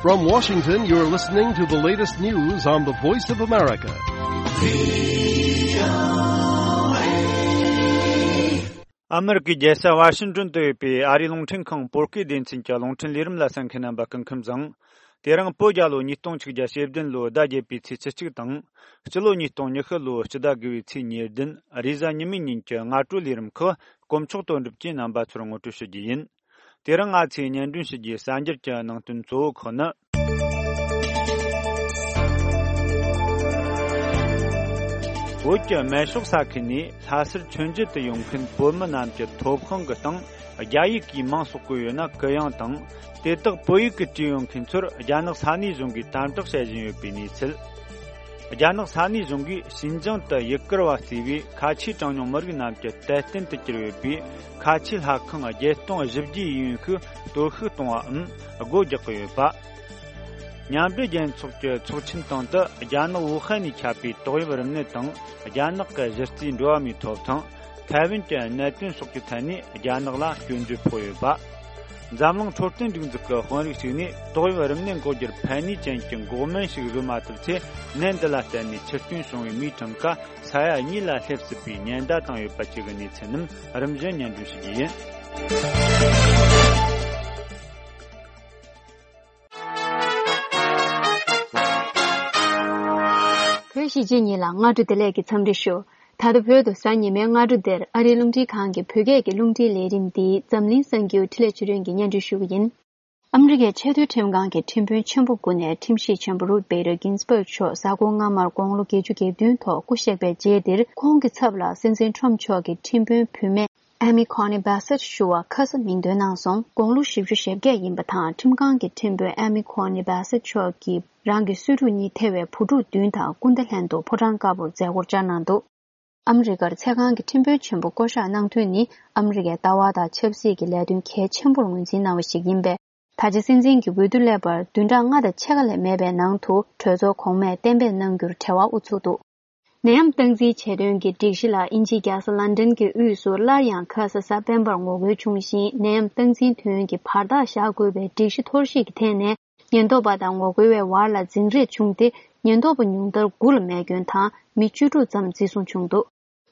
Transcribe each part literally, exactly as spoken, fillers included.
From Washington, you're listening to the latest news on the Voice of America. ཨ་མི་རི་ཀའི་རྒྱལ་ས་ཝ་ཤིང་ཏོན་དུ་ཡོད་པའི་ཨ་རིའི་རླུང་འཕྲིན་ཁང་བོད་སྐད་སྡེ་ཚན་གྱི་རླུང་འཕྲིན་ལས་རིམ་ལ་གསན་མཁན་རྣམ་པ་སྐུ་ཁམས་བཟང་། དེ་རིང་བོད་རྒྱལ་ལོ་ཉིས་སྟོང་ཆིག་བརྒྱ་ཞེ་བདུན་ལོའི་ཟླ་བརྒྱད་པའི་ཚེས་ཉེར་གཅིག་དང་། སྤྱི་ལོ་ཉིས་སྟོང་ཉི་ཤུ་ལོའི་སྤྱི་ཟླ་དགུ་པའི་ཚེས་ཉེར་བདུན་རེས་གཟའ་ཉི་མའི་ཉིན་གྱི་སྔ་དྲོའི་ལས་རིམ་ཁག་དཀོན་མཆོག་དོན་གྲུབ་ཀྱིས་རྣམ་པ་ཚོར་ངོ་སྤྲོད་ཞུ་རྒྱུ་ཡིན། དེ་རིང་ང་ཚོས་སྙན་སྒྲོན་ཞུ་རྒྱུའི་གསར་འགྱུར་གྱི་ནང་དོན་གཙོ་བོ་ཁག་ནི། བོད་ཀྱི་སྨན་གཤོག་ཟ་མཁན་ནས་ལྷ་སར་མཆོད་མཇལ་དུ་ཡོང་མཁན་བོད་མི་རྣམས་ཀྱི་ཐོབ་དབང་གི་སྟེང་རྒྱ་ཡིག་གིས་མིང་གསོག་གི་ཡོད་ན་གུ་ཡངས་དང་། དེ་དག་བོད་ཡིག་གིས་བྲིས་ཡོད་མཁན་ཚོར་རྒྱ་ནག་ས་གནས་གཞུང་གིས་དམ་དྲག་བྱེད་བཞིན་ཡོད་པའི་གནས་ཚུལ། རྒྱ་ནག་ས་གནས་གཞུང་གིས་ཞིན་ཅང་དུ་ཡུ་གུར་བ་གཙོས་པའི་ཁ་ཆེའི་གྲངས་ཉུང་མི་རིགས་རྣམས་ཀྱི་དད་རྟེན་དུ་གྱུར་ཡོད་པའི་ཁ་ཆེའི་ལྷ་ཁང་བརྒྱད་སྟོང་བཞི་བརྒྱའི་ཡིན་ཤུལ་གཏོར་བཤིག་གཏོང་བའམ་སྒོ་རྒྱག་གི་ཡོད་པ། མཉམ་འབྲེལ་རྒྱལ་ཚོགས་ཀྱི་ཚོགས་ཆེན་སྟེང་དུ་རྒྱ་ནག་ཝུ་ཧན་ནས་ཁྱབ་པའི་ཏོག་དབྱིབས་རིམས་ནད་དང་རྒྱ་ནག་གི་གཞི་རྩའི་འགྲོ་བ་མིའི་ཐོབ་ཐང་། ཐའེ་ཝན་གྱི་གནད་དོན་སོགས་ཀྱི་ཐད་ནས་རྒྱ་ནག་ལ་སྐྱོན་བརྗོད་ཕོག་ཡོད་པ། འཛམ་གླིང་འཕྲོད་བསྟེན་སྒྲིག་འཛུགས་ཀྱི་དཔོན་རིགས་ཤིག་ནས་ཏོག་དབྱིབས་རིམས་ནད་འགོག་རྒྱུར་ཕན་ནུས་ཅན་གྱི་འགོག་སྨན་ཞིག་བཟོ་མ་ཐུབ་ཚེ། ནད་འདི་ལ་བརྟེན་ནས་འཆི་སྐྱོན་བྱུང་བའི་མིའི་གྲངས་ཀ་ས་ཡ་གཉིས་ལ་སླེབས་སྲིད་པའི་ཉེན་བརྡ་བཏང་ཡོད་པ་བཅས་ཀྱི་གནས་ཚུལ་རྣམས་རིམ་བཞིན་སྙན་སྒྲོན་ཞུ་རྒྱུ་ཡིན། བོད་གཞིས་བྱེས་གཉིས་ལ་སྔ་དྲོ་བདེ་ལེགས་ཀྱི་འཚམས་འདྲི་ཞུ། ད་ལྟ་བོད་དུ་གཟའ་ཉི་མའི་སྔ་དྲོ་འདིར་ཨ་རིའི་རླུང་འཕྲིན་ཁང་གི་བོད་སྐད་ཀྱི་རླུང་འཕྲིན་ལས་རིམ་འདི་འཛམ་གླིང་གསར་འགྱུར་འཕྲིན་ལས་ཆོས་སྒྲོན་གྱིས་སྙན་སྒྲོན་ཞུ་གི་ཡིན། ཨ་མི་རི་ཀའི་ཆེས་མཐོའི་ཁྲིམས་ཁང་གི་ཁྲིམས་དཔོན་ཆེན་པོ་དགུ་ནས་ཁྲིམས་ཞིབ་ཆེན་པོ་རུཐ་བེ་ཏར་གིན་སི་བྷག་མཆོག་གཟའ་འཁོར་སྔ་མར་དགུང་ལོ་བརྒྱད་ཅུ་གྱ་བདུན་ཐོག་སྐུ་གཤེགས་པའི་རྗེས་འདིར། ཁོང་གི་ཚབ་ལ་སྲིད་འཛིན་ཁྲོམ་མཆོག་གི་ཁྲིམས་དཔོན་བུད་མེད་ཨེ་མི་ཁོ་ནི་བྷེ་སེད་ཞུ་བ་ཁ་ས་མིང་འདོན་གནང་སོང་། དགུང་ལོ་བཞི་བཅུ་ཞེ་བརྒྱད་ཡིན་པ་དང་། ཁྲིམས་ཁང་གི་ཁྲིམས་དཔོན་ཨེ་མི་ཁོ་ནི་བྷེ་སེད་མཆོག་གིས་རང་གི་གསོས་ཕྲུག་གཉིས་ཐེ་བའི་བུ་ཕྲུག་བདུན་དང་སྐུ་ཟླ་ལྷན་དུ་ཕོ་བྲང་དཀར་པོར་མཛད་སྒོར་བཅར་གནང་འདུག། ཨ་མི་རི་ཀར་ཚེ་གང་གི་ཁྲིམས་དཔོན་ཆེན་པོ་བསྐོ་གཞག་གནང་དོན་ནི། ཨ་མི་རི་ཀའི་ལྟ་བ་དང་ཆབ་སྲིད་ཀྱི་ལས་དོན་གལ་ཆེན་པོར་ངོས་འཛིན་གནང་བ་ཞིག་ཡིན་པས། ད་ཆ་སྲིད་འཛིན་གྱི་འོས་བསྡུ་སླེབས་པར་བདུན་ཕྲག་ལྔ་དང་ཕྱེད་ཀ་ལས་མེད་པའི་ནང་དུ། གྲོས་ཚོགས་གོང་མས་གཏན་འབེབས་གནང་རྒྱུར་བྲེལ་བ་དབུ་ཚུགས་འདུག། ནད་ཡམས་སྟངས་འཛིན་བྱེད་དོན་གྱི་སྒྲིག་གཞི་ལ་དབྱིན་ཇིའི་རྒྱལ་ས་ལན་ཌན་གྱི་དབུས་སུ་སླར་ཡང་ཁ་ས་གཟའ་སྤེན་པར་ངོ་རྒོལ་བྱུང་ཞིང་། ནད་ཡམས་སྟངས་འཛིན་དོན་གྱི་བར་ཐག་བཞག་དགོས་པའི་སྒྲིག་གཞི་འཐོར་བཤིག་གི་ཐད་ནས། ཉེན་རྟོག་པ་དང་ངོ་རྒོལ་བའི་བར་ལ་འཛིང་རེས་བྱུང་སྟེ། ཉེན་རྟོག་པ་ཉུང་མཐར་དགུ་ལ་རྨས་སྐྱོན་དང་མི་བཅུ་དྲུག་ཙམ་འཛིན་བཟུང་བྱུང་འདུག།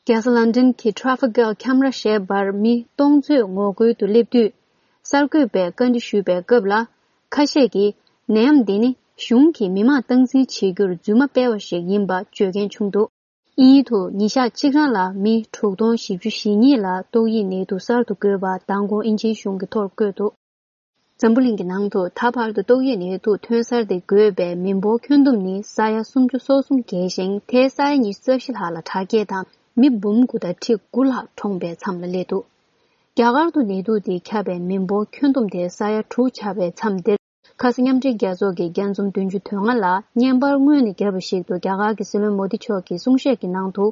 རྒྱལ་ས་ལན་ཌན་གྱི་ཊ་རེ་ཕི་ཀལ་ཁེ་མ་ར་ཞེས་པར་མི་སྟོང་ཚོས་ངོ་རྒོལ་དུ་སླེབས་དུས། གསར་འགོད་པས་བཀའ་འདྲི་ཞུས་པའི་སྐབས་ལ། ཁ་ཤས་ཀྱིས་ནད་ཡམས་འདི་ནི་གཞུང་གིས་མི་མང་སྟངས་འཛིན་བྱེད་རྒྱུར་རྫུན་མ་སྤེལ་བ་ཞིག་ཡིན་པ་བརྗོད་མཁན་བྱུང་འདུག། དབྱིན་ཡུལ་དུ་ཉིན་ཞག་གཅིག་རང་ལ་མི་དྲུག་སྟོང་བཞི་བཅུ་ཞེ་གཉིས་ལ་ཏོག་དབྱིབས་ནད་དུག་གསར་དུ་འགོས་པ་མདང་དགོང་དབྱིན་ཇིའི་གཞུང་གིས་ཐོར་བཀོད་འདུག། འཛམ་བུ་གླིང་གི་ནང་དུ་ད་བར་དུ་ཏོག་དབྱིབས་ནད་དུག་ཐོན་གསར་དེ་འགོས་པའི་མི་འབོར་ཁྱོན་བསྡོམས་ནི་ས་ཡ་སུམ་ཅུ་སོ་གསུམ་བརྒལ་ཞིང་། དེའི་ས་ཡ་ཉི་ཤུ་རྩ་བཞི་ལྷག་ལ་དྲག་སྐྱེད་དང་མི་འབུམ་དགུ་དང་ཁྲི་དགུ་ལྷག་གྲོངས་པའི་མཚམས་ལ་སླེབས་འདུག། རྒྱ་གར་དུ་ནད་དུག་དེ་ཁྱབ་པའི་མི་འབོར་ཁྱོན་བསྡོམས་དེ་ས་ཡ་དྲུག་ཆགས་པའི་མཚམས་འདིར། ཁ་ས་མཉམ་འབྲེལ་རྒྱལ་ཚོགས་ཀྱི་རྒྱས་འཛོམས་བདུན་ཅུ་དོན་ལྔ་ལ་བརྙན་པར་སྔོན་ནས་བརྒྱབ་པ་ཞིག་ཏུ། རྒྱ་གར་གྱི་སྲིད་བློན་མོ་དི་མཆོག་གི་གསུང་བཤད་ཀྱི་ནང་དུ།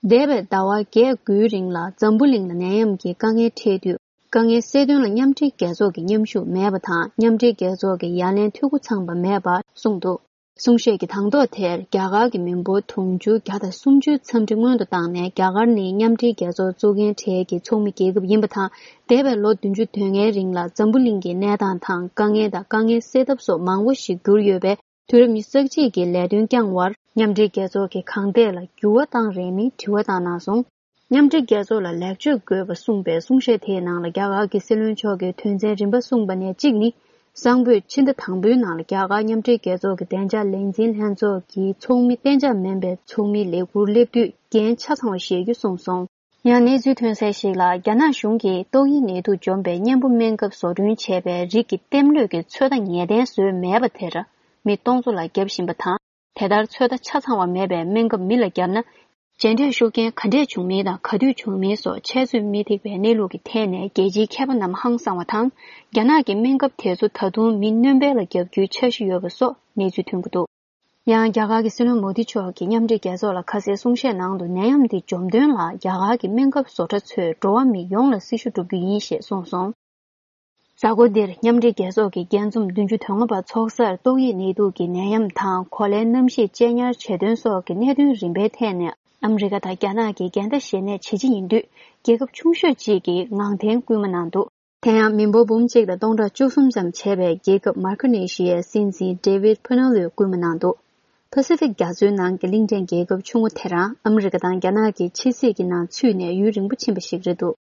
འདས་པའི་ཟླ་བ་བརྒྱད་དགུའི་རིང་ལ་འཛམ་བུ་གླིང་ལ་ནད་ཡམས་ཀྱི་དཀའ་ངལ་འཕྲད་དུས། དཀའ་ངལ་སེལ་དོན་ལ་མཉམ་འབྲེལ་རྒྱལ་ཚོགས་ཀྱི་མཉམ་ཞུགས་མེད་པ་དང་། མཉམ་འབྲེལ་རྒྱལ་ཚོགས་ཀྱི་ཡ་ལན་འཐུས་སྒོ་ཚང་པ་མེད་པ་གསུངས་འདུག། གསུང་བཤད་ཀྱི་དང་ཐོག་དེར། རྒྱ་གར་གྱི་མི་འབོར་དུང་ཕྱུར་བརྒྱ་དང་སུམ་ཅུའི་འཚམས་འདྲི་སྔོན་དུ་བཏང་ནས། རྒྱ་གར་ནི་མཉམ་འབྲེལ་རྒྱལ་ཚོགས་གཙོ་འགན་གྲལ་གྱི་ཚོགས་མི་རྒྱལ་ཁབ་ཡིན་པ་དང་། འདས་པའི་ལོ་བདུན་ཅུ་དོན་ལྔའི་རིང་ལ་འཛམ་བུ་གླིང་གི་གནས་སྟངས་དང་། དཀའ་ངལ་དང་དཀའ་ངལ་སེལ་ཐབས་སོགས་མང་པོ་ཞིག་གྱུར་ཡོད་པས། དུས་རབས་ཉི་ཤུ་རྩ་གཅིག་གི་ལས་དོན་བསྐྱངས་པར། མཉམ་འབྲེལ་རྒྱལ་ཚོགས་ཀྱི་གང་ཐད་ལ་འགྱུར་བ་བཏང་རན་མིན་དྲི་བ་བཏང་གནང་སོང་། མཉམ་འབྲེལ་རྒྱལ་ཚོགས་ལ་ལེགས་བཅོས་དགོས་པ་གསུངས་པའི་གསུང་བཤད་དེའི་ནང་ལ། རྒྱ་གར་གྱི་སྲིད་བློན་མཆོག་གིས་དོན་ཚན་རིམ་པ་གསུངས་པ་ནས་གཅིག་ནི། གསང་ཕོད་ཕྱི་ཟླ་དང་པོའི་ནང་ལ་རྒྱ་གར་མཉམ་འབྲེལ་རྒྱལ་ཚོགས་ཀྱི་བདེ་འཇགས་ལས་འཛིན་ལྷན་ཚོགས་ཀྱི་ཚོགས་མི་གཏན་འཇགས་མིན་པའི་ཚོགས་མིའི་ལས་འཁུར་སླེབས་དུས་འགན་ཆ་ཚང་བ་བཞེས་རྒྱུ་གསུངས་སོང་། ཡང་གནས་ཚུལ་ཐོན་གསལ་ཞིག་ལ། རྒྱ་ནག་གཞུང་གིས་ཏོག་དབྱིབས་ནད་དུག་འཇོམས་པའི་གཉེན་པོ་སྨན་ཁབ་བཟོ་སྐྲུན་བྱས་པའི་རིགས་ཀྱི་ལྟེམ་ལྷོད་ཀྱི་ཚོད་ལྟ་ངེས་གཏན་བཟོས་མེད་པ་དེར་མི་སྟོང་ཚོ་ལ་བརྒྱབ་བཞིན་པ་དང་། དེ་ལྟར་ཚོད་ལྟ་ཆ་ཚང་བ་མེད་པའི་སྨན་ཁབ་མི་ལ་བརྒྱབ་ན། རྗེས་འབྲས་ཤུགས་རྐྱེན་ག་འདྲས་བྱུང་མིན་དང་། ག་དུས་བྱུང་མིན་སོགས་འཆད་རྩོད་མི་ཐེག་པའི་གནས་ལུགས་ཀྱི་ཐད་ནས་རྒྱལ་སྤྱིའི་མཁས་པ་རྣམས་ཧང་སངས་པ་དང་། རྒྱ་ནག་གི་སྨན་ཁབ་དེ་ཚོ་ད་དུང་མི་སྣོན་པ་ལ་བརྒྱབ་རྒྱུའི་འཆར་གཞི་ཡོད་པ་སོགས་གནས་ཚུལ་ཐོན་གྱི་འདུག། ཡང་རྒྱ་གར་གྱི་སྲིད་བློན་མོ་དི་མཆོག་གིས་མཉམ་འབྲེལ་རྒྱལ་ཚོགས་ལ་ཁ་གསལ་གསུང་བཤད་ནང་དུ། ནད་ཡམས་འདི་འཇོམས་དོན་ལ་རྒྱ་གར་གྱི་སྨན་ཁབ་བཟོ་གྲྭ་ཚོས་འགྲོ་བ་མི་ཡོངས་ལ་སྲི་ཞུ་བསྒྲུབ་རྒྱུ་ཡིན་ཞེས་གསུངས་སོང་། གཟའ་འཁོར་འདིར་མཉམ་འབྲེལ་རྒྱལ་ཚོགས་ཀྱི་རྒྱས་འཛོམས་བདུན་ཅུ་དོན་ལྔ་པ་ཚོགས་སར་ཏོག་དབྱིབས་ནད་དུག་གི་ནད་ཡམས་དང་། གོ་ལའི་གནམ་གཤིས་གཅེས་ཉར་བྱེད་དོན་སོགས་ཀྱི་གནད་དོན་རིམ་པའི་ཐད་ནས་ཨ་མི་རི་ཀ་དང་རྒྱ་ནག་གི་འགལ་ཟླ་ཞེ་ནས་ཇེ་ཆེ་ཡིན་དུས། རྒྱལ་ཁབ་ཆུང་ཤོས་གཅིག་གིས་ངང་འཐེན་སྐུལ་མ་གནང་འདུག། དེ་ཡང་མི་འབོར་འབུམ་གཅིག་དང་སྟོང་ཕྲག་བཅུ་གསུམ་ཙམ་བྱས་པའི་རྒྱལ་ཁབ་མར་ཁི་ནེ་ཤི་ཡའི་སྲིད་འཛིན་ཌེ་ཝིད་ཕུ་ནོ་ལོས་སྐུལ་མ་གནང་འདུག། པ་སི་ཕིག་རྒྱ་མཚོའི་ནང་གི་གླིང་ཕྲན་རྒྱལ་ཁབ་ཆུང་ངུ་དེ་རང་ཨ་མི་རི་ཀ་དང་རྒྱ་ནག་གི་ཕྱི་སྲིད་ཀྱི་ནང་ཚུད་ནས་ཡུན་རིང་པོ་ཕྱིན་པ་ཞིག་རེད་འདུག།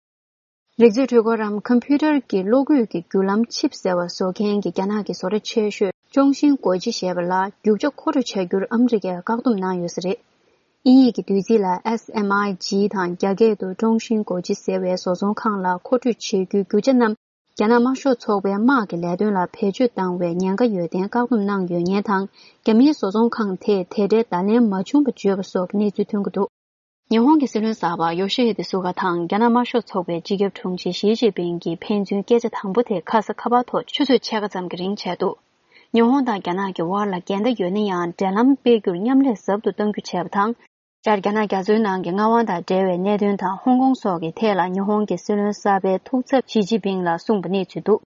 རིག་མཛོད་འཕྲུལ་འཁོར་རམ་ཀམ་པུ་ཊར་གྱི་གློག་སྐུད་ཀྱི་བརྒྱུད་ལམ་ཆིབ་ཟེར་བ་བཟོ་མཁན་གྱི་རྒྱ་ནག་གི་བཟོ་གྲྭ་ཆེ་ཤོས་ཅོང་ཤིན་གོ་ཅི་ཞེས་པ་ལ་རྒྱུ་ཆ་མཁོ་སྤྲོད་བྱ་རྒྱུར་ཨ་མི་རི་ཀས་བཀག་སྡོམ་གནང་ཡོད་ས་རེད། དབྱིན་ཡིག་གི་བསྡུས་ཚིག་ལ་ཨེས་ཨེམ་ཨའི་ཇི་དང་རྒྱ་སྐད་དུ་ཀྲོང་ཤིན་གོ་ཅི་ཟེར་བའི་བཟོ་ཚོང་ཁང་ལ་མཁོ་སྤྲོད་བྱེད་རྒྱུའི་རྒྱུ་ཆ་རྣམས་རྒྱ་ནག་དམར་ཤོག་ཚོགས་པའི་དམག་གི་ལས་དོན་ལ་བེད་སྤྱོད་བཏང་བའི་ཉེན་ཁ་ཡོད་བརྟེན་བཀག་སྡོམ་གནང་ཡོད་མཁན་དང་། རྒྱ་མིའི་བཟོ་ཚོང་ཁང་དེས་དེ་འདྲའི་བརྡ་ལན་མ་བྱུང་བ་བརྗོད་པ་སོགས་ཀྱི་གནས་ཚུལ་ཐོན་གྱི་འདུག། ཉི་ཧོང་གི་སྲིད་བློན་གསར་པ་ཡོ་ཤི་ཧི་དེ་སུ་ག་དང་རྒྱ་ནག་དམར་ཤོག་ཚོགས་པའི་སྤྱི་ཁྱབ་དྲུང་ཆེ་ཞི་ཅིན་ཕིང་གིས་ཕན་ཚུན་སྐད་ཆ་དང་པོ་དེ་ཁ་ས་ཁ་པར་ཐོག་ཆུ་ཚོད་ཕྱེད་ཀ་ཙམ་གྱི་རིང་བྱས་འདུག། ཉི་ཧོང་དང་རྒྱ་ནག་གི་དབར་ལ་འགལ་ཟླ་ཡོད་ན་ཡང་འབྲེལ་ལམ་སྤེལ་རྒྱུར་མཉམ་ལས་ཟབ་ཏུ་གཏང་རྒྱུ་བྱས་པ་དང་། སྦྱར་རྒྱ་ནག་རྒྱ་མཚོའི་ནང་གི་མངའ་དབང་དང་འབྲེལ་བའི་གནད་དོན་དང་ཧོང་ཀོང་སོགས་ཀྱི་ཐད་ལ་ཉི་ཧོང་གི་སྲིད་བློན་གསར་པའི་ཐུགས་འཚབ་ཞི་ཅིན་ཕིང་ལ་གསུངས་པ་གནས་ཚུལ་འདུག།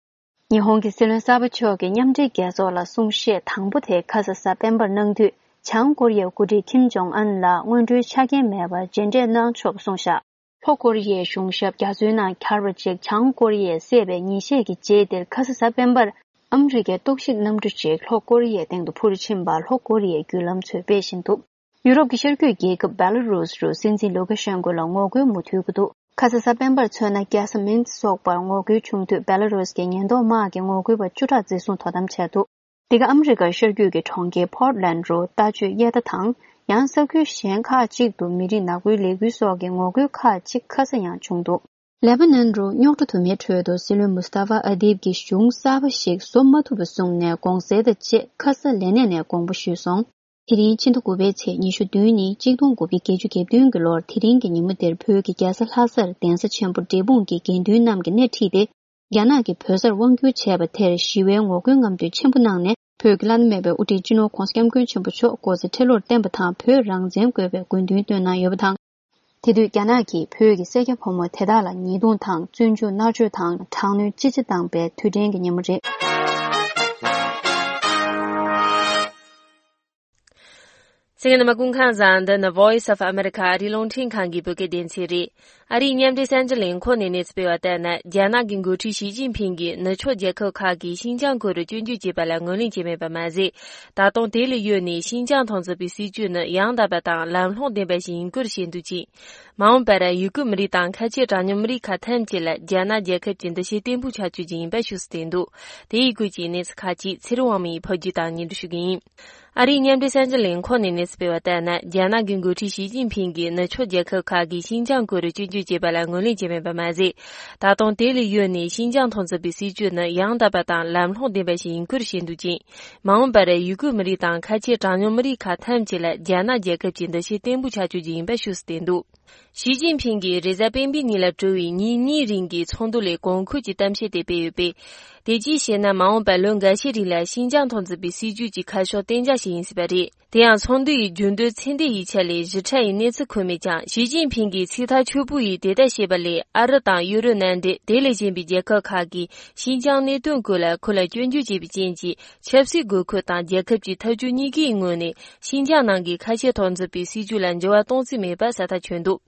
ཉི་ཧོང་གི་སྲིད་བློན་གསར་པ་མཆོག་གིས་མཉམ་འབྲེལ་རྒྱལ་ཚོགས་ལ་གསུང་བཤད་དང་པོ་དེ་ཁ་ས་གཟའ་སྤེན་པར་གནང་དུས། བྱང་ཀོ་རི་ཡའི་འགོ་ཁྲིད་ཁིམ་ཇོང་ཨན་ལ་སྔོན་འགྲོའི་ཆ་རྐྱེན་མེད་པར་མཇལ་འཕྲད་གནང་ཆོག་པ་གསུངས་བཞག། ལྷོ་ཀོ་རི་ཡའི་གཞུང་ཞབས་རྒྱ་མཚོའི་ནང་གྱར་བ་ཅིག་བྱང་ཀོ་རི་ཡས་བསད་པའི་ཉིན་ཤས་ཀྱི་རྗེས་དེར་ཁ་ས་གཟའ་སྤེན་པར་ཨ་མི་རི་ཀའི་རྟོག་ཞིབ་གནམ་གྲུ་ཅིག་ལྷོ་ཀོ་རི་ཡའི་སྟེང་དུ་འཕུར་ཕྱིན་པ་ལྷོ་ཀོ་རི་ཡའི་བརྒྱུད་ལམ་ཚོས་སྤེལ་བཞིན་འདུག། ཡུ་རོབ་ཀྱི་ཤར་རྒྱུད་རྒྱལ་ཁབ་བེ་ལ་རུས་རུ་སྲིད་འཛིན་ལུ་ཀ་ཤན་ཀོ་ལ་ངོ་རྒོལ་མུ་མཐུད་ཀྱི་འདུག། ཁ་ས་གཟའ་སྤེན་པར་མཚོན་ན་རྒྱལ་ས་མིན་སོགས་པར་ངོ་རྒོལ་བྱུང་དུས་བེ་ལ་རུས་ཀྱི་ཉེན་རྟོག་དམག་གིས་ངོ་རྒོལ་པ་བཅུ་ཕྲག་འཛིན་བཟུང་དོ་དམ་བྱས་འདུག། འདི་ག་ཨ་མི་རི་ཀར་ཤར་རྒྱུད་ཀྱི་གྲོང་ཁྱེར་ཕོར་ལན་རུ་ལྟ་སྤྱོད་དབྱེ་ཐག་དང་། ཡང་ས་ཁུལ་གཞན་ཁག་ཅིག་ཏུ་མི་རིགས་ནག་པོའི་ལས་འགུལ་སོགས་ཀྱི་ངོ་རྒོལ་ཁག་ཅིག་ཁ་ས་ཡང་བྱུང་འདུག། ལེ་པ་ནན་རུ་རྙོག་དྲ་དུ་མའི་ཁྲོད་དུ་སྲིད་བློན་མུ་སྟ་ཧྥ་ཨ་དིབ་ཀྱིས་གཞུང་གསར་པ་ཞིག་བཟོ་མ་ཐུབ་པ་གསུངས་ནས་དགོངས་སེལ་དང་བཅས་ཁ་ས་ལས་གནས་ནས་དགོངས་པ་ཞུས་སོང་། དེ་རིང་ཕྱི་ཟླ་དགུ་པའི་ཚེས་ཉི་ཤུ་བདུན་ཉིན་གཅིག་སྟོང་དགུ་བརྒྱ་བརྒྱད་ཅུ་གྱ་བདུན་གྱི་ལོར་དེ་རིང་གི་ཉིན་མོ་འདིར་བོད་ཀྱི་རྒྱལ་ས་ལྷ་སར་གདན་ས་ཆེན་པོ་འབྲས་སྤུངས་ཀྱི་དགེ་འདུན་རྣམས་ཀྱིས་སྣེ་ཁྲིད་དེ། རྒྱ་ནག་གིས་བོད་སར་དབང་བསྒྱུར་བྱས་པ་དེར་ཞི་བའི་ངོ་རྒོལ་རྔམ་སྟོན་ཆེན་པོ་གནང་ནས། བོད་ཀྱི་བླ་ན་མེད་པའི་དབུ་ཁྲིད་སྤྱི་ནོར་༧གོང་ས་༧སྐྱབས་མགོན་ཆེན་པོ་མཆོག་སྐུ་ཚེ་ཁྲི་ལོར་བརྟན་པ་དང་། བོད་རང་བཙན་དགོས་པའི་དགོས་འདུན་བཏོན་གནང་ཡོད་པ་དང་། དེ་དུས་རྒྱ་ནག་གིས་བོད་ཀྱི་སེར་སྐྱ་ཕོ་མོ་དེ་དག་ལ་ཉེས་རྡུང་དང་བཙོན་འཇུག་མནར་གཅོད་དང་དྲག་གནོན་ཅི་ཆེ་བཏང་པའི་དུས་དྲན་གྱི་ཉིན་མོ་རེད། གསན་མཁན་རྣམ་པ་སྐུ་ཁམས་བཟང་། འདི་ནི་Voice of America ཨ་རིའི་རླུང་འཕྲིན་ཁང་གི་བོད་སྐད་སྡེ་ཚན་རེད། ཨ་རིའི་མཉམ་འབྲེལ་གསར་འགྱུར་ལས་ཁུངས་ནས་གནས་ཚུལ་སྤེལ་བ་ལྟར་ན། རྒྱ་ནག་གི་འགོ་ཁྲིད་ཞི་ཅིན་ཕིང་གིས་ནུབ་ཕྱོགས་རྒྱལ་ཁབ་ཁག་གིས་ཤིན་ཅང་ཁུལ་དུ་སྐྱོན་བརྗོད་བྱས་པ་ལ་ངོས་ལེན་བྱས་མེད་པ་མ་ཟད། ད་དུང་དེ་ལས་གཡོལ་ནས་ཤིན་ཅང་ཐོག་འཛིན་པའི་སྲིད་ཇུས་ནི་ཡང་དག་པ་དང་ལམ་ལྷོང་ལྡན་པ་ཞིག་ཡིན་སྐོར་བཤད་འདུག་ཅིང་། མ་འོངས་པར་ཡུ་གུར་མི་རིགས་དང་ཁ་ཆེ་གྲངས་ཉུང་མི་རིགས་ཁག་ཐམས་ཅད་ལ་རྒྱ་ནག་རྒྱལ་ཁབ་ཀྱི་འདུ་ཤེས་བརྟན་པོ་ཆགས་རྒྱུ་ཡིན་པ་ཤོད་སྲོལ་བསྟན་འདུག། དེ་ཡི་སྐོར་གྱི་གནས་ཚུལ་ཁག་ཅིག་ཚེ་རིང་དབང་མོ་ཡིས་ཕབ་སྒྱུར་དང་སྙན་སྒྲོན་ཞུ་གི་ཡིན། ཨ་རིའི་མཉམ་འབྲེལ་གསར་འགྱུར་ལས་ཁུངས་ནས་གནས་ཚུལ་སྤེལ་བ་ལྟར་ན། རྒྱ་ནག་གི་འགོ་ཁྲིད་ཞི་ཅིན་ཕིང་གིས་ནུབ་ཕྱོགས་རྒྱལ་ཁབ་ཁག་གིས་ཤིན་ཅང་ཁུལ་དུ་སྐྱོན་བརྗོད་བྱས་པ་ལ་ངོས་ལེན་བྱས་མེད་པ་མ་ཟད། ད་དུང་དེ་ལས་གཡོལ་ནས་ཤིན་ཅང་ཐོག་འཛིན་པའི་སྲིད་ཇུས་ནི་ཡང་དག་པ་དང་ལམ་ལྷོང་ལྡན་པ་ཞིག་ཡིན་སྐོར་བཤད་འདུག་ཅིང་། མ་འོངས་པར་ཡུ་གུར་མི་རིགས་དང་ཁ་ཆེ་གྲངས་ཉུང་མི་རིགས་ཁག་ཐམས་ཅད་ལ་རྒྱ་ནག་རྒྱལ་ཁབ་ཀྱི་འདུ་ཤེས་བརྟན་པོ་ཆགས་རྒྱུ་ཡིན་པ་ཤོད་སྲོལ་བསྟན་འདུག། ཞི་ཅིན་ཕིང་གིས་རེས་གཟའ་སྤེན་པའི་ཉིན་ལ་གྲོལ་བའི་ཉིན་གཉིས་རིང་གི་ཚོགས་འདུ་ལས་གོང་འཁོད་ཀྱི་གཏམ་བཤད་དེ་སྤེལ་ཡོད་པས། དེ་ཅིའི་ཕྱིར་ན་མ་འོངས་པར་ལོ་འགའ་ཤས་རིང་ལ་ཤིན་ཅང་ཐོག་འཛིན་པའི་སྲིད་ཇུས་ཀྱི་ཁ་ཕྱོགས་གཏན་འཇགས་ཤིག་ཡིན་སྲིད་པ་རེད། དེ་ཡང་ཚོགས་འདུ་ཡི་རྒྱུན་སྡོད་ཚེ་འདས་ཡིག་ཆ་ལས་ཞིབ་ཕྲ་ཡི་གནས་ཚུལ་འཁོད་མེད་ཀྱང་། ཞི་ཅིན་ཕིང་གིས་ཚིག་ཐག་ཆོད་པོ་ཡིས་དེ་ལྟར་བཤད་པ་ལས། ཨ་རི་དང་ཡུ་རོབ་མནའ་འབྲེལ་དེ་ལས་གཞན་པའི་རྒྱལ་ཁབ་ཁག་གིས་ཤིན་ཅང་གནད་དོན་སྐོར་ལ་ཁོ་ལ་སྐྱོན་བརྗོད་བྱས་པའི་རྐྱེན་གྱིས། ཆབ་སྲིད་དགོས་མཁོ་དང་རྒྱལ་ཁབ་ཀྱི་འཐབ་ཇུས་གཉིས་ཀའི་ངོས་ནས་ཤིན་ཅང་ནང་གི་ཁ་ཆེ་ཐོག་འཛིན་པའི་སྲིད་ཇུས་ལ་འགྱུར་བ་གཏོང་རྩིས་མེད་པ་གསལ་ཐག་ཆོད་འདུག།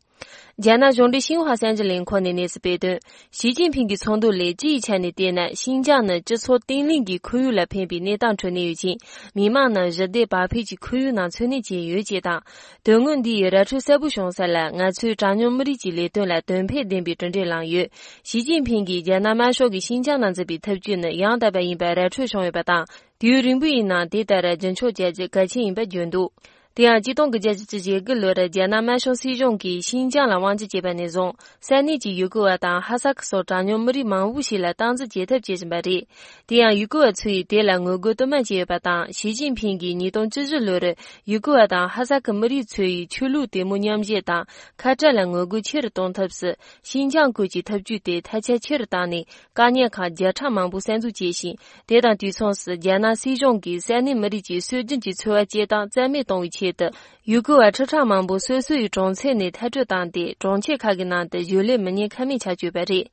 རྒྱ་ནག་གཞུང་འབྲེལ་ཤིན་ཧྭ་གསར་འགྱུར་ལས་ཁུངས་ནས་གནས་ཚུལ་སྤེལ་དོན། ཞི་ཅིན་ཕིང་གི་ཚོགས་འདུ་ལས་སྤྱི་ཡི་ཆ་ནས་བལྟས་ན། ཤིན་ཅང་ནི་སྤྱི་ཚོགས་བརྟན་ལྷིང་གི་ཁོར་ཡུག་ལ་ཕན་པའི་གནས་སྟངས་ཁྲོད་གནས་ཡོད་ཅིང་། མི་དམངས་རྣམས་ཞི་བདེ་བག་ཕེབས་ཀྱི་ཁོར་ཡུག་ནང་འཚོ་གནས་བྱས་ཡོད་ཅེས་དང་། དོན་དངོས་འདི་ཡི་ར་འཕྲོད་གསལ་པོ་བྱུང་ས་ལ། ང་ཚོས་གྲངས་ཉུང་མི་རིགས་ཀྱི་ལས་དོན་ལ་དོན་ཕན་ལྡན་པའི་གྲུབ་འབྲས་བླངས་ཡོད། ཞི་ཅིན་ཕིང་གིས་རྒྱ་ནག་དམར་ཤོག་གིས་ཤིན་ཅང་ནང་འཛིན་པའི་ཐབས་ཇུས་ནི་ཡང་དག་པ་ཡིན་པར་ར་འཕྲོད་བྱུང་ཡོད་པ་དང་། དུས་ཡུན་རིང་པོ་ཡི་ནང་དེ་ལྟར་རྒྱུན་འཁྱོངས་བྱ་རྒྱུ་གལ་ཆེན་ཡིན་པ་བརྗོད་འདུག། དེ་ཡང་གཅིག་སྟོང་དགུ་བརྒྱ་བཞི་བཅུ་ཞེ་དགུ་ལོར་རྒྱ་ནག་དམར་ཤོག་སྲིད་གཞུང་གིས་ཤིན་ཅང་ལ་དབང་ཆ་བྱས་པ་ནས་བཟུང་། ས་གནས་ཀྱི་ཡུ་གུར་བ་དང་ཧ་སག་སོགས་གྲངས་ཉུང་མི་རིགས་མང་པོ་ཞིག་ལ་སྟངས་འཛིན་བྱེད་ཐབས་བྱེད་བཞིན་པ་རེད། དེ་ཡང་ཡུ་གུར་བ་ཚོས་དེ་ལ་ངོ་རྒོལ་དུ་མ་བྱས་ཡོད་པ་དང་། ཞི་ཅིན་ཕིང་གིས་ཉིས་སྟོང་བཅུ་བཞི་ལོར་ཡུ་གུར་བ་དང་ཧ་སག་གི་མི་རིགས་ཚོ་ཡི་ཆོས་ལུགས་དད་མོས་མཉམ་བཞེས་དང་ཁ་བྲལ་ལ་ངོ་རྒོལ་ཆེ་རུ་གཏོང་ཐབས་སུ། ཤིན་ཅང་ཁུལ་གྱི་ཐབས་ཇུས་དེ་ཐལ་ཆ་ཆེ་རུ་བཏང་ནས། བཀག་ཉར་ཁང་བརྒྱ་ཕྲག་མང་པོ་གསར་འཛུགས་བྱས་ཤིང་། དེ་དང་དུས་མཚུངས་སུ་རྒྱ་ནག་སྲིད་གཞུང་གིས་ས་གནས་མི་རིགས་ཀྱི་སྲོལ་རྒྱུན་གྱི་འཚོ་བ་སྐྱེལ་སྟངས་རྩ་མེད་གཏོང་བའི་ཆེད་དུ། ཡུ་གུར་བ་ཁྲི་ཕྲག་མང་པོ་སོ་སོ་ཡི་གྲོང་ཚོ་ནས་མཐར་སྐྲོད་བཏང་སྟེ། གྲོང་ཁྱེར་ཁག་གི་ནང་དུ་ཞིང་ལས་མི་སྣ་ཁ་མེད་ཆགས་བཅུག་པ་རེད།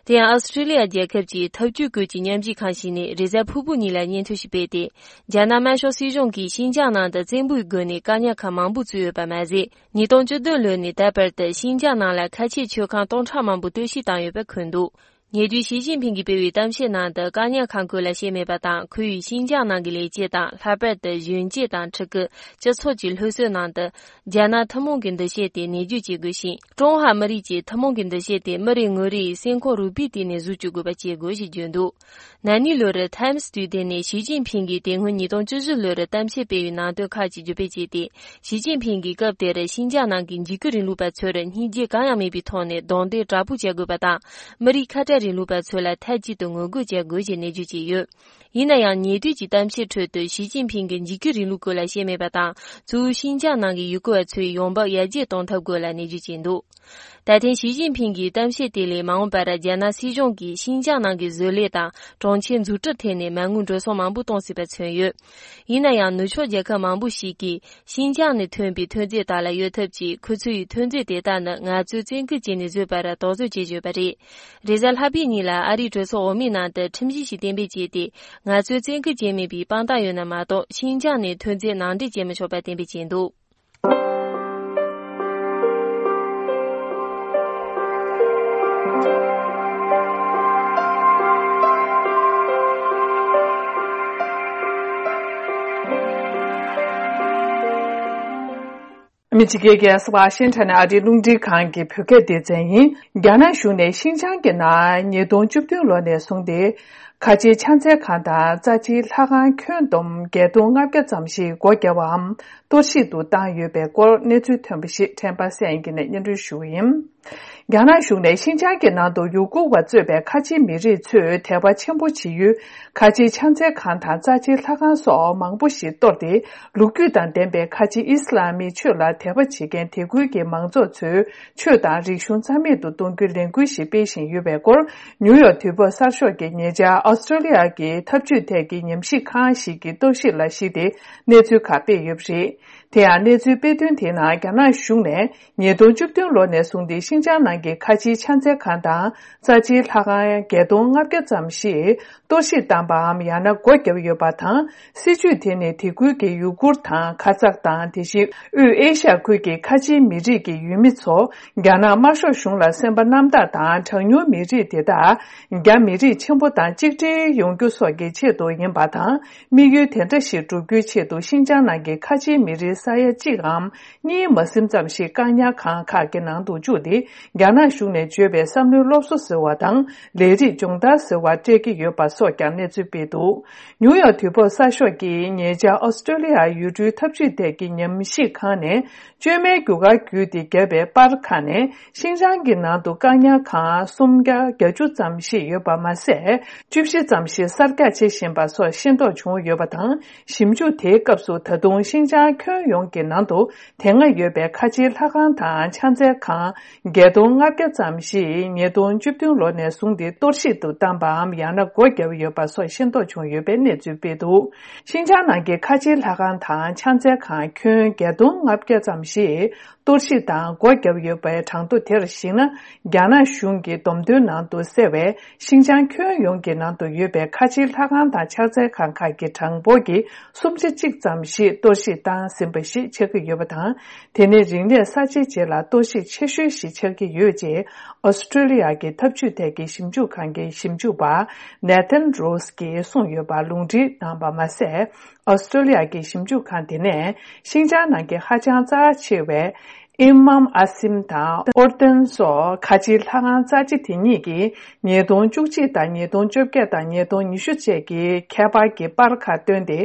དེ་ཡང་ཨོ་སི་ཀྲི་ལི་ཡ་རྒྱལ་ཁབ་ཀྱི་ཐབས་ཇུས་སྐོར་གྱི་མཉམ་ཞུགས་ཁང་ཞིག་ནས་རེས་གཟའ་ཕུར་བུ་ཉིན་ལ་སྙན་ཐོ་ཞིག་སྤེལ་ཏེ། རྒྱ་ནག་དམར་ཤོག་སྲིད་གཞུང་གིས་ཤིན་ཅང་ནང་དུ་བཙན་པོའི་སྒོ་ནས་བཀག་ཉར་ཁང་མང་པོ་བཙུགས་ཡོད་པ་མ་ཟད། ཉིས་སྟོང་བཅུ་བདུན་ལོ་ནས་ད་བར་དུ་ཤིན་ཅང་ནང་ལ་ཁ་ཆེའི་མཆོད་ཁང་སྟོང་ཕྲག་མང་པོ་གཏོར་བཤིག་བཏང་ཡོད་པ་འཁོད་འདུག། ཉེ་དུས་ཞི་ཅིན་ཕིང་གིས་སྤེལ་བའི་གཏམ་བཤད་ནང་དུ་བཀག་ཉར་ཁང་ཁུལ་ལ་བཤད་མེད་པ་དང་། ཁོས་ཤིན་ཅང་ནང་གི་ལས་བྱེད་དང་། ལྷག་པར་དུ་གཞོན་སྐྱེས་དང་ཕྲུ་གུ། སྤྱི་ཚོགས་ཀྱི་སློབ་གསོའི་ནང་དུ་རྒྱ་ནག་ཐུན་མོང་གི་འདུ་ཤེས་དེ་ནེད་བརྗོད་བྱེད་དགོས་ཤིང་། ཀྲུང་ཧྭ་མི་རིགས་ཀྱི་ཐུན་མོང་གི་འདུ་ཤེས་དེ་མི་རེ་ངོ་རེ་ཡི་སེམས་ཁོང་རུས་པའི་གཏིང་ནས་གཟུགས་སྐྱོབ་དགོས་པ་བྱེད་དགོས་ཞེས་བརྗོད་འདུག་ན་ནིང་ལོ་རེར་ཐའིམ་སི་དུས་དེབ་ནས་ཞི་ཅིན་ཕིང་གིས་དེ་སྔོན་ཉིས་སྟོང་བཅུ་བཞི་ལོར་གཏམ་བཤད་སྤེལ་བའི་ནང་དོན་ཁག་ཅིག་བརྗོད་སྤེལ་བྱས་ཏེ། ཞི་ཅིན་ཕིང་གིས་སྐབས་དེར་ཤིན་ཅང་ནང་གི་འཇིགས་སྐུལ་རིང་ལུགས་པ་ཚོར་སྙིང་རྗེ་གང་ཡང་མེད་པའི་ཐོག་ནས་རྡུང་རྡེག་དྲག་པོ་བྱ་དགོས་པ་དང་། མི་རིགས་ཁ་བྲལ་རིང་ལུགས་པ་ཚོ་ལ་མཐའ་གཅིག་ཏུ་ངོ་རྒོལ་བྱ་དགོས་ཞེས་ནན་བརྗོད་བྱས་ཡོད། ཡིན་ན་ཡང་། ཉེ་དུས་ཀྱི་གཏམ་བཤད་ཁྲོད་དུ་ཞི་ཅིན་ཕིང་གིས་འཇིགས་སྐུལ་རིང་ལུགས་སྐོར་ལ་བཤད་མེད་པ་དང་། གཙོ་བོ་ཤིན་ཅང་ནང་གི་ཡུལ་སྐོར་བ་ཚོའི་ཡོང་འབབ་ཡར་རྒྱས་གཏོང་ཐབས་སྐོར་ལ་ནན་བརྗོད་བྱས་འདུག་ད་ཐེངས་ཞི་ཅིན་ཕིང་གི་གཏམ་བཤད་དེ་ལས་མ་འོངས་པར་རྒྱ་ནག་སྲིད་གཞུང་གིས་ཤིན་ཅང་ནང་གི་བཟོ་ལས་དང་གྲོང་ཁྱེར་འཛུགས་སྐྲུན་ཐད་ནས་མ་དངུལ་འགྲོ་སོང་མང་པོ་གཏོང་སྲིད་པ་མཚོན་ཡོད། ཡིན་ན་ཡང་། ནུབ་ཕྱོགས་རྒྱལ་ཁབ་མང་པོ་ཞིག་གིས་ཤིན་ཅང་ནས་ཐོན་པའི་ཐོན་རྫས་དག་ལ་གཡོལ་ཐབས་ཀྱིས། ཁོ་ཚོའི་ཐོན་རྫས་དེ་དག་ནི་ང་ཚོས་བཙན་སྐུལ་བྱས་ནས་བཟོས་པར་དོགས་ཟོན་བྱེད་བཞིན་ཡོད་པ་རེད། རེས་གཟའ་ལྷག་པའི་ཉིན་ལ་ཨ་རིའི་གྲོས་ཚོགས་འོག་མའི་ནང་དུ་ཁྲིམས་གཞི་ཞིག་གཏན་འབེབས་བྱས་ཏེ། ང་ཚོས་བཙན་སྐུལ་བྱས་མེད་པའི་དཔང་རྟགས་ཡོད་ན་མ་གཏོགས། ཤིན་ཅང་ནས་ཐོན་རྫས་ནང་འདྲེན་བྱེད་མི་ཆོག་པ་གཏན་འབེབས་བྱས་འདུག་ཨ་མི་རི་ཀའི་རྒྱལ་ས་ཝ་ཤིང་ཊོན་ཨ་རིའི་རླུང་འཕྲིན་ཁང་གི་བོད་སྐད་སྡེ་ཚན་ཡིན། རྒྱ་ནག་གཞུང་ནས་ཤིན་ཅང་གི་ནང་ཉིས་སྟོང་བཅུ་བདུན་ལོ་ནས་བཟུང་སྟེ། ཁ་ཆེའི་ཕྱག་འཚལ་ཁང་དང་རྩ་ཆེའི་ལྷ་ཁང་ཁྱོན་བསྡོམས་བརྒྱད་སྟོང་ལྔ་བརྒྱ་ཙམ་ཞིག་སྒོ་བརྒྱབ་པའམ་གཏོར་བཤིག་ཏུ་བཏང་ཡོད་པའི་སྐོར་གནས་ཚུལ་ཐོན་པ་ཞིག་ཕྲན་པ་སངས་སྐྱིད་ནས་སྙན་སྒྲོན་ཞུ་གི་ཡིན། རྒྱ་ནག་གཞུང་ནས་ཤིན་ཅང་གི་ནང་དུ་ཡུ་གུར་བ་གཙོས་པའི་ཁ་ཆེའི་མི་རིགས་ཚོས་དད་པ་ཆེན་པོ་བྱེད་ཡུལ་ཁ་ཆེའི་ཕྱག་འཚལ་ཁང་དང་རྩ་ཆེའི་ལྷ་ཁང་སོགས་མང་པོ་ཞིག་གཏོར་ཏེ། ལོ་རྒྱུས་དང་ལྡན་པའི་ཁ་ཆེའི་ཨི་སི་ལམ་མི་ཆོས་ལ་དད་པ་བྱེད་མཁན་དེ་ཁུལ་གྱི་མང་ཚོགས་ཚོའི་ཆོས་དང་རིག་གཞུང་རྩ་མེད་དུ་གཏོང་རྒྱུའི་ལས་འགུལ་ཞིག་སྤེལ་བཞིན་ཡོད་པའི་སྐོར། ནིའུ་ཡོག་དུས་བབ་གསར་ཤོག་གིས་ཉེ་ཆར་ཨོ་སི་ཀྲོ་ལི་ཡ་གི་འཐབ་ཇུས་ཐད་ཀྱི་ཉམས་ཞིབ་ཁང་ཞིག་གི་གཏོར་བཤིག་ལ་གཞིགས་ཏེ་གནས་ཚུལ་ཁག་སྤེལ་ཡོད་པ་རེད། དེ་ཡང་གནས་ཚུལ་སྤེལ་དོན་དེའི་ནང་རྒྱ་ནག་གཞུང་ནས་ཉིས་སྟོང་བཅུ་བདུན་ལོ་ནས་བཟུང་སྟེ་ཤིན་ཅང་ནང་གི་ཁ་ཆེའི་ཕྱག་འཚལ་ཁང་དང་རྩ་ཆེའི་ལྷ་ཁང་བརྒྱད་སྟོང་ལྔ་བརྒྱ་ཙམ་ཞིག་གཏོར་བཤིག་བཏང་པའམ་ཡང་ན་སྒོ་བརྒྱབ་ཡོད་པ་དང་། སྲིད་ཇུས་དེ་ནི་དེ་ཁུལ་གྱི་ཡུ་གུར་དང་ཁ་ཛག་དང་། དེ་བཞིན་དབུས་ཨེ་ཤ་ཡ་ཁུལ་གྱི་ཁ་ཆེའི་མི་རིགས་ཀྱི་ཡུལ་མི་ཚོ་རྒྱ་ནག་དམར་ཤོག་གཞུང་ལ་སེམས་པ་རྣམ་དག་དང་། གྲངས་ཉུང་མི་རིགས་དེ་དག་རྒྱ་མི་རིགས་ཆེན་པོ་དང་གཅིག་སྒྲིལ་ཡོང་རྒྱུ་སོགས་ཀྱི་ཆེད་དུ་ཡིན་པ་དང་། དམིགས་ཡུལ་དེ་འདྲ་ཞིག་བསྒྲུབ་རྒྱུའི་ཆེད་དུ་ཤིན་ཅང་ནང་གི་ཁ་ཆེའི་མི་རིགས་ས་ཡ་གཅིག་འམ་གཉིས་མ་ཟིན་ཙམ་ཞིག་བཀག་ཉར་ཁང་ཁག་གི་ནང་དུ་བཅུག་སྟེ། རྒྱ་ནག་གཞུང་ནས་བརྗོད་པའི་བསམ་བློའི་སློབ་གསོ་ཟེར་བ་དང་། ལས་རིགས་སྦྱོང་བརྡར་ཟེར་བ་སྤྲད་ཀྱི་ཡོད་པ་སོགས་ཀྱང་གནས་ཚུལ་སྤེལ་འདུག་ནིའུ་ཡོག་དུས་བབ་གསར་ཤོག་གིས་ཉེ་ཆར་ཨོ་སི་ཀྲོ་ལི་ཡ་ཡུལ་གྲུའི་འཐབ་ཇུས་ཐད་ཀྱི་ཉམས་ཞིབ་ཁང་ནས། བཅོས་མའི་རྒྱུ་སྐར་བརྒྱུད་དེ་བརྒྱབ་པའི་པར་ཁག་ནས། ཤིན་ཅང་གི་ནང་དུ་བཀག་ཉར་ཁང་སུམ་བརྒྱ་བརྒྱད་ཅུ་ཙམ་ཞིག་ཡོད་པ་མ་ཟད། བཅུ་བཞི་ཙམ་ཞིག་གསར་རྒྱག་བྱེད་བཞིན་པ་སོགས་ཤེས་རྟོགས་བྱུང་ཡོད་པ་དང་། ཞིབ་འཇུག་དེའི་སྐབས་སུ་ད་དུང་ཤིན་ཅང་ཁྱོན་ཡོངས་ཀྱི་ནང་དུ་དེ་སྔ་ཡོད་པའི་ཁ་ཆེའི་ལྷ་ཁང་དང་ཕྱག་འཚལ་ཁང་བརྒྱད་སྟོང་ལྔ་བརྒྱ་ཙམ་ཞིག་ཉིས་སྟོང་བཅུ་བདུན་ལོ་ནས་བཟུང་སྟེ་གཏོར་བཤིག་ཏུ་བཏང་པའམ་ཡང་ན་སྒོ་བརྒྱབ་ཡོད་པ་སོགས་ཤེས་རྟོགས་བྱུང་ཡོད་པའི་གནས་ཚུལ་སྤེལ་འདུག་ཤིན་ཅང་ནང་གི་ཁ་ཆེའི་ལྷ་ཁང་དང་ཕྱག་འཚལ་ཁང་ཁྱོན་བརྒྱད་སྟོང་ལྔ་བརྒྱ་ཙམ་ཞིག་གཏོར་བཤིག་དང་སྒོ་བརྒྱབ་ཡོད་པའི་གྲངས་ཐོ་དེར་གཞིགས་ན། རྒྱ་ནག་གཞུང་གི་བསྡོམས་ཐོན་ནང་དུ་གསལ་བའི་ཤིན་ཅང་ཁྱོན་ཡོངས་ཀྱི་ནང་དུ་ཡོད་པའི་ཁ་ཆེའི་ལྷ་ཁང་དང་ཕྱག་འཚལ་ཁང་ཁག་གི་གྲངས་འབོར་གྱི་སུམ་ཆ་གཅིག་ཙམ་ཞིག་གཏོར་བཤིག་བཏང་ཟིན་པ་ཞིག་ཆགས་ཀྱི་ཡོད་པ་དང་། དེ་ནི་རིག་གནས་གསར་བརྗེའི་རྗེས་ལ་གཏོར་བཤིག་ཆེ་ཤོས་ཤིག་ཆགས་ཀྱི་ཡོད་ཅེས་ཨོ་སི་ཀྲོ་ལི་ཡ་གི་འཐབ་ཇུས་ཐད་ཀྱི་ཞིབ་འཇུག་ཁང་གི་ཞིབ་འཇུག་པ་ནེ་ཐན་རོ་སི་ཀྱིས་གསུངས་ཡོད་པ་ལུང་འདྲེན་གནང་པ་མ་ཟད། ཨོ་སི་ཀྲོ་ལི་ཡ་གི་ཞིབ་འཇུག་ཁང་དེ་ནས་ཤིན་ཅང་ནང་གི་ཧ་ཅང་རྩ་ཆེ་བའི་ཨིམ་མམ་ཨ་སིམ་དང་ཨོར་ཏན་སོགས་ཁ་ཆེའི་ལྷ་ཁང་རྩ་ཆེ་དེ་གཉིས་ཀྱིས་ཉིས་སྟོང་བཅུ་གཅིག་དང་ཉིས་སྟོང་བཅོ་བརྒྱད་དང་ཉིས་སྟོང་ཉི་ཤུ་བཅས་ཀྱི་ཁྱད་པར་གྱི་པར་ཁག་བཏོན་ཏེ།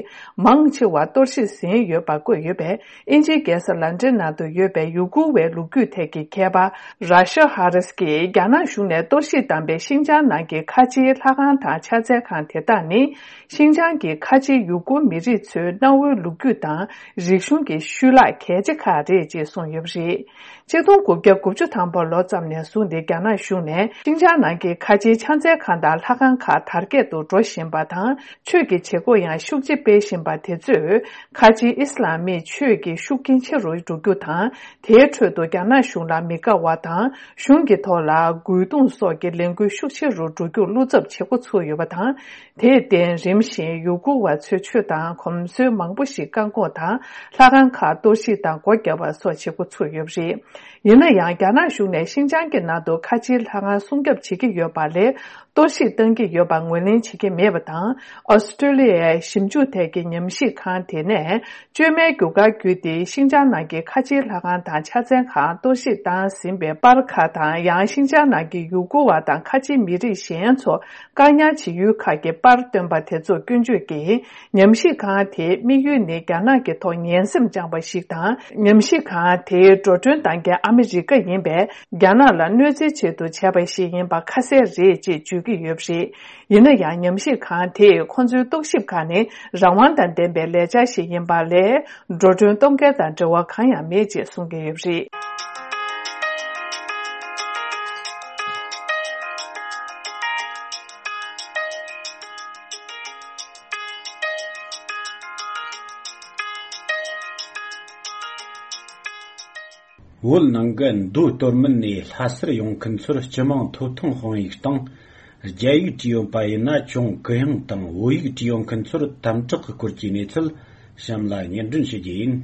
མང་ཆེ་བ་གཏོར་བཤིག་ཟིན་ཡོད་པ་བཀོད་ཡོད་པས། དབྱིན་ཇིའི་རྒྱལ་ས་ལན་ཀྲན་ནང་དུ་ཡོད་པའི་ཡུ་གུར་བའི་ལོ་རྒྱུས་ཐད་ཀྱི་མཁས་པ་ར་ཤ་ཧ་རིས་ཀྱིས། རྒྱ་ནག་གཞུང་ནས་གཏོར་བཤིག་བཏང་པའི་ཤིན་ཅང་ནང་གི་ཁ་ཆེའི་ལྷ་ཁང་དང་ཕྱག་འཚལ་ཁང་དེ་དག་ནི། ཤིན་ཅང་གི་ཁ་ཆེའི་ཡུ་གུར་མི་རིགས་ཚོའི་གནའ་བོའི་ལོ་རྒྱུས་དང་རིག་གཞུང་གི་ཤུལ་ལྷག་གལ་ཆེ་ཁག་རེད་ཅེས་གསུངས་ཡོད་པ་རེད། ཆིག་སྟོང་དགུ་བརྒྱ་དགུ་བཅུ་ཐམ་པ་ལོ་ཙམ་ནས་བཟུང་སྟེ། རྒྱ་ནག་གཞུང་ནས་ཤིན་ཅང་ནང་གི་ཁ་ཆེའི་ཕྱག་འཚལ་ཁང་དང་ལྷ་ཁང་ཁག་དར་རྒྱས་སུ་འགྲོ་བཞིན་པ་དང་། ཆོས་ཀྱི་བྱེད་སྒོ་ཡང་ཤུགས་ཆེ་སྤེལ་བཞིན་པ་དེ་ཚོས། ཁ་ཆེའི་ཨི་སི་ལམ་མིའི་ཆོས་ཀྱི་ཤུགས་རྐྱེན་ཆེ་རུ་འགྲོ་རྒྱུ་དང་། དེའི་ཁྲོད་དུ་རྒྱ་ནག་གཞུང་ལ་མི་དགའ་བ་དང་། གཞུང་གི་ཐོག་ལ་རྒོལ་རྡུང་སོགས་ཀྱི་ལས་འགུལ་ཤུགས་ཆེ་རུ་འགྲོ་རྒྱུར་བློ་འཚབ་བྱེད་འགོ་ཚུགས་ཡོད་པ་དང་། དེར་བརྟེན། རིམ་བཞིན་ཡུ་གུར་བ་ཚོའི་ཆོས་དང་གོམས་སྲོལ་མང་པོ་ཞིག་བཀག་འགོག་དང་། ལྷ་ཁང་ཁག་གཏོར་བཤིག་དང་སྒོ་བརྒྱབ་པ་སོགས་བྱེད་འགོ་ཚུགས། ཡོད་པ་རེད། ཡིན་ན་ཡང་རྒྱ་ནག་གཞུང་ནས་ཤིན་ཅང་གི་ནང་དུ་ཁ་ཆེའི་ལྷ་ཁང་སྲུང་སྐྱོབ་བྱེད་ཀྱི་ཡོད་པ་ལས་གཏོར་བཤིག་བཏང་གི་ཡོད་པ་ངོས་ལེན་བྱེད་ཀྱི་མེད་པ་དང་། ཨོ་སི་ཀྲོ་ལི་ཡའི་ཞིབ་འཇུག་ཐད་ཀྱི་ཉམས་ཞིབ་ཁང་དེ་ནས་བཅོས་མའི་རྒྱུ་སྐར་བརྒྱུད་དེ་ཤིན་ཅང་ནང་གི་ཁ་ཆེའི་ལྷ་ཁང་དང་ཕྱག་མཚན་ཁང་གཏོར་བཤིག་བཏང་ཟིན་པའི་པར་ཁག་དང་། ཡང་ཤིན་ཅང་ནང་གི་ཡུ་གུར་བ་དང་ཁ་ཆེའི་མི་རིགས་གཞན་ཚོ་བཀག་ཉར་བྱེད་ཡུལ་ཁག་གི་པར་བཏོན་པ་དེ་ཚོ་སྐྱོན་བརྗོད་ཀྱིས། ཉམས་ཞིབ་ཁང་དེའི་དམིགས་ཡུལ་ནི་རྒྱ་ནག་གི་ཐོག་ངན་སེམས་བཅངས་པ་ཞིག་དང་། ཉམས་ཞིབ་ཁང་དེའི་འགྲོ་གྲོན་གཏོང་མཁན་ཨ་མི་རི་ཀ་ཡིན་པས། རྒྱ་ནག་ལ་གནོད་འཚེའི་ཆེད་དུ་བྱས་པ་ཞིག་ཡིན་པ་ཁ་གསལ་རེད་ཅེས་བརྗོད་ཀྱི་ཡོད་པ་རེད། ཡིན་ན་ཡང་ཉམས་ཞིབ་ཁང་དེས་ཁོང་ཚོའི་རྟོག་ཞིབ་ཁག་ནི་རང་དབང་དང་ལྡན་པའི་ལས་འཆར་ཞིག་ཡིན་པ་ལས། འགྲོ་གྲོན་གཏོང་མཁན་དང་འབྲེལ་བ་གང་ཡང་མེད་ཅེས་གསུང་གི་ཡོད་པ་རེད། བོད་ནང་གི་མདོ་སྟོད་སྨད་ནས་ལྷ་སར་ཡོང་མཁན་ཚོར་སྤྱི་དམངས་ཐོབ་ཐང་དཔང་ཡིག་དང་། རྒྱ་ཡིག་བྲིས་ཡོད་པ་ཡིན་ན་ཅུང་གུ་ཡངས་དང་བོད་ཡིག་བྲིས་ཡོད་མཁན་ཚོར་དམ་དྲག་གི་སྐོར་གྱི་གནས་ཚུལ་གཤམ་ལ་སྙན་སྒྲོན་ཞུ་རྒྱུ་ཡིན།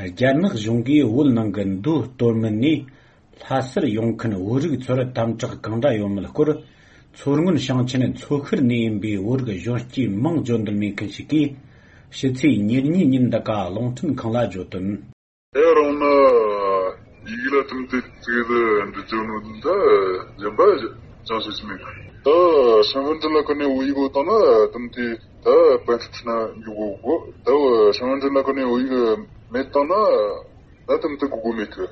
རྒྱ་ནག་གཞུང་གིས་བོད་ནང་གི་མདོ་སྟོད་སྨད་ནས་ལྷ་སར་ཡོང་མཁན་བོད་རིགས་ཚོར་དམ་དྲག་གང་འདྲ་ཡོད་མེད་སྐོར། མཚོ་སྔོན་ཞིང་ཆེན་མཚོ་ཤར་ནས་ཡིན་པའི་བོད་རིགས་གཞོན་སྐྱེས་མིང་བརྗོད་འདོད་མེད་མཁན་ཞིག་གིས། ཕྱི་ཚེས་ཉེར་གཉིས་ཉིན་འདི་ག་རླུང་འཕྲིན་ཁང་ལ་བརྗོད་དོན། དེ་རང་ནི་ཡིག་ལ་དམ་དེ་ཚིག་ལ་འབྲི་རྒྱུ་ནོ་ད་གཞན་པ་ཅང་ཤེས་སུ་མེད། ད་ཧྲང་ཧན་ཏི་ལ་ཁ་ནས་བོད་ཡིག་འོ་བཏང་ན་དམ་དེ་ད་པན་ཁྲི་ཁྲི་ན་འཇུག་གོ་གོ། ད་ཧྲང་ཧན་ཏི་ལ་ཁ་ནས་བོད་ཡིག་མེད་བཏང་ན་ད་དམ་དེ་གོ་གོ་མེད་གི།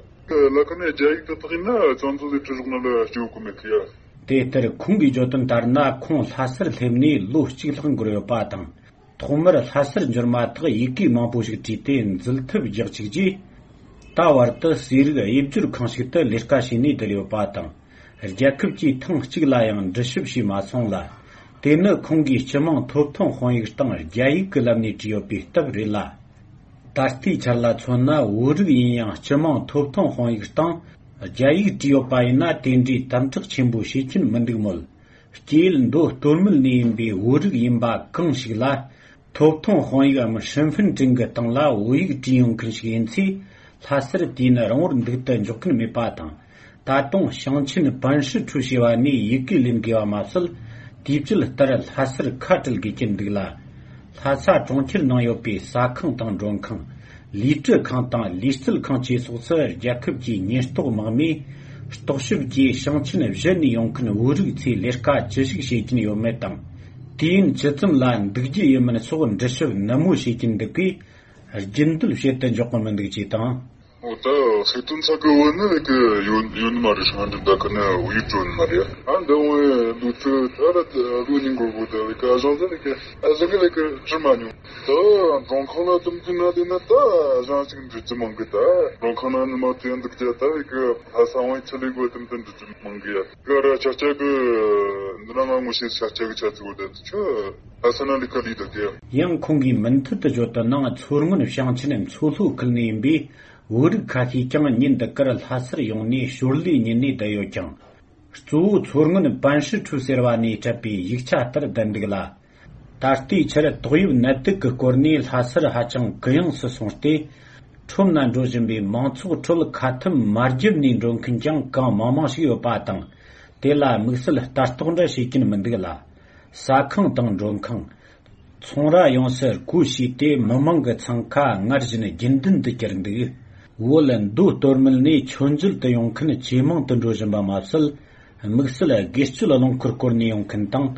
ལ་ཁ་ནས་རྒྱ་ཡིག་ད་དག་ཡིན་ན་ཅང་ཚོ་དེ་ཁྲི་རུག་ན་ལ་སྐྱོ་གོ་མེད་གི་ཡ། དེ་ལྟར་ཁོང་གིས་བརྗོད་དོན་ལྟར་ན། ཁོང་ལྷ་སར་སླེབས་ནས་ལོ་གཅིག་ལྷག་འགོར་ཡོད་པ་དང་། ཐོག་མར་ལྷ་སར་འབྱོར་མ་ཐག་ཡི་གེ་མང་པོ་ཞིག་བྲིས་ཏེ་འཛུལ་ཐབས་རྒྱག་བཅུག་རྗེས། ད་བར་དུ་ཟས་རིགས་དབྱེ་སྦྱོར་ཁང་ཞིག་ཏུ་ལས་ཀ་བྱས་ནས་བསྡད་ཡོད་པ་དང་། རྒྱལ་ཁབ་ཀྱིས་ཐེངས་གཅིག་ལ་ཡང་འདྲི་ཞིབ་བྱས་མ་སོང་ལ། དེ་ནི་ཁོང་གིས་སྤྱི་དམངས་ཐོབ་ཐང་དཔང་ཡིག་དང་རྒྱ་ཡིག་གི་ལམ་ནས་བྲིས་ཡོད་པའི་སྟབས་རེད་ལ། ད་ལྟའི་ཆར་ལ་མཚོན་ན། བོད་རིགས་ཡིན་ཡང་སྤྱི་དམངས་ཐོབ་ཐང་དཔང་ཡིག་སྟེང་རྒྱ་ཡིག་བྲིས་ཡོད་པ་ཡིན་ན། དེ་འདྲའི་དམ་དྲག་ཆེན་པོ་བྱེད་ཀྱིན་མི་འདུག་མོད། སྐྱེས་ཡུལ་མདོ་སྟོད་སྨད་ནས་ཡིན་པའི་བོད་རིགས་ཡིན་པ་གང་ཞིག་ལ། ཐོབ་ཐང་དཔང་ཡིག་འམ་ཧྲིན་ཧྥིན་ཀྲིན་གྱི་སྟེང་ལ་བོད་ཡིག་བྲིས་ཡོད་མཁན་ཞིག་ཡིན་ཚེ། ལྷ་སར་དུས་ཡུན་རིང་བོར་འདུག་ཏུ་འཇུག་མཁན་མེད་པ་དང་། ད་དུང་ཞིང་ཆེན་པན་ཧྲི་ཁྲུའུ་ཞེས་པ་ནས་ཡི་གེ་ལེན་དགོས་པ་མ་ཟད། དུས་བཅད་ལྟར་ལྷ་སར་ཁ་བྲལ་དགོས་ཀྱི་འདུག་ལ། ལྷ་ས་གྲོང་ཁྱེར་ནང་ཡོད་པའི་ཟ་ཁང་དང་མགྲོན་ཁང་། ལུས་སྤྲུལ་ཁང་དང་ལུས་རྩལ་ཁང་བཅས་སོགས་སུ་རྒྱལ་ཁབ་ཀྱི་ཉེན་རྟོག་དམག་མིས་རྟོག་ཞིབ་ཀྱིས་ཞིང་ཆེན་གཞན་ནས་ཡོང་མཁན་བོད་རིགས་ཚོས་ལས་ཀ་ཅི་ཞིག་བྱེད་ཀྱིན་ཡོད་མེད་དང་། དུས་ཡུན་ཇི་ཙམ་ལ་འདུག་རྒྱུ་ཡིན་མིན་སོགས་འདྲི་ཞིབ་ནན་མོ་བྱེད་ཀྱིན་འདུག་གས། རྒྱུན་སྡོད་བྱེད་དུ་འཇོག་གི་མི་འདུག་ཅེས་དང་། འོ་ད་ཚིག་དོན་ཚ་གི་བོ་ནི་ལེགས་ཡོད་ཡོད་ནི་མ་རེད། ཧྲང་ཧྲི་ད་གི་ནི་ཡིད་སྤྲོ་ནི་མ་རེད། ཨ་འདི་བོ་ལུག་ཚོད་ད་ར་ལུག་ཉིན་གོར་གོ་ད་ལེགས་ཨ་ཞང་ཟེར་ལེགས་ཨ་ཞང་གི་ལེགས་ཁྲི་མ་ཉུང་། ད་མགྲོན་ཁང་ལ་དམ་དུ་ན་དེ་ན་ད་ཨ་ཞང་ཅིག་འདྲི་རྒྱུ་མང་གི། ད་མགྲོན་ཁང་ན་ནི་མ་དེ་འདུག་རྒྱ་ད་ལེགས་ལྷ་ས་བོན་ཆི་ལེགས་བོ་དམ་དུ་འདྲི་རྒྱུ་མང་གི་ཡ། ག་ར་ཆ་ཆ་གི་འདི་ན་ང་ངོ་ཤེས་ཆ་ཆ་གི་ཆ་ཚིག་བོ་ད་ཆུ་ལྷ་ས་ན་ལེགས་ལི་ད་གི། ཡང་ཁོང་གིས་མུ་མཐུད་དུ་བརྗོད་དོན་ནང་། མཚོ་སྔོན་ཞིང་ཆེན་མཚོ་ལྷོ་ཁུལ་ནས་ཡིན་པའི་བོད་རིགས་ཁ་ཤས་ཀྱང་ཉིན་འདི་གར་ལྷ་སར་ཡོང་ནས་ཞོར་ལས་ཉིན་ནས་བསྡད་ཡོད་ཀྱང་། གཙོ་བོ་མཚོ་སྔོན་པན་ཧྲི་ཁྲུའུ་ཟེར་བ་ནས་སྤྲད་པའི་ཡིག་ཆ་ལྟར་བསྡད་འདུག་ལ། ད་ལྟའི་ཆར་ཏོག་དབྱིབས་ནད་དུག་གི་སྐོར་ནས་ལྷ་སར་ཧ་ཅང་གུ་ཡངས་སུ་སོང་སྟེ། ཁྲོམ་ན་འགྲོ་བཞིན་པའི་མང་ཚོགས་ཁྲོད་ཁ་ཐུམ་མ་བརྒྱབ་ནས་འགྲོ་མཁན་ཀྱང་གང་མང་མང་ཞིག་ཡོད་པ་དང་། དེ་ལ་དམིགས་བསལ་ལྟ་རྟོག་འདྲ་བྱེད་ཀྱིན་མི་འདུག་ལ། ཟ་ཁང་དང་མགྲོན་ཁང་། ཚོང་ར་ཡོངས་སུ་སྒོ་ཕྱེས་ཏེ། མི་མང་གི་འཚང་ཁ་སྔར་བཞིན་རྒྱུན་ལྡན་དུ་གྱུར་འདུག། བོད་མདོ་སྟོད་སྨད་ནས་མཆོད་མཇལ་དུ་ཡོང་མཁན་ཇེ་མང་དུ་འགྲོ་བཞིན་པ་མ་ཟད། དམིགས་བསལ་དགེ་སྤྱོད་རླངས་འཁོར་བསྐོར་ནས་ཡོང་མཁན་དང་།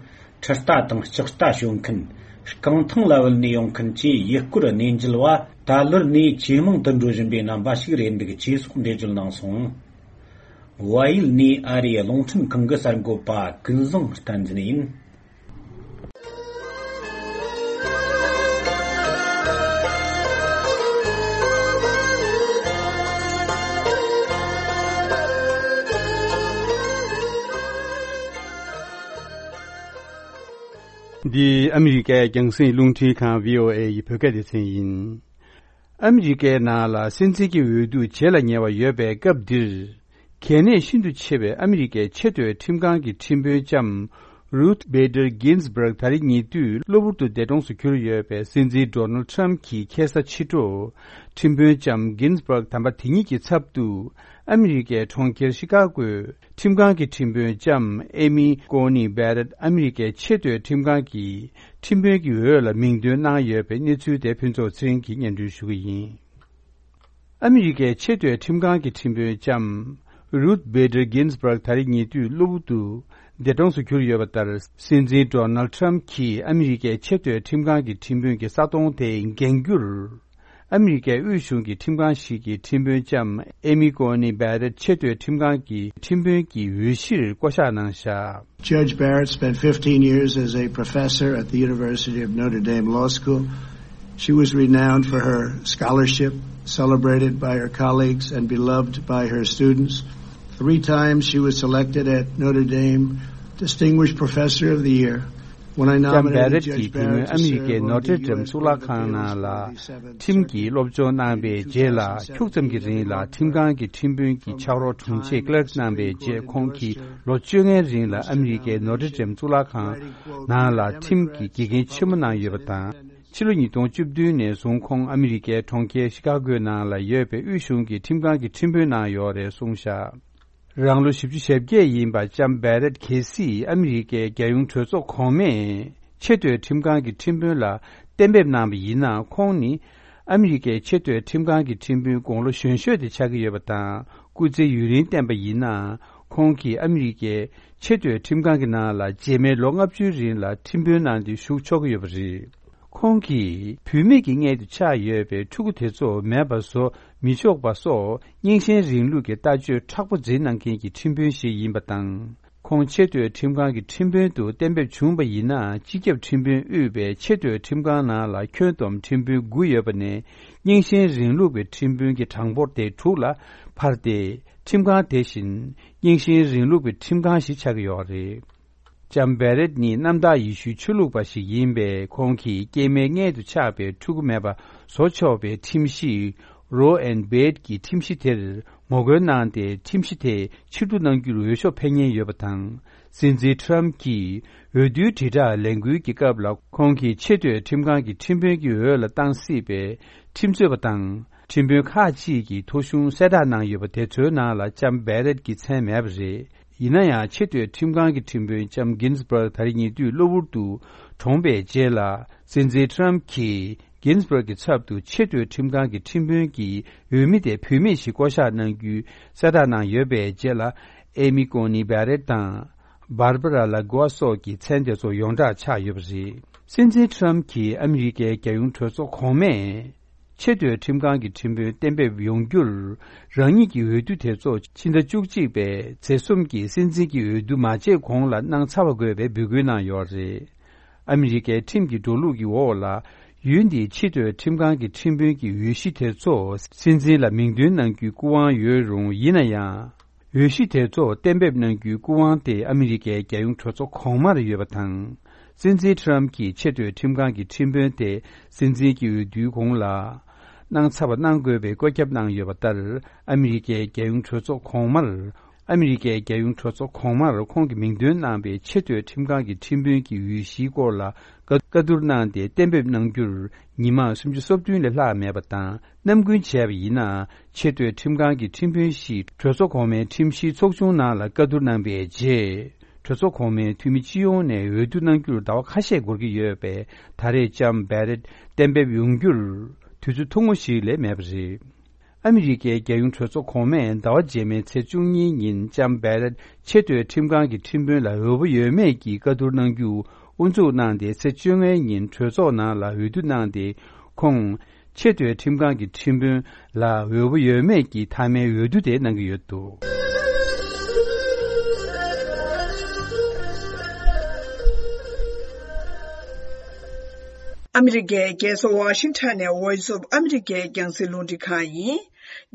འཕྲུལ་རྟ་དང་ལྕགས་རྟ་ཞོན་མཁན། རྐང་ཐང་ལ་བུད་ནས་ཡོང་མཁན་བཅས་ཡུལ་སྐོར་གནས་མཇལ་བ་ད་ལོར་ནས་ཇེ་མང་དུ་འགྲོ་བཞིན་པའི་རྣམ་པ་ཞིག་རེད་འདུག་ཅེས་སོགས་འགྲེལ་བརྗོད་གནང་སོང་། བལ་ཡུལ་ནས་ཨ་རིའི་རླུང་འཕྲིན་ཁང་གི་གསར་འགོད་པ་ཀུན་བཟང་བསྟན་འཛིན་ཡིན། འདི་ཨ་མི་རི་ཀའི་རྒྱང་སྲིང་རླུང་འཕྲིན་ཁང་བྷི་ཨོ་ཨེ་ཡི་བོད་སྐད་སྡེ་ཚན་ཡིན། ཨ་མི་རི་ཀའི་ནང་ལ་སྲིད་འཛིན་གྱི་འོས་བསྡུ་བྱེད་ལ་ཉེ་བ་ཡོད་པའི་སྐབས་འདིར། གལ་གནད་ཤིན་ཏུ་ཆེ་བའི་ཨ་མི་རི་ཀའི་ཆེས་མཐོའི་ཁྲིམས་ཁང་གི་ཁྲིམས་དཔོན་ལྕམ་ Ruth Bader Ginsburg ད་རེས་ཉེ་དུས་གློ་བུར་དུ་འདས་གྲོངས་སུ་གྱུར་ཡོད་པའི་སྲིད་འཛིན་Donald Trump གྱི་ཁ་སང་ཕྱི་དྲོ། ཁྲིམས་དཔོན་ལྕམ་Ginsburg དམ་པ་དེ་ཉིད་ཀྱི་ཚབ་ཏུ་ཨ་མི་རི་ཀའི་གྲོང་ཁྱེར་ཤི་ཀ་གོའི་ཁྲིམས་ཁང་གི་ཁྲིམས་དཔོན་ལྕམ་Amy Coney Barrett ཨ་མི་རི་ཀའི་ཆེས་མཐོའི་ཁྲིམས་ཁང་གི་ཁྲིམས་དཔོན་གྱི་འོས་ལ་མིང་འདོན་གནང་ཡོད་པའི་གནས་ཚུལ་དེ་ཕུན་ཚོགས་ཚེ་རིང་གིས་སྙན་སྒྲོན་ཞུ་གི་ཡིན། ཨ་མི་རི་ཀའི་ཆེས་མཐོའི་ཁྲིམས་ཁང་གི་ཁྲིམས་དཔོན་ལྕམ་Ruth Bader Ginsburg ད་རེས་ཉེ་དུས་གློ་བུར་དུ་འདས་གྲོངས་སུ་གྱུར་ཡོད་པ་ལྟར། སྲིད་འཛིན་Donald Trump གྱིས་ཨ་མི་རི་ཀའི་ཆེས་མཐོའི་ཁྲིམས་ཁང་གི་ཁྲིམས་དཔོན་གྱི་ས་དོང་དེ་འགེངས་རྒྱུར། ཨ་མི་རི་ཀའི་དབུས་གཞུང་གི་ཁྲིམས་ཁང་ཞིག་གི་ཁྲིམས་དཔོན་ལྕམ་Amy Coney Barrett ཆེས་མཐོའི་ཁྲིམས་ཁང་གི་ཁྲིམས་དཔོན་གྱི་འོས་གཞིར་བསྐོ་གཞག་གནང་བཞག Judge Barrett spent fifteen years as a professor at the University of Notre Dame Law School. She was renowned for her scholarship, celebrated by her colleagues, and beloved by her students. Three times she was selected at Notre Dame Distinguished Professor of the Year. When I nominated Judge Barrett to serve on the U S Congress Committee on the seventh J. ལྕམ་བྷེ་རེད་ཀྱིས་བུད་མེད་ཨ་མི་རི་ཀའི་ནོར་ཊེ་ཌེམ་གཙུག་ལག་ཁང་ནང་ལ་ཁྲིམས་ཀྱི་སློབ་སྦྱོང་གནང་བའི་རྗེས་ལ། ཁྱུག་ཙམ་གྱི་རིང་ལ་ཁྲིམས་ཁང་གི་ཁྲིམས་དཔོན་གྱི་ཕྱག་རོགས་དྲུང་ཆེ་ཀླརཀ་གནང་བའི་རྗེས། ཁོང་གིས་ལོ་བཅོ་ལྔའི་རིང་ལ་ཨ་མི་རི་ཀའི་ནོར་ཊེ་ཌེམ་གཙུག་ལག་ཁང་ནང་ལ་ཁྲིམས་ཀྱི་དགེ་རྒན་ཆེན་མོ་གནང་ཡོད་པ་དང་། ཕྱི་ལོ་ཉིས་སྟོང་བཅུ་བདུན་ནས་བཟུང་ཁོང་ཨ་མི་རི་ཀའི་གྲོང་ཁྱེར་ཤི་ཀ་གོའི་ནང་ལ་ཡོད་པའི་དབུས་གཞུང་གི་ཁྲིམས་ཁང་གི་ཁྲིམས་དཔོན་གནང་ཡོད་རེད་གསུངས་བཞག་རང་ལོ་བཞི་བཅུ་ཞེ་བརྒྱད་ཡིན་པ་ལྕམ་བྷེ་རེད་གལ་སྲིད་ཨ་མི་རི་ཀའི་རྒྱལ་ཡོངས་གྲོས་ཚོགས་གོང་མས་ཆེས་མཐོའི་ཁྲིམས་ཁང་གི་ཁྲིམས་དཔོན་ལ་གཏན་འབེབས་གནང་བ་ཡིན་ན། ཁོང་ནི་ཨ་མི་རི་ཀའི་ཆེས་མཐོའི་ཁྲིམས་ཁང་གི་ཁྲིམས་དཔོན་དགུང་ལོ་གཞོན་ཤོས་དེ་ཆགས་ཀྱི་ཡོད་པ་དང་། སྐུ་ཚེ་ཡུན་རིང་བརྟན་པ་ཡིན་ན། ཁོང་གིས་ཨ་མི་རི་ཀའི་ཆེས་མཐོའི་ཁྲིམས་ཁང་གི་ནང་ལ་རྗེས་མའི་ལོ་ལྔ་བཅུའི་རིང་ལ་ཁྲིམས་དཔོན་གནང་སྟེ་བཞུགས་ཆོག་གི་ཡོད་པ་རེད། ཁོང་གིས་བུད་མེད་ཀྱི་མངལ་དུ་ཆགས་ཡོད་པའི་ཕྲུ་གུ་དེ་ཚོ་མེད་པ་བཟོ་མི་ཆོག་པ་སོགས་རྙིང་ཞེན་རིང་ལུགས་ཀྱི་ལྟ་སྤྱོད་མཁྲེགས་པོ་འཛིན་གནང་མཁན་གྱི་ཁྲིམས་དཔོན་ཞིག་ཡིན་པ་དང་། ཁོང་ཆེས་མཐོའི་ཁྲིམས་ཁང་གི་ཁྲིམས་དཔོན་དུ་གཏན་འབེབས་བྱུང་བ་ཡིན་ན། སྤྱི་ཁྱབ་ཁྲིམས་དཔོན་དབུས་པའི་ཆེས་མཐོའི་ཁྲིམས་ཁང་ནང་ལ་ཁྱོན་བསྡོམས་ཁྲིམས་དཔོན་དགུ་ཡོད་པ་ནས། རྙིང་ཞེན་རིང་ལུགས་པའི་ཁྲིམས་དཔོན་གྱི་གྲངས་འབོར་དེ་དྲུག་ལ་འཕར་ཏེ། ཁྲིམས་ཁང་དེ་བཞིན་རྙིང་ཞེན་རིང་ལུགས་པའི་ཁྲིམས་ཁང་ཞིག་ཆགས་ཀྱི་ཡོད་རེད། ལྕམ་བྷེ་རེད་ནི་གནམ་བདག་ཡེ་ཤུའི་ཆོས་ལུགས་པ་ཞིག་ཡིན་པས། ཁོང་གིས་སྐྱེས་མའི་མངལ་དུ་ཆགས་པའི་ཕྲུ་གུ་མེད་པ་བཟོ་ཆོག་པའི་ཁྲིམས་གཞི། Roe and Wade གྱི་ཁྲིམས་གཞི་དེར་ངོ་རྒོལ་གནང་སྟེ། ཁྲིམས་གཞི་དེ་ཕྱིར་བསྡུ་གནང་རྒྱུར་འོས་ཤོག་འཕེན་མཁན་ཡོད་པ་དང་། སྲིད་འཛིན་Trump གྱིས་འོས་བསྡུའི་དྲིལ་བསྒྲགས་ལས་འགུལ་གྱི་སྐབས་ལ། ཁོང་གིས་ཆེས་མཐོའི་ཁྲིམས་ཁང་གི་ཁྲིམས་དཔོན་གྱི་འོས་ལ་བཏང་སྲིད་པའི་ཁྲིམས་རྩོད་པ་དང་། ཁྲིམས་དཔོན་ཁག་ཅིག་གིས་ཐོ་གཞུང་གསལ་བསྒྲགས་གནང་ཡོད་པ་དེ་ཚོའི་ནང་ལ་ལྕམ་བྷེ་རེད་ཀྱི་མཚན་མེད་པ་རེད། ཡིན་ན་ཡང་། ཆེས་མཐོའི་ཁྲིམས་ཁང་གི་ཁྲིམས་དཔོན་ལྕམ་Ginsburg ད་རེས་ཉེ་དུས་གློ་བུར་དུ་གྲོངས་པའི་རྗེས་ལ། སྲིད་འཛིན་Trump གྱིས་Ginsburg གྱི་ཚབ་ཏུ་ཆེས་མཐོའི་ཁྲིམས་ཁང་གི་ཁྲིམས་དཔོན་གྱི་འོས་མི་དེ་བུད་མེད་ཞིག་བསྐོ་གཞག་གནང་རྒྱུའི་གསལ་བསྒྲགས་གནང་ཡོད་པའི་རྗེས་ལ། Amy Coney Barrett དང་Barbara Lagoa སོགས་ཀྱི་མཚན་དེ་ཚོ་ཡོངས་གྲགས་ཆགས་ཡོད་པ་རེད། སྲིད་འཛིན་Trump གྱིས་ཨ་མི་རི་ཀའི་རྒྱལ་ཡོངས་གྲོས་ཚོགས་གོང་མས། ཆེས་མཐོའི་ཁྲིམས་ཁང་གི་ཁྲིམས་དཔོན་གཏན་འབེབས་ཡོང་རྒྱུར། རང་ཉིད་ཀྱི་འོས་བསྡུ་དེ་ཚོ་ཕྱི་ཟླ་བཅུ་གཅིག་པའི་ཚེས་གསུམ་གྱི་སྲིད་འཛིན་གྱི་འོས་བསྡུ་མ་བྱས་གོང་ལ་གནང་ཚར་བ་དགོས་པའི་འབོད་སྐུལ་གནང་ཡོད་རེད། ཨ་མི་རི་ཀའི་ཁྲིམས་ཀྱི་འགྲོ་ལུགས་ཀྱི་འོག་ལ། ཡུལ་འདིའི་ཆེས་མཐོའི་ཁྲིམས་ཁང་གི་ཁྲིམས་དཔོན་གྱི་འོས་གཞི་དེ་ཚོ་སྲིད་འཛིན་ལ་མིང་འདོན་གནང་རྒྱུའི་སྐུ་དབང་ཡོད་རུང་། ཡིན་ན་ཡང་། འོས་གཞི་དེ་ཚོ་གཏན་འབེབས་གནང་རྒྱུའི་སྐུ་དབང་དེ་ཨ་མི་རི་ཀའི་རྒྱལ་ཡོངས་གྲོས་ཚོགས་གོང་མར་ཡོད་པ་དང་། སྲིད་འཛིན་Trump གྱིས་ཆེས་མཐོའི་ཁྲིམས་ཁང་གི་ཁྲིམས་དཔོན་དེ་སྲིད་འཛིན་གྱི་འོས་བསྡུའི་གོང་ལ་གནང་ཚར་བ་གནང་དགོས་པའི་བཀོད་ཁྱབ་གནང་ཡོད་པ་ལྟར། ཨ་མི་རི་ཀའི་རྒྱལ་ཡོངས་གྲོས་ཚོགས་གོང་མར། ཨ་མི་རི་ཀའི་རྒྱལ་ཡོངས་གྲོས་ཚོགས་གོང་མར་ཁོང་གིས་མིང་འདོན་གནང་བའི་ཆེས་མཐོའི་ཁྲིམས་ཁང་གི་ཁྲིམས་དཔོན་གྱི་འོས་གཞིའི་སྐོར་ལ་བཀའ་བཀའ་བསྡུར་གནང་སྟེ་གཏན་འབེབས་གནང་རྒྱུར། ཉི་མ་སུམ་ཅུ་སོ་བདུན་ལས་ལྷག་མེད་པ་དང་། ནམ་རྒྱུན་བྱས་པ་ཡིན་ན། ཆེས་མཐོའི་ཁྲིམས་ཁང་གི་ཁྲིམས་དཔོན་ཞིག་གྲོས་ཚོགས་གོང་མའི་ཁྲིམས་ཞིབ་ཚོགས་ཆུང་ནང་ལ་བཀའ་བསྡུར་གནང་པའི་རྗེས། གྲོས་ཚོགས་གོང་མའི་འཐུས་མི་སྤྱི་ཡོངས་ནས་འོས་བསྡུ་གནང་རྒྱུར་ཟླ་བ་ཁ་ཤས་འགོར་གྱི་ཡོད་པས། ད་རེས་ལྕམ་བྷེ་རེད་གཏན་འབེབས་ཡོང་རྒྱུར་དུས་ཚོད་ཐུང་ངུ་ཞིག་ལས་མེད་པ་རེད། ཨ་མི་རི་ཀའི་རྒྱལ་ཡོངས་གྲོས་ཚོགས་གོང་མས་ཟླ་བ་རྗེས་མའི་ཚེས་བཅུ་གཉིས་ཉིན་ལྕམ་བྷེ་རེད་ཆེས་མཐོའི་ཁྲིམས་ཁང་གི་ཁྲིམས་དཔོན་ལ་འོས་པ་ཡོད་མེད་ཀྱི་བཀའ་བསྡུར་གནང་རྒྱུ་དབུ་འཛུགས་གནང་སྟེ། ཚེས་བཅོ་ལྔའི་ཉིན་གྲོས་ཚོགས་ནང་ལ་འོས་བསྡུ་གནང་སྟེ། ཁོང་ཆེས་མཐོའི་ཁྲིམས་ཁང་གི་ཁྲིམས་དཔོན་ལ་འོས་པ་ཡོད་མེད་ཀྱི་མཐའ་མའི་འོས་བསྡུ་དེ་གནང་གི་ཡོད་འདུག་ཨ་མི་རི་ཀའི་རྒྱལ་ས་ཝ་ཤིང་ཊོན་ནས་Voice of America རྒྱང་སྲིང་རླུང་འཕྲིན་ཁང་ཡིན།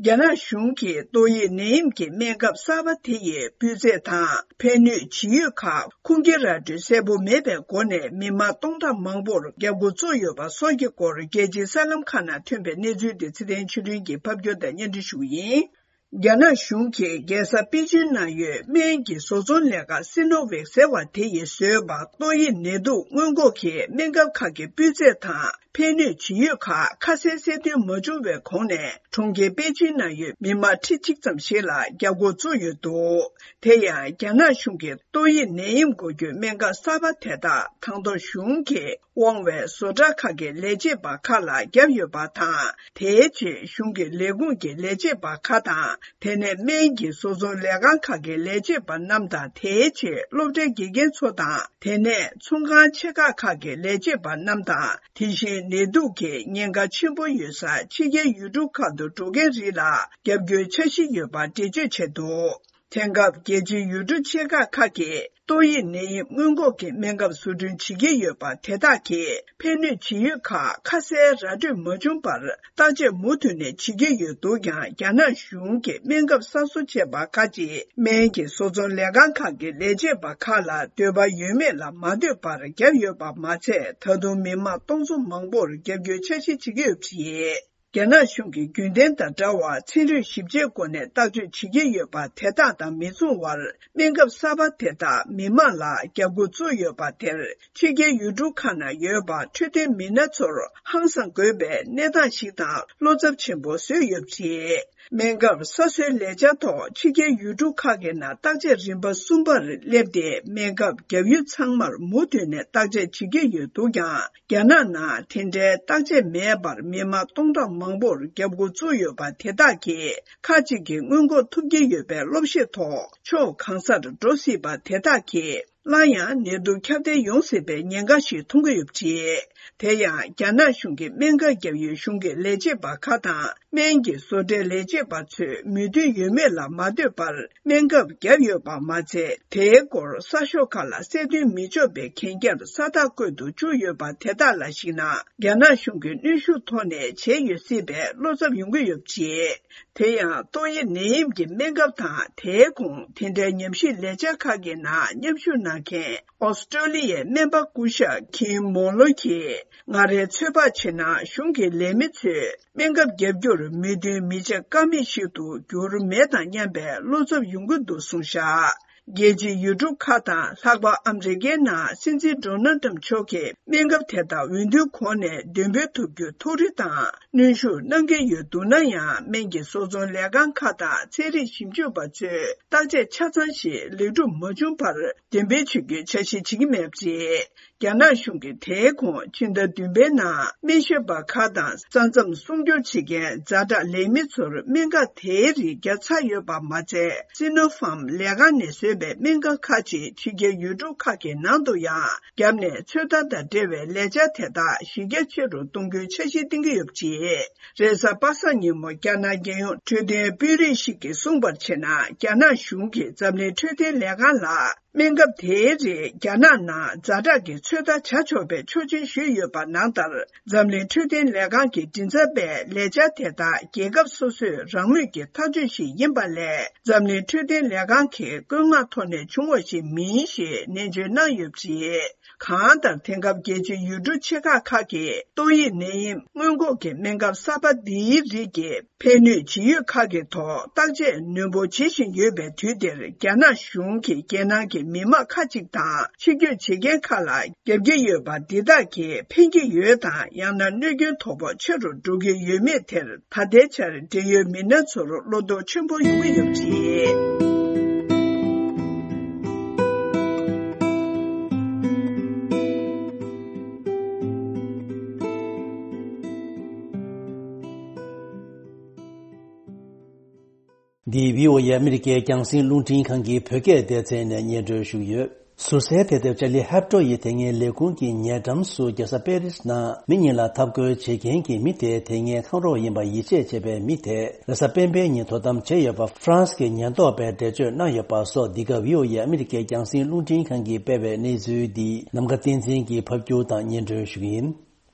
རྒྱ་ནག་གཞུང་གིས་ཏོག་དབྱིབས་ནད་ཡམས་ཀྱི་སྨན་ཁབ་གསར་པ་དེ་ཡི་སྤུས་ཚད་དང་ཕན་ནུས་ཇི་ཡོད་ཁག་ཁུངས་སྐྱེལ་ར་སྤྲོད་གསལ་པོ་མེད་པའི་སྒོ་ནས་མི་མང་སྟོང་ཕྲག་མང་པོར་རྒྱབ་འགོག་བཙུགས་ཡོད་པ་སོགས་ཀྱི་སྐོར་རྒྱལ་སྤྱིའི་གསར་ལམ་ཁག་ནང་ཐོན་པའི་གནས་ཚུལ་དེ་ཚེ་བརྟན་ཆོས་སྒྲོན་གྱིས་ཕབ་སྒྱུར་དང་སྙན་སྒྲོན་ཞུ་གི་ཡིན། རྒྱ་ནག་གཞུང་གིས་རྒྱལ་ས་པེ་ཅིན་ནང་ཡོད་སྨན་གྱི་བཟོ་ཚོང་ལས་ཁང་སི་ནོ་ཝེག་ཟེར་བ་དེ་ཡིས་བཟོས་པ་ཏོག་དབྱིབས་ནད་དུག་སྔོན་འགོག་གི་སྨན་ཁབ་ཁག་གི་སྤུས་ཚད་དང་ཕན་ནུས་ཇི་ཡོད་ཁག་ཁ་གསལ་གསལ་སྟོན་མ་བྱུང་བའི་གོང་ནས། གྲོང་ཁྱེར་པེ་ཅིན་ནང་ཡོད་མི་མང་ཁྲི་གཅིག་ཙམ་ཞིག་ལ་རྒྱབ་འགོག་བཙུགས་ཡོད་འདུག་དེ་ཡང་རྒྱ་ནག་གཞུང་གིས་ཏོག་དབྱིབས་ནད་ཡམས་འགོག་རྒྱུའི་སྨན་ཁབ་གསར་པ་དེ་དག་དང་ཐོག་གཞུང་གིས་དབང་བའི་བཟོ་གྲྭ་ཁག་གི་ལས་བྱེད་པ་ཁག་ལ་བརྒྱབ་ཡོད་པ་དང་། དེའི་རྗེས་གཞུང་གི་ལས་ཁུངས་ཀྱི་ལས་བྱེད་པ་ཁག་དང་། དེ་ནས་སྨན་གྱི་བཟོ་ཚོང་ལས་ཁང་ཁག་གི་ལས་བྱེད་པ་རྣམས་དང་། དེའི་རྗེས་སློབ་གྲྭའི་དགེ་རྒན་ཚོ་དང་། དེ་ནས་ཚོང་ཁང་ཆེ་ཁག་ཁག་གི་ལས་བྱེད་པ་རྣམས་དང་། དེ་བཞིན་ནད་དུག་གི་ཉེན་ཁ་ཆེན་པོ་ཡོད་སར་ཕྱི་རྒྱལ་ཡུལ་གྲུ་ཁག་ཏུ་འགྲོ་མཁན་རིགས་ལ་རྒྱབ་སྐྱོར་འཆར་གཞི་ཡོད་པ་འགྲེལ་བརྗོད་བྱས་འདུག་དེང་སྐབས་རྒྱལ་སྤྱིའི་ཡུལ་གྲུ་ཆེ་ཁག་ཁག་གིས་ཏོག་དབྱིབས་ནད་ཡམས་སྔོན་འགོག་གི་སྨན་ཁབ་བཟོ་སྐྲུན་བྱེད་ཀྱི་ཡོད་པ་དེ་དག་གི་ཕན་ནུས་ཇི་ཡོད་ཁག་ཁ་གསལ་ར་སྤྲོད་མ་བྱུང་བར། བརྟག་དཔྱད་མུ་མཐུད་ནས་བྱེད་ཀྱི་ཡོད་འདུག་ཀྱང་། རྒྱ་ནག་གཞུང་གི་སྨན་ཁབ་གསར་བཟོ་བྱས་པ་ཁག་ཅིག་སྨན་གྱི་བཟོ་ཚོང་ལས་ཁང་ཁག་གི་ལས་བྱེད་པ་ཁག་ལ་འདོད་པ་ཡོད་མེད་ལ་མ་ལྟོས་པར་བརྒྱབ་ཡོད་པ་མ་ཚད། ད་དུང་མི་མང་སྟོང་ཚོ་མང་པོར་རྒྱབ་སྐྱོར་འཆར་གཞི་བྱེད་ཀྱི་ཡོད་པ་རེད། རྒྱ་ནག་གཞུང་གིས་རྒྱུན་ལྡན་དང་འདྲ་བར་ཚན་རིག་ཞིབ་དཔྱད་སྒོ་ནས་བརྟག་དཔྱད་བྱེད་ཀྱི་ཡོད་པ་དེ་དག་དང་མི་མཚུངས་བར། སྨན་ཁབ་གསར་པ་དེ་དག་མི་མང་ལ་རྒྱབ་འགོག་བཙུགས་ཡོད་པ་དེར། ཕྱི་རྒྱལ་ཡུལ་གྲུ་ཁག་ནང་ཡོད་པ་འཕྲོད་བསྟེན་མི་སྣ་ཚོར་ཧང་སངས་དགོས་པའི་གནས་སྟངས་ཤིག་དང་བློ་འཚབ་ཆེན་པོ་བཟོས་ཡོད་པ་རེད། སྨན་ཁབ་གསར་བཟོའི་ལས་འཆར་ཐོག་ཕྱི་རྒྱལ་ཡུལ་གྲུ་ཁག་གི་ནང་བརྟག་དཔྱད་རིམ་པ་གསུམ་པར་སླེབས་ཏེ། སྨན་ཁབ་རྒྱག་ཡུལ་ཚང་མར་མུ་མཐུད་ནས་བརྟག་དཔྱད་བྱེད་ཀྱི་ཡོད་འདུག་ཀྱང་། རྒྱ་ནག་ནང་དེ་འདྲའི་བརྟག་དཔྱད་མེད་པར་མི་མང་སྟོང་ཕྲག་མང་པོར་རྒྱབ་འགོག་བཙུགས་ཡོད་པ་དེ་དག་གིས། ཁག་ཅིག་གིས་སྔོན་འགོག་ཐུབ་ཀྱི་ཡོད་པའི་བློ་ཤེད་ཐོག་ཕྱོགས་གང་སར་འགྲོ་སྲིད་པ་དེ་དག་གིས། སླར་ཡང་ནད་དུག་ཁྱབ་གདལ་ཡོང་སྲིད་པའི་ཉེན་ཁ་ཞིག་མཐོང་གི་ཡོད་པ་རེད། དེ་ཡང་རྒྱ་ནག་གཞུང་གི་སྨན་ཁབ་བརྒྱབ་ཡུལ་གཞུང་གི་ལས་བྱེད་པ་ཁག་དང་སྨན་གྱི་བཟོ་གྲྭའི་ལས་བྱེད་པ་ཚོས་མོས་མཐུན་ཡོད་མེད་ལ་མ་ལྟོས་པར་སྨན་ཁབ་བརྒྱབ་ཡོད་པ་མ་ཚད། དེའི་སྐོར་གསར་ཤོག་ཁག་ལ་གསལ་སྟོན་མི་ཆོག་པའི་གན་རྒྱར་ས་རྟགས་བཀོད་དུ་བཅུག་ཡོད་པ་དེ་དག་ལ་གཞིགས་ན། རྒྱ་ནག་གཞུང་གིས་གནོན་ཤུགས་ཐོག་ནས་བྱས་ཡོད་སྲིད་པའི་བློ་འཚབ་ཡོང་གི་ཡོད་པ་རེད། དེ་ཡང་ཏོག་དབྱིབས་ནད་ཡམས་ཀྱི་སྨན་ཁབ་དང་། དེའི་གོང་དེ་འདྲའི་ཉམས་ཞིབ་ལས་འཆར་ཁག་གི་ནང་མཉམ་ཞུགས་གནང་མཁན་ཨོ་སི་ཀྲོ་ལི་ཡའི་སྨན་པ་སྐུ་ཞབས་ཁིམ་མོ་ལོ་གིས། ང་རའི་ཚོད་དཔག་བྱས་ན། གཞུང་གི་ལས་མི་ཚོས་སྨན་ཁབ་བརྒྱབ་རྒྱུར་མོས་མཐུན་མི་བྱེད་ཀ་མེད་ཞིག་ཏུ་འགྱུར་མེད་དང་མཉམ་པའི་བློ་འཚབ་ཡོང་གི་འདུག་གསུངས་བཞག་རྒྱལ་སྤྱིའི་ཡུལ་གྲུ་ཁག་དང་། ལྷག་པར་ཨ་མི་རི་ཀའི་ནང་སྲིད་འཛིན་ཌོ་ནལ་ཏྲམ་མཆོག་གིས་སྨན་ཁབ་དེ་དག་འོས་བསྡུའི་གོང་ནས་འདོན་སྤེལ་ཐུབ་རྒྱུའི་ཐུགས་རེ་དང་གནོན་ཤུགས་གནང་གི་ཡོད་འདུག་ན་ཡང་། སྨན་གྱི་བཟོ་ཚོང་ལས་ཁང་ཁག་དང་ཚན་རིག་ཞིབ་འཇུག་པ་ཚོས་བརྟག་དཔྱད་ཆ་ཚང་ཞིག་ལེགས་གྲུབ་མ་བྱུང་བར། འདོན་སྤེལ་བྱེད་རྒྱུའི་འཆར་གཞི་བྱེད་ཀྱི་མེད་པ་རེད། རྒྱ་ནག་གཞུང་གིས་དེའི་གོང་ཕྱི་ཟླ་བདུན་པའི་ནང་སྨན་ཞབས་པ་ཁག་དང་ས་མཚམས་སྲུང་སྐྱོབ་བྱེད་མཁན་ཛ་དྲག་ལས་མི་ཚོར་སྨན་ཁབ་དེའི་རིགས་བརྒྱབ་ཚར་ཡོད་པ་མ་ཚད། སི་ནོ་ཕཱམ་ལས་ཁང་ནས་བཟོས་པའི་སྨན་ཁབ་ཁག་ཅིག་ཕྱི་རྒྱལ་ཡུལ་གྲུ་ཁག་གི་ནང་དུ་ཡང་བརྒྱབ་ནས། ཚོད་ལྟ་དང་འབྲེལ་བའི་ལས་འཆར་དེ་དག་གཞི་རྒྱ་ཆེ་རུ་གཏོང་རྒྱུའི་འཆར་གཞི་བཏིང་གི་ཡོད་པ་རེད། རེས་གཟའ་པ་སངས་ཉིན་མོ་རྒྱ་ནག་རྒྱལ་ཡོངས་འཕྲོད་བསྟེན་དཔོན་རིགས་ཤིག་གིས་གསུངས་པར་བྱས་ན། རྒྱ་ནག་གཞུང་གིས་འཛམ་གླིང་འཕྲོད་བསྟེན་ལས་ཁང་ལ། སྨན་ཁབ་དེའི་རིགས་རྒྱ་ནག་ནང་ཛ་དྲག་གི་ཚོད་ལྟ་བྱ་ཆོག་པའི་ཆོག་མཆན་ཞུས་ཡོད་པ་ནང་ལྟར། འཛམ་གླིང་འཕྲོད་བསྟེན་ལས་ཁང་གི་མགྲིན་ཚབ་པས་ལས་འཆར་དེ་དག་རྒྱལ་ཁབ་སོ་སོས་རང་མོས་ཀྱི་ཐག་གཅོད་ཞིག་ཡིན་པ་ལས། འཛམ་གླིང་འཕྲོད་བསྟེན་ལས་ཁང་གི་བཀོད་མངགས་ཐོག་ནས་བྱུང་བ་ཞིག་མིན་ཞེས་ནན་བརྗོད་གནང་ཡོད་པ་རེད། གང་ལྟར། དེང་སྐབས་རྒྱལ་སྤྱིའི་ཡུལ་གྲུ་ཆེ་ཁག་ཁག་གིས་ཏོག་དབྱིབས་ནད་ཡམས་སྔོན་འགོག་གི་སྨན་ཁབ་གསར་པ་འདིའི་རིགས་ཀྱི་ཕན་ནུས་ཇི་ཡོད་ཁག་གི་ཐོག་བརྟག་དཔྱད་ནན་པོ་བྱེད་བཞིན་ཡོད་པའི་དུས་འདིར། རྒྱ་ནག་གཞུང་གིས་རྒྱལ་ནང་གི་མི་མང་ཁག་ཅིག་དང་། ཕྱི་སྐྱོད་བྱེད་མཁན་ཁག་ལ་བརྒྱབ་ཀྱི་ཡོད་པ་འདི་དག་གིས་ཕན་གྱི་ཡོད་དང་། ཡང་ན་གནོད་སྐྱོན་དོ་ཕོག་ཆེ་རུ་འགྲོ་གི་ཡོད་མེད་དེར། ད་ལྟའི་ཆར་འབྲེལ་ཡོད་མི་སྣ་ཚོར་བློ་དོགས་ཆེན་པོ་ཡོང་གི་ཡོད་པ་རེད། འདི་བྷི་ཨོ་ཨེ་ཨ་མི་རི་ཀའི་རྒྱང་སྲིང་རླུང་འཕྲིན་ཁང་གི་བོད་སྐད་སྡེ་ཚན་ནས་སྙན་སྒྲོན་ཞུས་ཡོད། ཟུར་སའི་དེབ་དེབ་ཅར་ལི་ཧེབ་ཏོ་ཡིས་དེ་སྔའི་ལས་ཁུངས་ཀྱི་ཉེ་འགྲམ་སུ་རྒྱལ་ས་པེ་རིས་ནང་མི་གཉིས་ལ་འཐབ་རྒོལ་བྱེད་མཁན་གྱི་མི་དེ་དེ་སྔའི་ཁམས་རོགས་ཡིན་པ་ཡིད་ཆེས་བྱས་པའི་མི་དེ་རེས་གཟའ་སྤེན་པའི་ཉིན་དོ་དམ་བྱས་ཡོད་པ་ཧྥ་རན་སི་གི་ཉེན་རྟོག་པས་འགྲེལ་བརྗོད་གནང་ཡོད་པ་སོགས། འདི་ག་བྷི་ཨོ་ཨེ་ཨ་མི་རི་ཀའི་རྒྱང་སྲིང་རླུང་འཕྲིན་ཁང་གིས་སྤེལ་བའི་གནས་ཚུལ་འདི་ནམ་མཁའ་བསྟན་འཛིན་གྱིས་ཕབ་སྒྱུར་དང་སྙན་སྒྲོན་ཞུ་གི་ཡིན།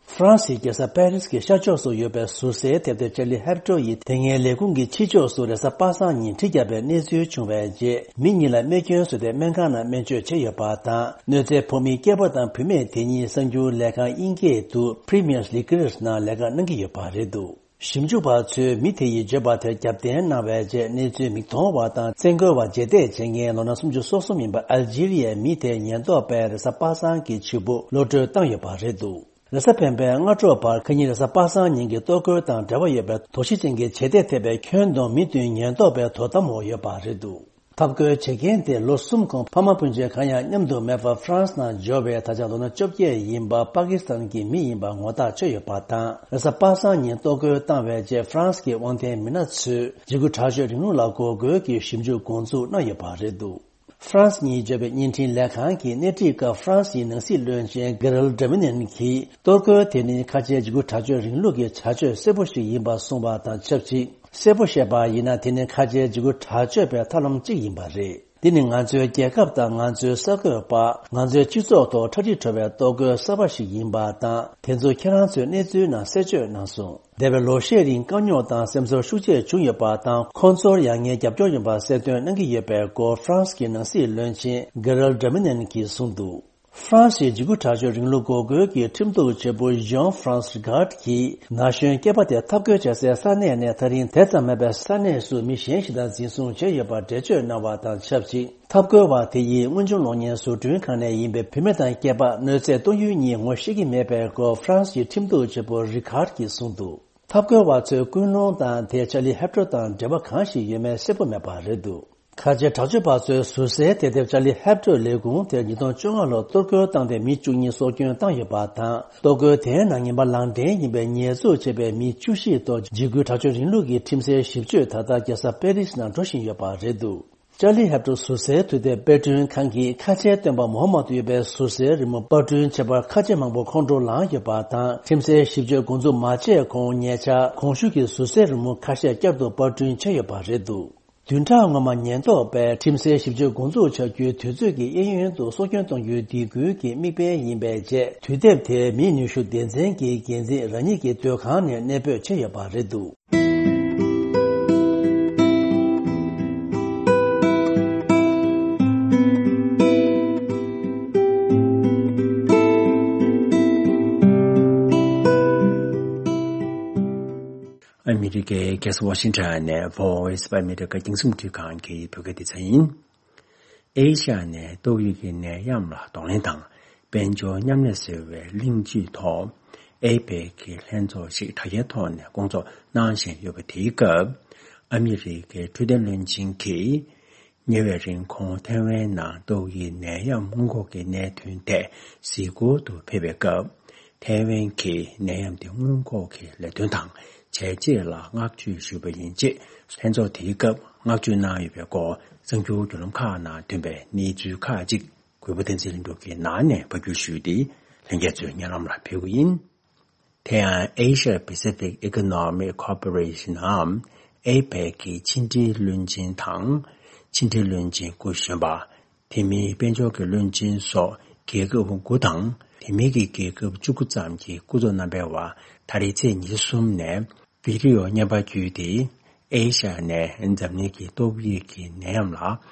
ཧྥ་རན་སིའི་རྒྱལ་ས་པེ་རིས་ཀྱི་ཤར་ཕྱོགས་སུ་ཡོད་པའི་ཟུར་སའི་དེབ་དེབ་ཅར་ལི་ཧེབ་ཏོ་ཡིས་དེ་སྔའི་ལས་ཁུངས་ཀྱི་ཕྱི་ཕྱོགས་སུ་རེས་གཟའ་པ་སངས་ཉིན་གྲི་བརྒྱབ་པའི་གནས་ཚུལ་བྱུང་བའི་རྗེས། མི་གཉིས་ལ་རྨས་སྐྱོན་བཟོས་ཏེ་སྨན་ཁང་ནང་སྨན་བཅོས་བྱས་ཡོད་པ་དང་། གནོད་འཚེ་ཕོག་མིའི་སྐྱེས་པ་དང་བུད་མེད་དེ་གཉིས་གསར་འགྱུར་ལས་ཁང་དབྱིན་སྐད་དུ་Premier's Liquors ནང་ལས་ཀ་གནང་གི་ཡོད་པ་རེད་འདུག་ཞིབ་འཇུག་པ་ཚོས་མི་དེ་ཡིས་བརྗོད་པ་དེར་རྒྱབ་རྟེན་གནང་བའི་རྗེས། གནས་ཚུལ་མིག་མཐོང་བ་དང་བཙན་རྒོལ་བ་རྗེས་འདེད་བྱེད་མཁན་ལོ་ན་སུམ་ཅུ་སོ་གསུམ་ཡིན་པ་ཨལ་ཇི་རི་ཡའི་མི་དེ་ཉེན་རྟོག་པས་རེས་གཟའ་པ་སངས་ཀྱི་ཕྱི་དྲོ་གློད་གྲོལ་བཏང་ཡོད་པ་རེད་འདུག་རེས་གཟའ་སྤེན་པའི་སྔ་དྲོ་བར་ཁ་ཉིན་རེས་གཟའ་པ་སངས་ཉིན་གྱི་གཏོར་རྒོལ་དང་འབྲེལ་བ་ཡོད་པའི་དོགས་གཞི་ཅན་གྱི་བྱེད་གཏེ་ཐེབས་པའི་ཁྱོན་བསྡོམས་མི་བདུན་ཉེན་རྟོག་པའི་དོ་དམ་འོག་ཡོད་པ་རེད་འདུག་ཐབས་བཀོད་བྱེད་མཁན་དེ་ལོ་གསུམ་གོང་ཕ་མ་སྤུན་མཆེད་གང་ཡང་མཉམ་དུ་མེད་པར་ཧྥ་རན་སི་ནང་འབྱོར་བའི་ད་ཆ་ལོ་ན་བཅོ་བརྒྱད་ཡིན་པ་པ་ཀི་སི་ཐན་གྱི་མི་ཡིན་པ་ངོ་ཐག་ཆོད་ཡོད་པ་དང་། རེས་གཟའ་པ་སངས་ཉིན་གཏོར་རྒོལ་བཏང་བའི་རྗེས་ཧྥ་རན་སི་གི་དབང་ལྡན་མི་སྣ་ཚོས་འཇིགས་སྐུལ་དྲག་སྤྱོད་རིང་ལུགས་ལ་འགོག་རྒོལ་གྱི་ཞིབ་འཇུག་འགོ་འཛུགས་གནང་ཡོད་པ་རེད་འདུག་ཧྥ་རན་སི་གཉིས་བརྗོད་པའི་བརྙན་འཕྲིན་ལས་ཁང་གིས་སྣེ་ཁྲིད་སྐབས་ཧྥ་རན་སིའི་ནང་སྲིད་བློན་ཆེན་གྷེ་རལ་ཌར་མ་ནན་གྱིས་གཏོར་རྒོལ་དེ་ནི་ཁ་ཆེའི་འཇིགས་སྐུལ་དྲག་སྤྱོད་རིང་ལུགས་ཀྱི་བྱ་སྤྱོད་གསལ་པོ་ཞིག་ཡིན་པ་གསུངས་པ་དང་ཆབས་ཅིག་གསལ་པོ་བཤད་པ་ཡིན་ན། དེ་ནི་ཁ་ཆེའི་འཇིགས་སྐུལ་དྲག་སྤྱོད་པའི་ཐབས་ལམ་གཅིག་ཡིན་པ་རེད། འདི་ནི་ང་ཚོའི་རྒྱལ་ཁབ་དང་ང་ཚོའི་གསར་འགོད་པ། ང་ཚོའི་སྤྱི་ཚོགས་ཐོག་ཁྲ་ཁྲིག་བྲོ་བའི་གཏོར་རྒོལ་གསར་པ་ཞིག་ཡིན་པ་དང་། དེ་ཚོ་ཁྱེད་རང་ཚོའི་གནས་ཚུལ་ནང་གསལ་བརྗོད་གནང་སོང་། འདས་པའི་ལོ་ཤས་རིང་དཀའ་རྙོག་དང་སེམས་ཚོར་ཤུགས་ཆེ་བྱུང་ཡོད་པ་དང་། ཁོང་ཚོར་ཡང་ངའི་རྒྱབ་སྐྱོར་ཡོད་པ་གསལ་སྟོན་གནང་གི་ཡོད་པའི་སྐོར་ཧྥ་རན་སི་གི་ནང་སྲིད་བློན་ཆེན་གྷེ་རལ་ཌར་མ་ནན་གྱིས་གསུངས་འདུག་ཧྥ་རན་སིའི་འཇིགས་སྐུལ་དྲག་སྤྱོད་རིང་ལུགས་འགོག་རྒོལ་གྱི་ཁྲིམས་གཏུག་བྱེད་པོ་ཇོན་ཧྥ་རན་སི་རི་གྷར་ཌི་གིས་ན་གཞོན་སྐྱེས་པ་དེ་འཐབ་རྒོལ་བྱེད་སའི་ས་གནས་ནས་ད་རིང་དེ་ཙམ་མེད་པའི་ས་གནས་སུ་མི་གཞན་ཞིག་དང་འཛིན་བཟུང་བྱས་ཡོད་པར་འགྲེལ་བརྗོད་གནང་བ་དང་ཆབས་ཅིག་འཐབ་རྒོལ་བ་དེ་ཡིས་དངོས་བྱུང་གློག་བརྙན་བཟོ་སྐྲུན་ཁང་ནས་ཡིན་པའི་བུད་མེད་དང་སྐྱེས་པ་གནོད་འཚེ་གཏོང་ཡུལ་གཉིས་ངོ་ཤེས་ཀྱི་མེད་པའི་སྐོར་ཧྥ་རན་སི་ཡི་ཁྲིམས་གཏུག་བྱེད་པོ་རི་གྷར་ཌི་གིས་གསུངས་འདུག་འཐབ་རྒོལ་བ་ཚོའི་ཀུན་སློང་དང་དེ་ཅར་ལི་ཧེབ་ཏོ་དང་འབྲེལ་བ་གང་ཞིག་ཡོད་མེད་གསལ་པོ་མེད་པ་རེད་འདུག་ཁ་ཆེ་དྲག་སྤྱོད་པ་ཚོའི་ཟུར་གསལ་དེབ་དེབ་ཅར་ལི་ཧེབ་ཏོའི་ལས་ཁུངས་དེར་ཉིས་སྟོང་བཅོ་ལྔ་ལོར་གཏོར་རྒོལ་བཏང་སྟེ་མི་བཅུ་གཉིས་སྲོག་སྐྱོན་བཏང་ཡོད་པ་དང་། གཏོར་རྒོལ་དེའི་ནང་ཉེས་པ་ལག་འདྲེན་ཡིན་པའི་ཉེས་འཛུགས་བྱས་པའི་མི་བཅུ་བཞི་ཐོག་འཇིགས་སྐུལ་དྲག་སྤྱོད་རིང་ལུགས་ཀྱི་ཁྲིམས་སའི་ཞིབ་དཔྱོད་ད་ལྟ་རྒྱལ་ས་པེ་རིས་ནང་འགྲོ་བཞིན་ཡོད་པ་རེད་འདུག་ཅར་ལི་ཧེབ་ཏོ་ཟུར་གསལ་དུས་དེབ་དཔར་སྐྲུན་ཁང་གིས་ཁ་ཆེའི་སྟོན་པ་མོ་ཧ་མ་ཏུ་ཡོད་པའི་ཟུར་གསལ་རི་མོ་པར་སྐྲུན་བྱེད་པར་ཁ་ཆེ་མང་པོ་ཁོང་ཁྲོ་ལངས་ཡོད་པ་དང་། ཁྲིམས་སའི་ཞིབ་དཔྱོད་འགོ་འཛུགས་མ་བྱས་གོང་ཉེ་ཆར་གོང་ཞུས་ཀྱི་ཟུར་གསལ་རི་མོ་ཁ་ཤས་བསྐྱར་དུ་པར་སྐྲུན་བྱས་ཡོད་པ་རེད་འདུག་བདུན་ཕྲག་སྔོན་མ་ཉེན་རྟོག་པས་ཁྲིམས་སའི་ཞིབ་དཔྱོད་འགོ་འཛུགས་བྱ་རྒྱུའི་དུས་ཚོད་ཀྱི་གཡས་གཡོན་དུ་སྲོག་སྐྱོན་གཏོང་རྒྱུའི་སྡིགས་སྐུལ་གྱི་དམིགས་འབེན་ཡིན་པའི་རྗེས། དུས་དེབ་དེའི་མིའི་ནུས་ཤུགས་སྡེ་ཚན་གྱི་འགན་འཛིན་རང་ཉིད་ཀྱི་སྡོད་ཁང་ནས་གནས་སྤོས་བྱས་ཡོད་པ་རེད་འདུག་ཨ་མི་རི་ཀའི་རྒྱལ་ས་ཝ་ཤིང་ཊོན་ནས་Voice of America རྒྱང་སྲིང་རླུང་འཕྲིན་ཁང་གི་བོད་སྐད་སྡེ་ཚན་ཡིན། ཨེ་ཤ་ཡ་ནས་ཏོག་དབྱིབས་ཀྱི་ནད་ཡམས་ལ་གདོང་ལེན་དང་དཔལ་འབྱོར་མཉམ་ལས་ཟེར་བའི་གླེང་བརྗོད་ཐོག་ཨེ་པེག་གི་ལྷན་ཚོགས་ཤིག་དྲ་རྒྱའི་ཐོག་ནས་སྐོང་ཚོགས་གནང་བཞིན་ཡོད་པ་དེའི་སྐབས། ཨ་མི་རི་ཀའི་འཕྲོད་བསྟེན་བློན་ཆེན་གྱིས་ཉེ་བའི་རིང་ཁོང་ཐའེ་ཝན་ནང་ཏོག་དབྱིབས་ནད་ཡམས་སྔོན་འགོག་གི་གནད་དོན་ཐད་གཟིགས་སྐོར་དུ་ཕེབས་པའི་སྐབས། ཐའེ་ཝན་གྱིས་ནད་ཡམས་དེ་སྔོན་འགོག་གི་ལས་དོན་དང་བྱས་རྗེས་ལ་བསྔགས་བརྗོད་ཞུས་པ་ཡིན་ཅེས་ལྷན་ཚོགས་དེའི་སྐབས་བསྔགས་བརྗོད་གནང་ཡོད་པའི་སྐོར་གསར་འགྱུར་བརྒྱུད་ལམ་ཁག་ནང་ཐོན་པའི་གནས་ཚུལ་ཁག་ཅིག་གུས་པ་བསྟན་འཛིན་ལྷུན་གྲུབ་ཀྱིས་ནང་ནས་ཕབ་སྒྱུར་ཞུས་ཏེ་ལྷན་རྒྱས་ཚོའི་སྙན་ལམ་ལ་ཕེབས་ཀྱི་ཡིན། དེ་ཡང་Asia Pacific Economic Cooperation འམ་ཨེ་པེག་གི་ཕྱི་འབྲེལ་བློན་ཆེན་དང་ཕྱི་འབྲེལ་བློན་ཆེན་སྐུ་གཞོན་པ། དེ་མིན་དཔལ་འབྱོར་གྱི་བློན་ཆེན་སོགས་རྒྱལ་ཁབ་དགུ་དང་། དེ་མིན་གྱི་རྒྱལ་ཁབ་བཅུ་དགུ་ཙམ་གྱི་སྐུ་ཚབ་རྣམ་པའི་དབར་ད་རེས་ཚེས་ཉི་ཤུ་གསུམ་ནས་བི་ཌི་ཡོ་བརྙན་པར་བརྒྱུད་དེ། ཨེ་ཤ་ཡ་ནས་འཛམ་གླིང་གི་ཏོག་དབྱིབས་ཀྱི་ནད་ཡམས་ལ་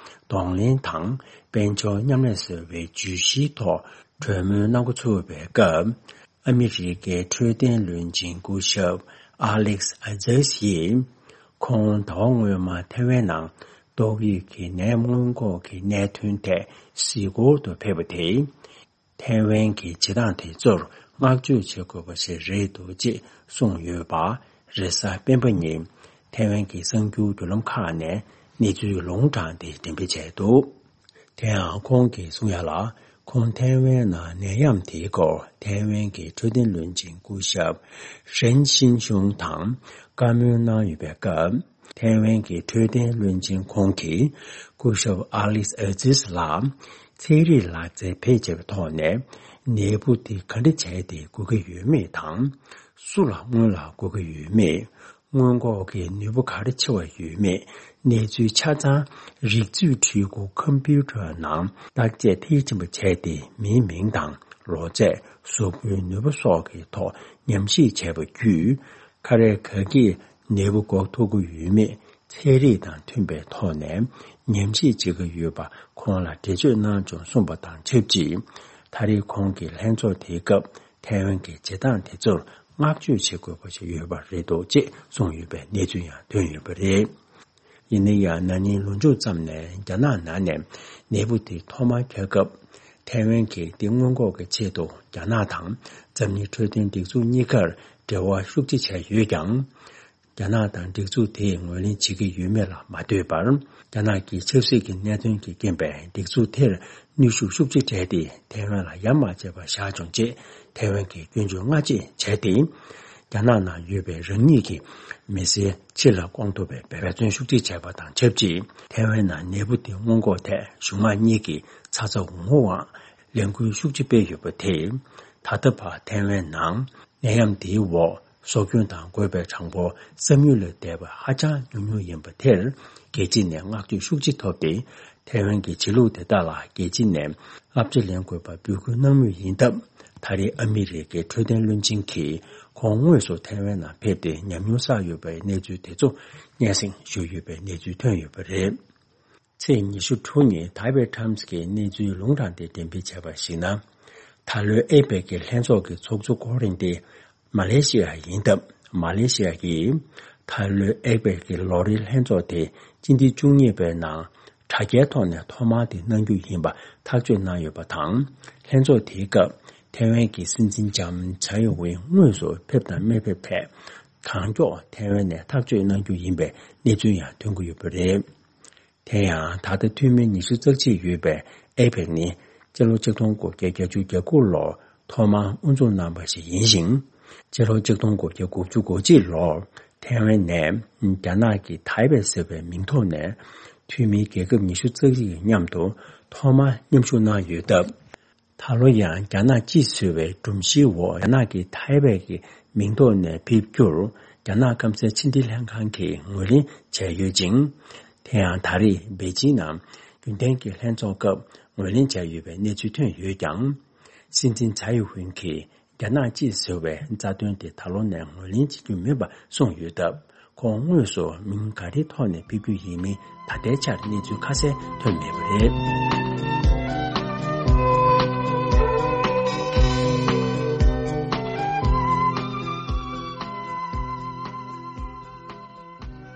གདོང་ལེན་དང་དཔལ་འབྱོར་མཉམ་ལས་ཟེར་བའི་བརྗོད་གཞིའི་ཐོག་གྲོས་མོལ་གནང་འགོ་ཚུགས་པའི་སྐབས། ཨ་མི་རི་ཀའི་འཕྲོད་བསྟེན་བློན་ཆེན་སྐུ་ཞབས་ཨ་ལེག་ཨ་ཛེས་ཡིས། ཁོང་ཟླ་བ་སྔོན་མ་ཐའེ་ཝན་ནང་ཏོག་དབྱིབས་ཀྱི་ནད་སྔོན་འགོག་གི་གནད་དོན་ཐད་གཟིགས་སྐོར་དུ་ཕེབས་པ་དེས། ཐའེ་ཝན་གྱི་བྱེད་སྟངས་དེ་ཚོར་བསྔགས་བརྗོད་བྱེད་དགོས་པ་ཞིག་རེད་འདུག་ཅེས་གསུངས་ཡོད་པ། རེས་གཟའ་སྤེན་པ་ཉིན་ཐའེ་ཝན་གྱི་གསར་འགྱུར་བརྒྱུད་ལམ་ཁག་ནས་གནས་ཚུལ་ལུང་དྲངས་ཏེ་འགྲེམས་སྤེལ་བྱས་འདུག་དེ་ཡང་ཁོང་གིས་གསུང་ཡ་ལ། ཁོང་ཐའེ་ཝན་ནང་ནད་ཡམས་དེའི་སྐོར་ཐའེ་ཝན་གྱི་འཕྲོད་བསྟེན་བློན་ཆེན་སྐུ་ཞབས་ཧྲེན་ཤིན་ཤུང་དང་བཀའ་མོལ་གནང་ཡོད་པའི་སྐབས། ཐའེ་ཝན་གྱི་འཕྲོད་བསྟེན་བློན་ཆེན་ཁོང་གིས་སྐུ་ཞབས་ཨ་ལིས་ཨ་ཛིས་ལ་ཚན་རིག་ལག་རྩལ་བེད་སྤྱད་པའི་ཐོག་ནས་ནད་འབུ་དེ་ག་འདྲ་བྱས་ཏེ་འགོས་ཀྱི་ཡོད་མེད་དང་། སུ་ལ་སྔོན་ལ་འགོས་ཀྱི་ཡོད་མེད། སྔོན་འགོག་གི་ནུས་པ་ག་རེ་ཆེ་བ་ཡོད་མེད། གནས་ཚུལ་ཆ་ཚང་རིག་མཛོད་འཕྲུལ་འཁོར་ཁམ་བུ་ཊར་ནང་བརྟག་དཔྱད་མཐིལ་ཕྱིན་པ་བྱས་ཏེ། མིའི་མིང་དང་ལོ་ཚད། གཟུགས་པོའི་ནུས་པ་སོགས་ཀྱི་ཐོག་ཉམས་ཞིབ་བྱས་པ་བརྒྱུད། ཁ་རས་ག་གིས་ནད་འབུ་འགོག་ཐུབ་ཀྱི་ཡོད་མེད་ཚན་རིག་དང་མཐུན་པའི་ཐོག་ནས་ཉམས་ཞིབ་བྱེད་ཀྱི་ཡོད་པ་ཁོང་ལ་འགྲེལ་བརྗོད་གནང་བྱུང་གསུངས་པ་དང་ཆབས་ཅིག་ད་རེས་ཁོང་གིས་ལྷན་ཚོགས་དེའི་སྐབས་ཐའེ་ཝན་གྱི་བྱེད་སྟངས་དེ་ཚོར་ བསྔགས་བརྗོད་བྱེད་དགོས་པ་ཞིག་ཡོད་པ་རེད་འདུག་ཅེས་གསུངས་ཡོད་པའི་གནས་ཚུལ་ཡང་ཐོན་ཡོད་པ་རེད། ཡིན་ན་ཡང་ན་ནིང་ལོ་མཇུག་ཙམ་ནས་རྒྱ་ནག་ནང་ནས་ནད་འབུ་དེ་ཐོག་མར་ཐོན་སྐབས་ཐའེ་ཝན་གྱིས་དེ་སྔོན་འགོག་གི་ཆེད་དུ་རྒྱ་ནག་དང་འཛམ་གླིང་འཕྲོད་བསྟེན་སྒྲིག་འཛུགས་གཉིས་ཀར་འབྲེལ་བ་ཤུགས་ཆེ་བྱས་ཡོད་ཀྱང་། རྒྱ་ནག་དང་སྒྲིག་འཛུགས་དེས་ངོས་ལེན་བྱེད་ཀྱི་ཡོད་མེད་ལ་མ་ལྟོས་པར། རྒྱ་ནག་གི་ཆབ་སྲིད་ཀྱི་གནད་དོན་གྱི་རྐྱེན་པས་སྒྲིག་འཛུགས་དེར་གནོན་ཤུགས་ཤུགས་ཆེ་སྤྲད་དེ་ཐའེ་ཝན་ལ་ཡ་མ་བྱས་པ་བཞག་བྱུང་ཅེས་ཐའེ་ཝན་གྱིས་སྐྱོན་བརྗོད་སྔ་རྗེས་བྱས་ཏེ། རྒྱ་ནག་ནང་ཡོད་པའི་རང་ཉིད་ཀྱི་མི་སེར་ཕྱི་ལ་སྐོང་ཐུབ་པའི་འབད་བརྩོན་ཤུགས་ཆེ་བྱས་པ་དང་ཆབས་ཅིག་ཐའེ་ཝན་ནང་ནད་འབུ་དེ་སྔོན་འགོག་ཐད་གཞུང་མང་གཉིས་ཀྱི་ཚ་ཚ་འུར་འུར་ངང་ལས་འགུལ་ཤུགས་ཆེ་སྤེལ་ཡོད་པ་དེས། ད་ལྟ་བར་ཐའེ་ཝན་ནང་ནད་ཡམས་དེའི་འོག་སྲོག་སྐྱོན་དང་འགོས་པའི་གྲངས་འབོར་བསམ་ཡུལ་ལས་འདས་པ་ཧ་ཅང་ཉུང་ཉུང་ཡིན་པ་དེར་རྒྱལ་སྤྱི་ནས་བསྔགས་བརྗོད་ཤུགས་ཆེ་ཐོབ་སྟེ། ཐའེ་ཝན་གྱི་བྱེད་ལུགས་དེ་དག་ལ་རྒྱལ་སྤྱི་ནས་བསླབ་བྱ་ལེན་དགོས་པ་འབོད་སྐུལ་གནང་མུས་ཡིན་སྟབས། ད་རེས་ཨ་མི་རི་ཀའི་འཕྲོད་བསྟེན་བློན་ཆེན་གྱིས་ཁོང་དངོས་སུ་ཐའེ་ཝན་ནང་ཕེབས་ཏེ་ཉམས་མྱོང་བསགས་ཡོད་པའི་གནས་ཚུལ་དེ་ཚོ་སྙན་སེང་ཞུས་ཡོད་པའི་གནས་ཚུལ་ཐོན་ཡོད་པ་རེད། ཚེས་ཉི་ཤུ་དྲུག་ཉིན་ཐའེ་ཝེ་ཊའིམ་སི་གིས་གནས་ཚུལ་ལུང་དྲངས་ཏེ་འགྲེམས་སྤེལ་བྱས་པར་གཞིགས་ན། ད་ལོའི་ཨེ་པེག་གི་ལྷན་ཚོགས་ཀྱི་ཚོགས་གཙོ་འཁོར་རིང་དེ་མ་ལེ་ཤི་ཡ་ཡིན་སྟབས། མ་ལེ་ཤི་ཡ་གིས་ད་ལོའི་ཨེ་པེག་གི་ལོ་རེའི་ལྷན་ཚོགས་དེ་སྤྱི་ཟླ་བཅུ་གཉིས་པའི་ནང་དྲ་རྒྱའི་ཐོག་ནས་ཐོག་མར་དེ་གནང་རྒྱུ་ཡིན་པ་ཐག་གཅོད་གནང་ཡོད་པ་དང་། ལྷན་ཚོགས་དེའི་སྐབས་ཐའེ་ཝན་གྱི་སྲིད་འཛིན་ལྕམ་ཚའེ་ཡིན་ཝེ་དངོས་སུ་ཕེབས་དང་མི་ཕེབས་ཐད་གང་མགྱོགས་ཐའེ་ཝན་ནས་ཐག་གཅོད་གནང་རྒྱུ་ཡིན་པའི་གནས་ཚུལ་ཡང་ཐོན་གྱི་ཡོད་པ་རེད། དེ་ཡང་ད་ལྟ་འཐུས་མི་ཉི་ཤུ་རྩ་གཅིག་ཡོད་པའི་ཨེ་པེག་ནི་སྤྱི་ལོ་ཆིག་སྟོང་དགུ་བརྒྱ་བརྒྱད་ཅུ་གྱ་དགུ་ལོར་ཐོག་མར་དབུ་འཛུགས་གནང་བ་ཞིག་ཡིན་ཞིང་། སྤྱི་ལོ་ཆིག་སྟོང་དགུ་བརྒྱ་དགུ་བཅུ་གོ་གཅིག་ལོར་ཐའེ་ཝན་ནས་རྒྱ་ནག་གི་ཐའེ་པེ་ཟེར་བའི་མིང་ཐོག་ནས་འཐུས་མིའི་རྒྱལ་ཁབ་ཉི་ཤུ་རྩ་གཅིག་གི་མཉམ་དུ་ཐོག་མར་མཉམ་ཞུགས་གནང་ཡོད་སྟབས། ད་ལོ་ཡང་རྒྱ་ནག་སྤྱིས་བཟོས་པའི་སྒྲོམ་གཞིའི་འོག་རྒྱ་ནག་གི་ཐའེ་པེ་གི་མིང་ཐོག་ནས་ཕེབས་རྒྱུར་རྒྱ་ནག་སྐམ་སའི་ཕྱི་འབྲེལ་ལྷན་ཁང་གིས་ངོས་ལེན་བྱས་ཡོད་ཅིང་། དེ་ཡང་ད་རེས་པེ་ཅིང་ནང་རྒྱུན་ལྡན་གྱི་ལྷན་ཚོགས་སྐབས་ངོས་ལེན་བྱས་ཡོད་པའི་གནས་ཚུལ་ཐོན་ཡོད་ཀྱང་། སྲིད་འཛིན་ཚའེ་ཡིན་ཝེ་གིས་རྒྱ་ནག་སྤྱིས་བཟོས་པའི་རྩ་དོན་དེ་ད་ལོ་ནས་ངོས་ལེན་བྱེད་རྒྱུ་མིན་པ་གསུངས་ཡོད་སྟབས། ཁོང་དངོས་སུ་མིང་ག་རེའི་ཐོག་ནས་ཕེབས་རྒྱུ་ཡིན་མིན་ད་ལྟའི་ཆར་གནས་ཚུལ་ཁ་གསལ་ཐོན་མེད་པ་རེད།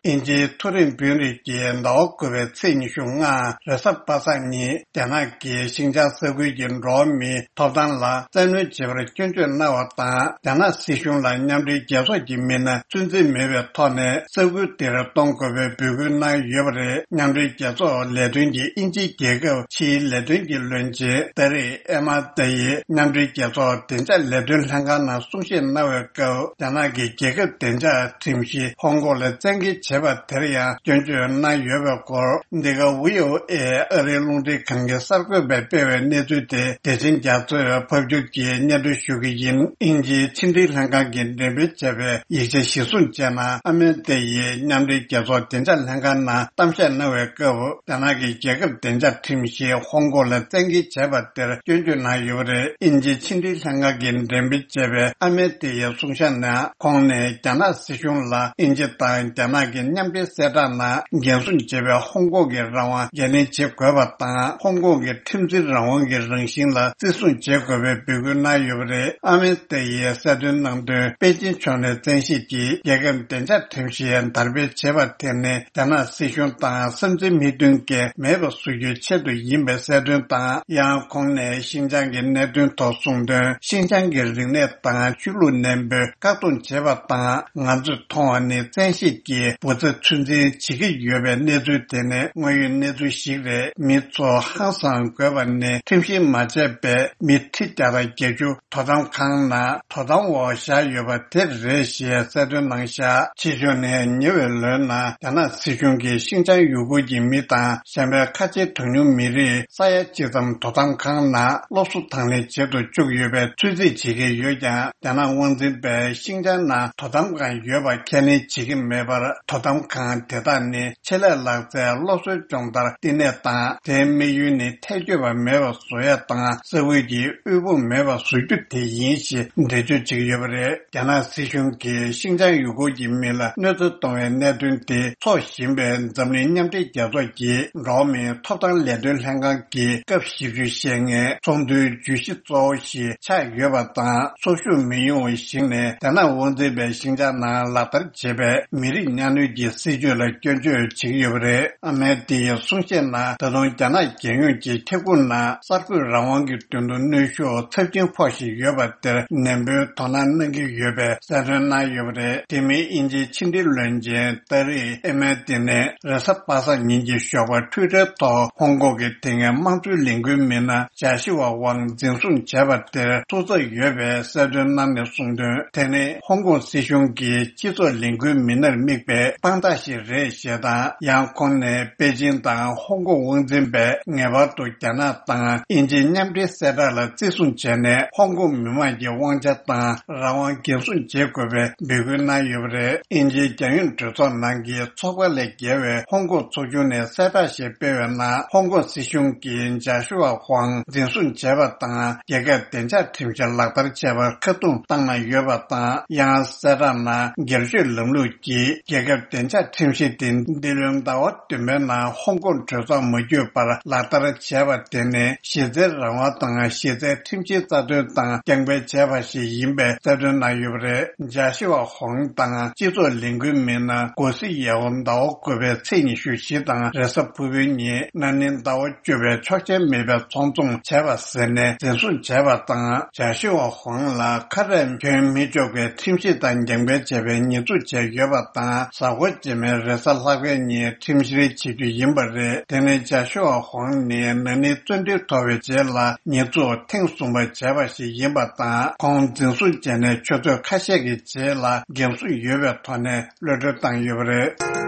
དབྱིན་ཇིའི་མཐོ་རིམ་དཔོན་རིགས་ཀྱིས་ཟླ་བ་དགུ་པའི་ཚེས་ཉི་ཤུ་ལྔ་རེས་གཟའ་པ་སངས་ཉིན་རྒྱ་ནག་གི་ཤིན་ཅང་ས་ཁུལ་གྱི་འགྲོ་བ་མིའི་ཐོབ་ཐང་ལ་བཙན་གནོན་བྱེད་པར་སྐྱོན་བརྗོད་གནང་བ་དང་། རྒྱ་ནག་སྲིད་གཞུང་ལ་མཉམ་འབྲེལ་རྒྱལ་ཚོགས་ཀྱི་མི་སྣ་ཚོད་འཛིན་མེད་པའི་ཐོག་ནས་ས་ཁུལ་དེར་གཏོང་དགོས་པའི་འབོད་སྐུལ་གནང་ཡོད་པ་རེད། མཉམ་འབྲེལ་རྒྱལ་ཚོགས་ལས་དོན་གྱི་དབྱིན་ཇིའི་རྒྱལ་ཁབ་ཕྱིའི་ལས་དོན་གྱི་བློན་ཆེན་ཏཱ་རིག་ཨེ་མ་ཏཱ་ཡིས་མཉམ་འབྲེལ་རྒྱལ་ཚོགས་བདེ་འཇགས་ལས་དོན་ལྷན་ཁང་ནང་གསུང་བཤད་གནང་བའི་སྐབས། རྒྱ་ནག་གི་རྒྱལ་ཁབ་བདེ་འཇགས་ཁྲིམས་གཞི་ཧོང་ཀོང་ལ་བཙན་འགེལ་བྱས་པ་དེར་ཡང་སྐྱོན་བརྗོད་གནང་ཡོད་པའི་སྐོར། འདི་ག་བྷི་ཨོ་ཨེ་ཨ་རིའི་རླུང་འཕྲིན་ཁང་གི་གསར་འགོད་པས་སྤེལ་བའི་གནས་ཚུལ་དེ་བདེ་ཆེན་རྒྱ་མཚོས་ཕབ་སྒྱུར་གྱིས་སྙན་སྒྲོན་ཞུ་གི་ཡིན། དབྱིན་ཇིའི་ཕྱི་འབྲེལ་ལྷན་ཁང་གིས་འགྲེམས་སྤེལ་བྱས་པའི་ཡིག་ཆ་གཞིར་བཟུང་བྱས་ན། ཨ་མེ་རི་ཀ་ཡིས་མཉམ་འབྲེལ་རྒྱལ་ཚོགས་བདེ་འཇགས་ལྷན་ཁང་ནང་གཏམ་བཤད་གནང་བའི་སྐབས། རྒྱ་ནག་གི་རྒྱལ་ཁབ་བདེ་འཇགས་ཁྲིམས་གཞི་ཧོང་ཀོང་ལ་བཙན་འགེལ་བྱས་པ་དེར་སྐྱོན་བརྗོད་གནང་ཡོད་པ་རེད། དབྱིན་ཇིའི་ཕྱི་འབྲེལ་ལྷན་ཁང་གིས་འགྲེམས་སྤེལ་བྱས་པའི་ཨ་མེ་རི་ཀ་ཡི་གསུང་བཤད་ནང་། ཁོང་ནས་རྒྱ་ནག་སྲིད་གཞུང་ལ་དབྱིན་ཇི་དང་རྒྱ་ནག་གི་མཉམ་འབྲེལ་གསལ་བསྒྲགས་ནང་འགན་སྲུང་བྱེད་པའི་ཧོང་ཀོང་གི་རང་དབང་འགན་ལེན་བྱེད་དགོས་པ་དང་། ཧོང་ཀོང་གི་ཁྲིམས་འཛིན་རང་དབང་གི་རང་བཞིན་ལ་བརྩི་སྲུང་བྱེད་དགོས་པའི་འབོད་སྐུལ་གནང་ཡོད་པ་རེད། ཨ་མེ་རི་ཀ་ཡིས་གསལ་སྟོན་གནང་དོན། པེ་ཅིན་ཕྱོགས་ནས་བཙན་ཤེད་ཀྱིས་རྒྱལ་ཁབ་བདེ་འཇགས་ཁྲིམས་གཞི་དར་སྤེལ་བྱས་པ་དེ་ནི། རྒྱ་ནག་སྲིད་གཞུང་དང་བསམ་ཚུལ་མི་མཐུན་རྐྱེན་མེད་པ་བཟོ་རྒྱུའི་ཆེད་དུ་ཡིན་པའི་གསལ་སྟོན་དང་། ཡང་ཁོང་ནས་ཤིན་ཅང་གི་གནད་དོན་ཐོག་གསུངས་དོན། ཤིན་ཅང་གི་རིག་གནས་དང་ཆོས་ལུགས་ནན་པོས་བཀག་སྡོམ་བྱེད་པ་དང་། ང་ཚོས་མཐོང་བ་ནི་བཙན་ཤེད་ཀྱིས་འབུ་རྩ་ཚོད་འཛིན་བྱེད་ཀྱི་ཡོད་པའི་གནས་ཚུལ་དེ་ནི་དངོས་ཡོད་གནས་ཚུལ་ཞིག་རེད། མི་ཚོ་ཧང་སང་དགོས་པ་ནི་ཁྲིམས་བཞིན་མ་བྱས་པའི་མི་ཁྲི་བརྒྱ་དང་བརྒྱད་ཅུ་དོ་དམ་ཁང་ནང་དོ་དམ་འོག་བཞག་ཡོད་པ་དེ་རེད་ཞེས་གསལ་སྟོན་གནང་བཞག་ཕྱི་ཕྱོགས་ནས་ཉེ་བའི་ལོའི་ནང་རྒྱ་ནག་སྲིད་གཞུང་གིས་ཤིན་ཅང་ཡུ་གུར་གྱི་མི་དང་། གཞན་པའི་ཁ་ཆེའི་གྲངས་ཉུང་མི་རིགས་ས་ཡ་གཅིག་ཙམ་དོ་དམ་ཁང་ནང་སློབ་གསོ་དང་ལེན་བྱེད་དུ་བཅུག་ཡོད་པའི་ཚོད་རྩིས་བྱེད་ཀྱི་ཡོད་ཀྱང་། རྒྱ་ནག་དབང་འཛིན་པས་ཤིན་ཅང་ནང་དོ་དམ་ཁང་ཡོད་པ་ཁས་ལེན་བྱེད་ཀྱི་མེད་པར། དོ་ གདམ་ཁང་དེ་དག་ནི་ཆེད་ལས་ལག་རྩལ་སློབ་གསོའི་སྦྱོང་བརྡར་བསྟི་གནས་དང་། དེའི་དམིགས་ཡུལ་ནི་ཐལ་འགྱུར་བ་མེད་པ་བཟོ་ཡ་དང་། ས་ཁུལ་གྱི་དབུལ་ཕོངས་མེད་པ་བཟོ་རྒྱུ་དེ་ཡིན་ཞེས་འགྲེལ་བརྗོད་བྱེད་ཀྱི་ཡོད་པ་རེད། རྒྱ་ནག་སྲིད་གཞུང་གིས་ཤིན་ཅང་ཡུ་གུར་གྱི་མི་ལ་གནོད་འཚེ་གཏོང་བའི་གནད་དོན་དེ་འཚོགས་བཞིན་པའི་འཛམ་གླིང་མཉམ་འབྲེལ་རྒྱལ་ཚོགས་ཀྱི་འགྲོ་བ་མིའི་ཐོབ་ཐང་ལས་དོན་ལྷན་ཁང་གི་སྐབས་བཞི་བཅུ་ཞེ་ལྔའི་ཚོགས་འདུའི་བརྗོད་གཞི་གཙོ་བོ་ཞིག་ཆགས་ཡོད་པ་དང་། ཚོགས་ཞུགས་མི་ཡོང་བའི་གཞིགས་ནས། རྒྱ་ནག་དབང་འཛིན་པའི་ཤིན་ཅང་ནང་ལག་བསྟར་བྱེད་པའི་མི་རིགས་གཉའ་གནོན་གྱི་སྲིད་བྱུས་ལ་སྐྱོན་བརྗོད་བྱེད་ཀྱི་ཡོད་པ་རེད། ཨ་མེ་ཏི་ཡི་གསུང་བཤད་ནང་། ད་དུང་རྒྱ་ནག་རྒྱལ་ཡོངས་ཀྱི་ཁྱབ་ཁོངས་ནང་གསར་འགོད་རང་དབང་གི་དོན་དུ་གནོན་ཤུགས་ཚབས་ཆེན་ཕོག་བཞིན་ཡོད་པ་དེར་ནན་པོའི་དོ་སྣང་གནང་གི་ཡོད་པའི་གསལ་སྟོན་གནང་ཡོད་པ་རེད། དེ་མིན་དབྱིན་ཇིའི་ཕྱི་འབྲེལ་བློན་ཆེན་ཏཱ་རིག་ཨེ་མེ་ཏི་ནས་རེས་གཟའ་པ་སངས་ཉིན་གྱི་ཞོགས་པར་ཊུའི་ཊར་ཐོག་ཧོང་ཀོང་གི་དེ་སྔའི་དམངས་གཙོའི་ལས་འགུལ་མི་སྣ་ཇཱ་ཤི་ཝ་ཝང་འཛིན་བཟུང་བྱས་པ་དེར་ཐུགས་འཚབ་ཡོད་པའི་གསལ་སྟོན་གནང་ནས་གསུངས་དོན། དེ་ནི་ཧོང་ཀོང་སྲིད་གཞུང་གིས་སྤྱི་ཚོགས་ལས་འགུལ་མི་སྣར་དམིགས་པའི་དཔང་རྟགས་ཤིག་རེད་ཞེས་དང་། ཡང་ཁོང་ནས་པེ་ཅིང་དང་ཧོང་ཀོང་དབང་འཛིན་པས་ངེས་པར་དུ་རྒྱ་ནག་དང་དབྱིན་ཇིའི་མཉམ་འབྲེལ་གསལ་བསྒྲགས་ལ་བརྩི་སྲུང་བྱས་ནས། ཧོང་ཀོང་མི་མང་གི་དབང་ཆ་དང་རང་དབང་འགན་སྲུང་བྱེད་དགོས་པའི་འབོད་སྐུལ་གནང་ཡོད་པ་རེད། དབྱིན་ཇིའི་རྒྱལ་ཡོངས་གྲོས་ཚོགས་ནང་གི་ཚོགས་པ་ལས་བརྒལ་བའི་ཧོང་ཀོང་ཚོགས་ཆུང་ནས་གསལ་བསྒྲགས་ཤིག་སྤེལ་བའི་ནང་། ཧོང་ཀོང་སྲིད་གཞུང་གིས་ཇཱ་ཤུ་ཝ་ཧུའང་འཛིན་བཟུང་བྱས་པ་དང་། རྒྱལ་ཁབ་བདེ་འཇགས་ཁྲིམས་གཞི་ལག་བསྟར་བྱས་པར་ཁ་རྡུང་བཏང་གནང་ཡོད་པ་དང་། ཡང་གསལ་བསྒྲགས་ནང་། སྒེར་གཅོད་ལམ་ལུགས་ཀྱིས་རྒྱལ་ཁབ་བདེ་འཇགས་ཁྲིམས་གཞི་དེ་འདི་ལོའི་ཟླ་བ་བདུན་པའི་ནང་ཧོང་ཀོང་གྲོས་ཚོགས་མ་བརྒྱུད་པར་ལག་བསྟར་བྱས་པ་དེ་ནི་གཞི་རྩའི་རང་དབང་དང་གཞི་རྩའི་ཁྲིམས་གཞིའི་རྩ་དོན་དང་རྐྱང་པའི་བྱས་པ་ཞིག་ཡིན་པའི་གསལ་སྟོན་གནང་ཡོད་པ་རེད། ཇཱ་ཤི་ཝ་ཧོང་དང་སྤྱི་ཚོགས་ལས་འགུལ་མི་སྣ་གོ་སི་ཡའོ་ཟླ་བ་དགུ་པའི་ཚེས་ཉི་ཤུ་བཞི་དང་རེས་གཟའ་ཕུར་བུའི་ཉིན་ན་ནིང་ཟླ་བ་བཅུ་པའི་ཆོག་མཆན་མེད་པའི་ཚོང་བཙོང་བྱས་པ་ཟེར་ནས་འཛིན་བཟུང་བྱས་པ་དང་། ཇཱ་ཤི་ཝ་ཧོང་ལ་ཁ་རས་གྱོན་མི་ཆོག་པའི་ཁྲིམས་གཞི་དང་འགལ་འབེལ་བྱས་པའི་ཉེས་འཛུགས་བྱས་ཡོད་པ་དང་། གཟའ་འཁོར་རྗེས་མའི་རེས་གཟའ་ལྷག་པའི་ཉིན་ཁྲིམས་བཤེར་བྱེད་རྒྱུ་ཡིན་པ་རེད། དེ་ནི་ཇཱ་ཤུ་ཝ་ཧོང་ནི་ན་ནིང་བཙོན་འདུལ་ཐོབ་པའི་རྗེས་ལ་ཉེས་འཛུགས་ཐེངས་གསུམ་པ་བྱས་པ་ཞིག་ཡིན་པ་དང་། ཁོང་འཛིན་བཟུང་བྱས་ནས་ཆུ་ཚོད་ཁ་ཤས་ཀྱི་རྗེས་ལ་འགན་སྲུང་ཡོད་པའི་ཐོག་ནས་གློད་གྲོལ་བཏང་ཡོད་པ་རེད།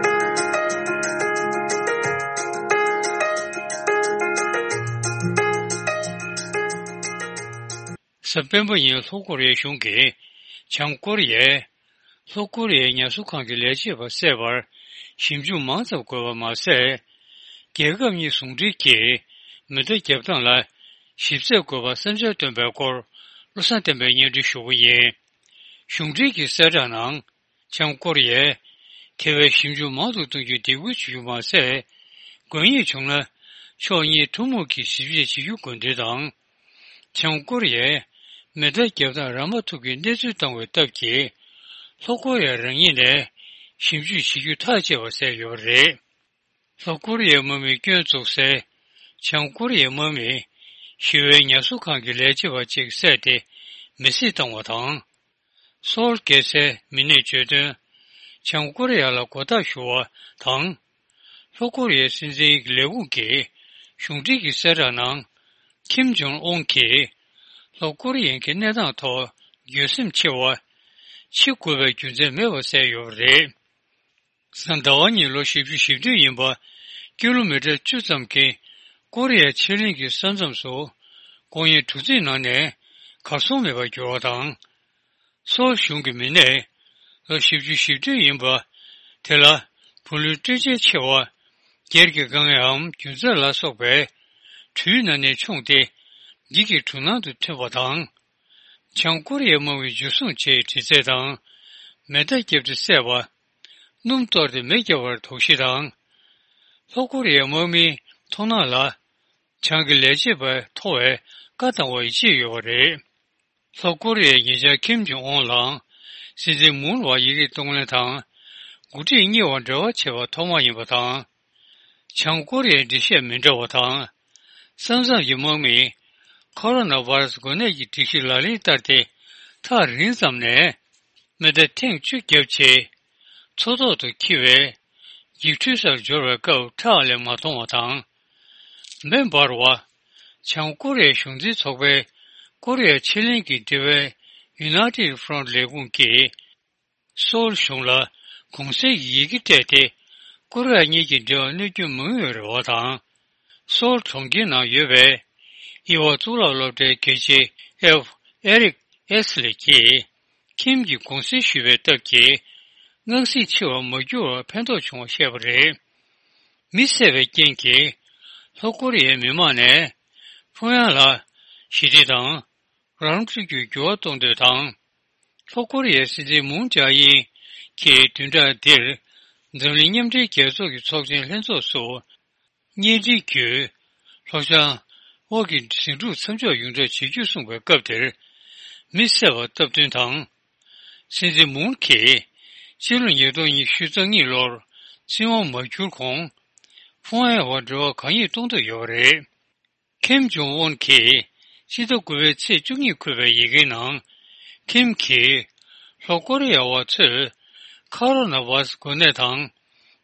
གཟའ་སྤེན་པ་ཉིན་ལྷོ་ཀོ་རི་ཡའི་གཞུང་གིས་བྱང་ཀོ་རི་ཡས་ལྷོ་ཀོ་རི་ཡའི་ངལ་གསོ་ཁང་གི་ལས་བྱེད་པ་བསད་པར་ཞིབ་འཇུག་མང་ཙམ་དགོས་པ་མ་ཟད། རྒྱལ་ཁབ་གཉིས་ཟུང་འབྲེལ་གྱིས་མེ་མདའ་བརྒྱབ་སྟངས་ལ་ཞིབ་འཚོལ་དགོས་པ་བསམ་འཆར་བཏོན་པའི་སྐོར་བློ་བཟང་བསྟན་པས་སྙན་སྒྲོན་ཞུ་བ་ཡིན། གཞུང་འབྲེལ་གྱི་གསལ་བསྒྲགས་ནང་། བྱང་ཀོ་རི་ཡས་དེ་བས་ཞིབ་འཇུག་མང་དུ་གཏོང་རྒྱུའི་སྡིགས་སྐུལ་བྱེད་རྒྱུ་མ་ཟད། དགོས་ངེས་བྱུང་ན་ཕྱོགས་གཉིས་ཐུན་མོང་གིས་ཞིབ་དཔྱད་བྱེད་རྒྱུ་དགོས་འདུན་དང་། བྱང་ཀོ་རི་ཡས་མེ་མདའ་བརྒྱབ་སྟངས་ར་མ་ཐུག་གི་གནས་ཚུལ་བཏང་བའི་སྟབས་ཀྱིས། ལྷོ་ཀོ་རི་ཡ་རང་ཉིད་ནས་ཞིབ་འཇུག་བྱེད་རྒྱུ་ཐག་བཅད་པ་གསལ་ཡོད་པ་རེད། ལྷོ་ཀོ་རི་ཡའི་དམག་མིའི་སྐྱོན་བཙུགས་སའི་བྱང་ཀོ་རི་ཡའི་དམག་མིས་ཞི་བའི་ངལ་གསོ་ཁང་གི་ལས་བྱེད་པ་གཅིག་བསད་དེ་མེ་བསྲེགས་བཏང་བ་དང་། སོལ་རྒྱལ་སའི་མི་སྣས་བརྗོད་དོན། བྱང་ཀོ་རི་ཡ་ལ་མགོ་བཏགས་ཞུ་བ་དང་། ལྷོ་ཀོ་རི་ཡའི་སྲིད་འཛིན་ལས་ཁུངས་ཀྱིས་གཞུང་འབྲེལ་གྱི་གསལ་བསྒྲགས་ནང་། ཁིམ་ཇོང་ཨུན་གྱིས་ལྷོ་ཀོ་རི་ཡན་གྱི་གནས་སྟངས་ཐོག་འགྱོད་སེམས་ཆེ་བ། འཆི་དགོས་པའི་རྒྱུ་མཚན་མེད་པ་གསལ་ཡོད་པ་རེད། གཟའ་ཟླ་བ་ཉིན་ལོ་བཞི་བཅུ་ཞེ་བདུན་ཡིན་པ། ཀི་ལོ་མི་ཊར་བཅུ་ཙམ་གྱི་ཀོ་རི་ཡ་ཕྱེད་གླིང་གི་ས་མཚམས་སུ། སྐུ་ངལ་གྲུ་གཟིངས་ནང་ནས་གར་སོང་མེད་པར་གྱུར་བ་དང་། སོལ་གཞུང་གི་མི་སྣས་ལོ་བཞི་བཅུ་ཞེ་བདུན་ཡིན་པ། དེ་ལ་བུ་ལོན་སྤྲོད་འཇལ་ཆེ་བ། སྒེར་གྱི་དཀའ་ངལའམ་རྒྱུ་རྫས་ལ་སོགས་པའི་གྲུའི་ནང་ནས་མཆོངས་ཏེ། འགྱིག་གི་གྲུ་ནང་དུ་ཐོན་པ་དང་། བྱང་ཀོ་རི་ཡའི་དམག་མིས་འཇུ་བཟུང་བྱས་ཡོད་དྲི་རྩད་དང་། མེ་མདའ་བརྒྱབ་སྟེ་བསད་པ། སྣུམ་གཏོར་ཏེ་མེ་བརྒྱབ་པར་དོགས་གཞི་དང་། ལྷོ་ཀོ་རི་ཡའི་དམག་མིའི་མཐོང་སྣང་ལ། བྱང་གི་ལས་བྱེད་པ་མཐོ་བའི་བཀའ་བཏང་བར་ཡིད་ཆེས་ཡོད་པ་རེད། ལྷོ་ཀོ་རི་ཡའི་ཉེ་ཆར་ཁིམ་ཇོང་ཨུན་ལའང་སྲིད་འཛིན་མུན་ལ་ཡི་གེ་གཏོང་ལེན་དང་། འགོ་ཁྲིད་གཉིས་བར་འབྲེལ་བ་བྱས་པ་ཐོག་མ་ཡིན་པ་དང་། བྱང་ཀོ་རི་ཡའི་འགྲེལ་བཤད་མི་འདྲ་བ་དང་། ས་མཚམས་ཀྱི་དམག་མིས་ཁོ་རོ་ན་བྷ་ར་སི་འགོས་ནད་ཀྱི་སྒྲིག་གཞི་ལག་ལེན་བསྟར་ཏེ་ཐག་རིང་ཙམ་ནས་མེ་མདའ་ཐེངས་བཅུ་བརྒྱབ་རྗེས། མཚོ་ཐོག་ཏུ་འཁྱིལ་བའི་འགྱིག་འཕྲུལ་སར་འབྱོར་བའི་སྐབས་ཁྲག་ལས་མ་མཐོང་བ་དང་། མེ་འབར་བ། བྱང་ཀོ་རི་ཡའི་གཞུང་འཛིན་ཚོགས་པའི་ཀོ་རི་ཡ་ཕྱེད་གླིང་གི་འབྲེལ་བའི་United Front ལས་ཁུངས་ཀྱིས། སོལ་གཞུང་ལ་གུང་གསེང་གི་ཡི་གེ་སྤྲད་དེ། ཀོ་རི་ཡ་གཉིས་ཀྱི་འབྲེལ་བ་གནོད་སྐྱོན་མང་ཡོད་རེད་བ་དང་། སོལ་གྲོང་ཁྱེར་ནང་ཡོད་པའི་དབྱེ་བ་གཙུག་ལག་སློབ་གྲྭའི་དགེ་ཆེ་ཨེབ་ཨེ་རིག་ཨེས་ལེ་གྱིས་ཁིམ་གྱིས་གུང་གསེང་ཞུས་པའི་སྟབས་ཀྱིས། སྔགས་སྲིད་འཆི་བར་མ་གྱུར་བར་ཕན་ཐོགས་བྱུང་བ་བཤད་པ་རེད། མི་བསད་པའི་རྐྱེན་གྱིས་ལྷོ་ཀོ་རི་ཡའི་མི་མང་ནས་ཕུང་ཡང་ལ་ཞི་བདེ་དང་རང་སྤྲོད་ཀྱི་འགྱུར་བ་གཏོང་འདོད་དང་། ལྷོ་ཀོ་རི་ཡའི་སྲིད་འཛིན་མུན་ཇཱ་ཨིན་གྱིས་བདུན་ཕྲག་འདིར་འཛམ་གླིང་མཉམ་འབྲེལ་རྒྱལ་ཚོགས་ཀྱི་ཚོགས་ཆེན་ལྷན་ཚོགས་སུ་བརྙན་འཕྲིན་བརྒྱུད་ལྷོ་བྱང་དབུས་ཀྱི་ཟིང་འཁྲུག་མཚམས་འཇོག་ཡོང་གྲབས་བྱེད་རྒྱུ་གསུངས་པའི་སྐབས་དེར། མི་བསད་པར་སྟབས་བསྟུན་དང་། སྲིད་འཛིན་མུན་གྱིས་ཕྱི་ལོ་ཉིས་སྟོང་ཉི་ཤུ་རྩ་གཉིས་ལོར་སྲིད་དབང་མ་བསྒྱུར་གོང་ཕུང་ཡང་བར་འབྲེལ་བ་གང་ཡིན་གཏོང་འདོད་ཡོད་པ་རེད། ཁེམ་ཇོང་ཨོན་གྱིས་ཕྱི་ཟླ་དགུ་པའི་ཚེས་བཅུ་གཉིས་འཁོད་པའི་ཡི་གེའི་ནང་། ཁེམ་གྱིས་ལྷོ་ཀོ་རི་ཡ་བ་ཚོས་ཁ་རོ་ན་བྷ་ར་སི་འགོས་ནད་དང་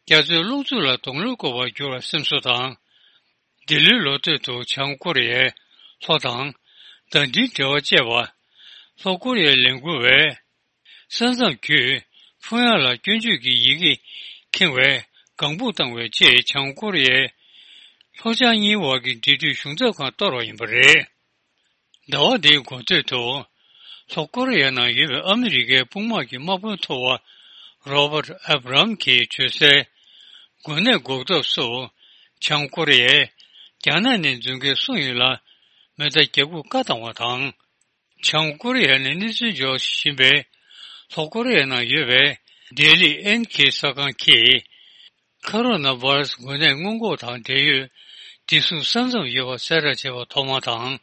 རྒྱ་མཚོའི་རླུང་འཚུབ་ལ་གདོང་ལེན་དགོས་པར་གྱུར་བར་སེམས་གསོ་དང་། འདི་ལོའི་ལོ་སྟོད་དུ་བྱང་ཀོ་རི་ཡའི་ལྷོ་དང་ཟླ་སྒྲིལ་འབྲེལ་བ་བཅད་པ། ལྷོ་ཀོ་རི་ཡའི་ལས་འགུལ་བས་ས་མཚམས་བརྒྱུད་ཕུང་ཡང་ལ་སྐྱོན་བརྗོད་ཀྱི་ཡི་གེ་འཁྱེར་བའི་ལྒང་སྦུག་བཏང་བའི་རྗེས་བྱང་ཀོ་རི་ཡའི་ལྷོ་བྱང་གཉིས་བར་གྱི་འབྲེལ་མཐུད་གཞུང་ཚབ་ཁང་གཏོར་བ་ཡིན་པ་རེད། ཟླ་བ་འདིའི་འགོ་སྟོད་དུ་ལྷོ་ཀོ་རི་ཡའི་ནང་ཡོད་པའི་ཨ་མི་རི་ཀའི་དཔུང་དམག་གི་དམག་དཔོན་མཐོ་བ་རོ་བར་ཨབ་རམ་གྱིས་བརྗོད་གསལ། འགོས་ནད་འགོག་ཐབས་སུ་བྱང་ཀོ་རི་ཡས་རྒྱ་ནག་ནས་འཛུལ་མཁན་སུ་ཡིན་ལ་མེ་མདའ་རྒྱབ་འགོག་བཀའ་བཏང་བ་དང་། བྱང་ཀོ་རི་ཡ་ནས་གནས་ཚུལ་འབྱོར་བཞིན་པའི་ལྷོ་ཀོ་རི་ཡའི་ནང་ཡོད་པའི་ལྡི་ལི་ཨེན་ཁེ་གསར་ཁང་གིས། ཁ་རོ་ན་བྷ་ར་སི་འགོས་ནད་སྔོན་འགོག་དང་འབྲེལ་ཡོད་བདེ་སྲུང་ས་མཚམས་ཡོད་པ་གསལ་བསྒྲགས་བྱས་པ་ཐོག་མ་དང་།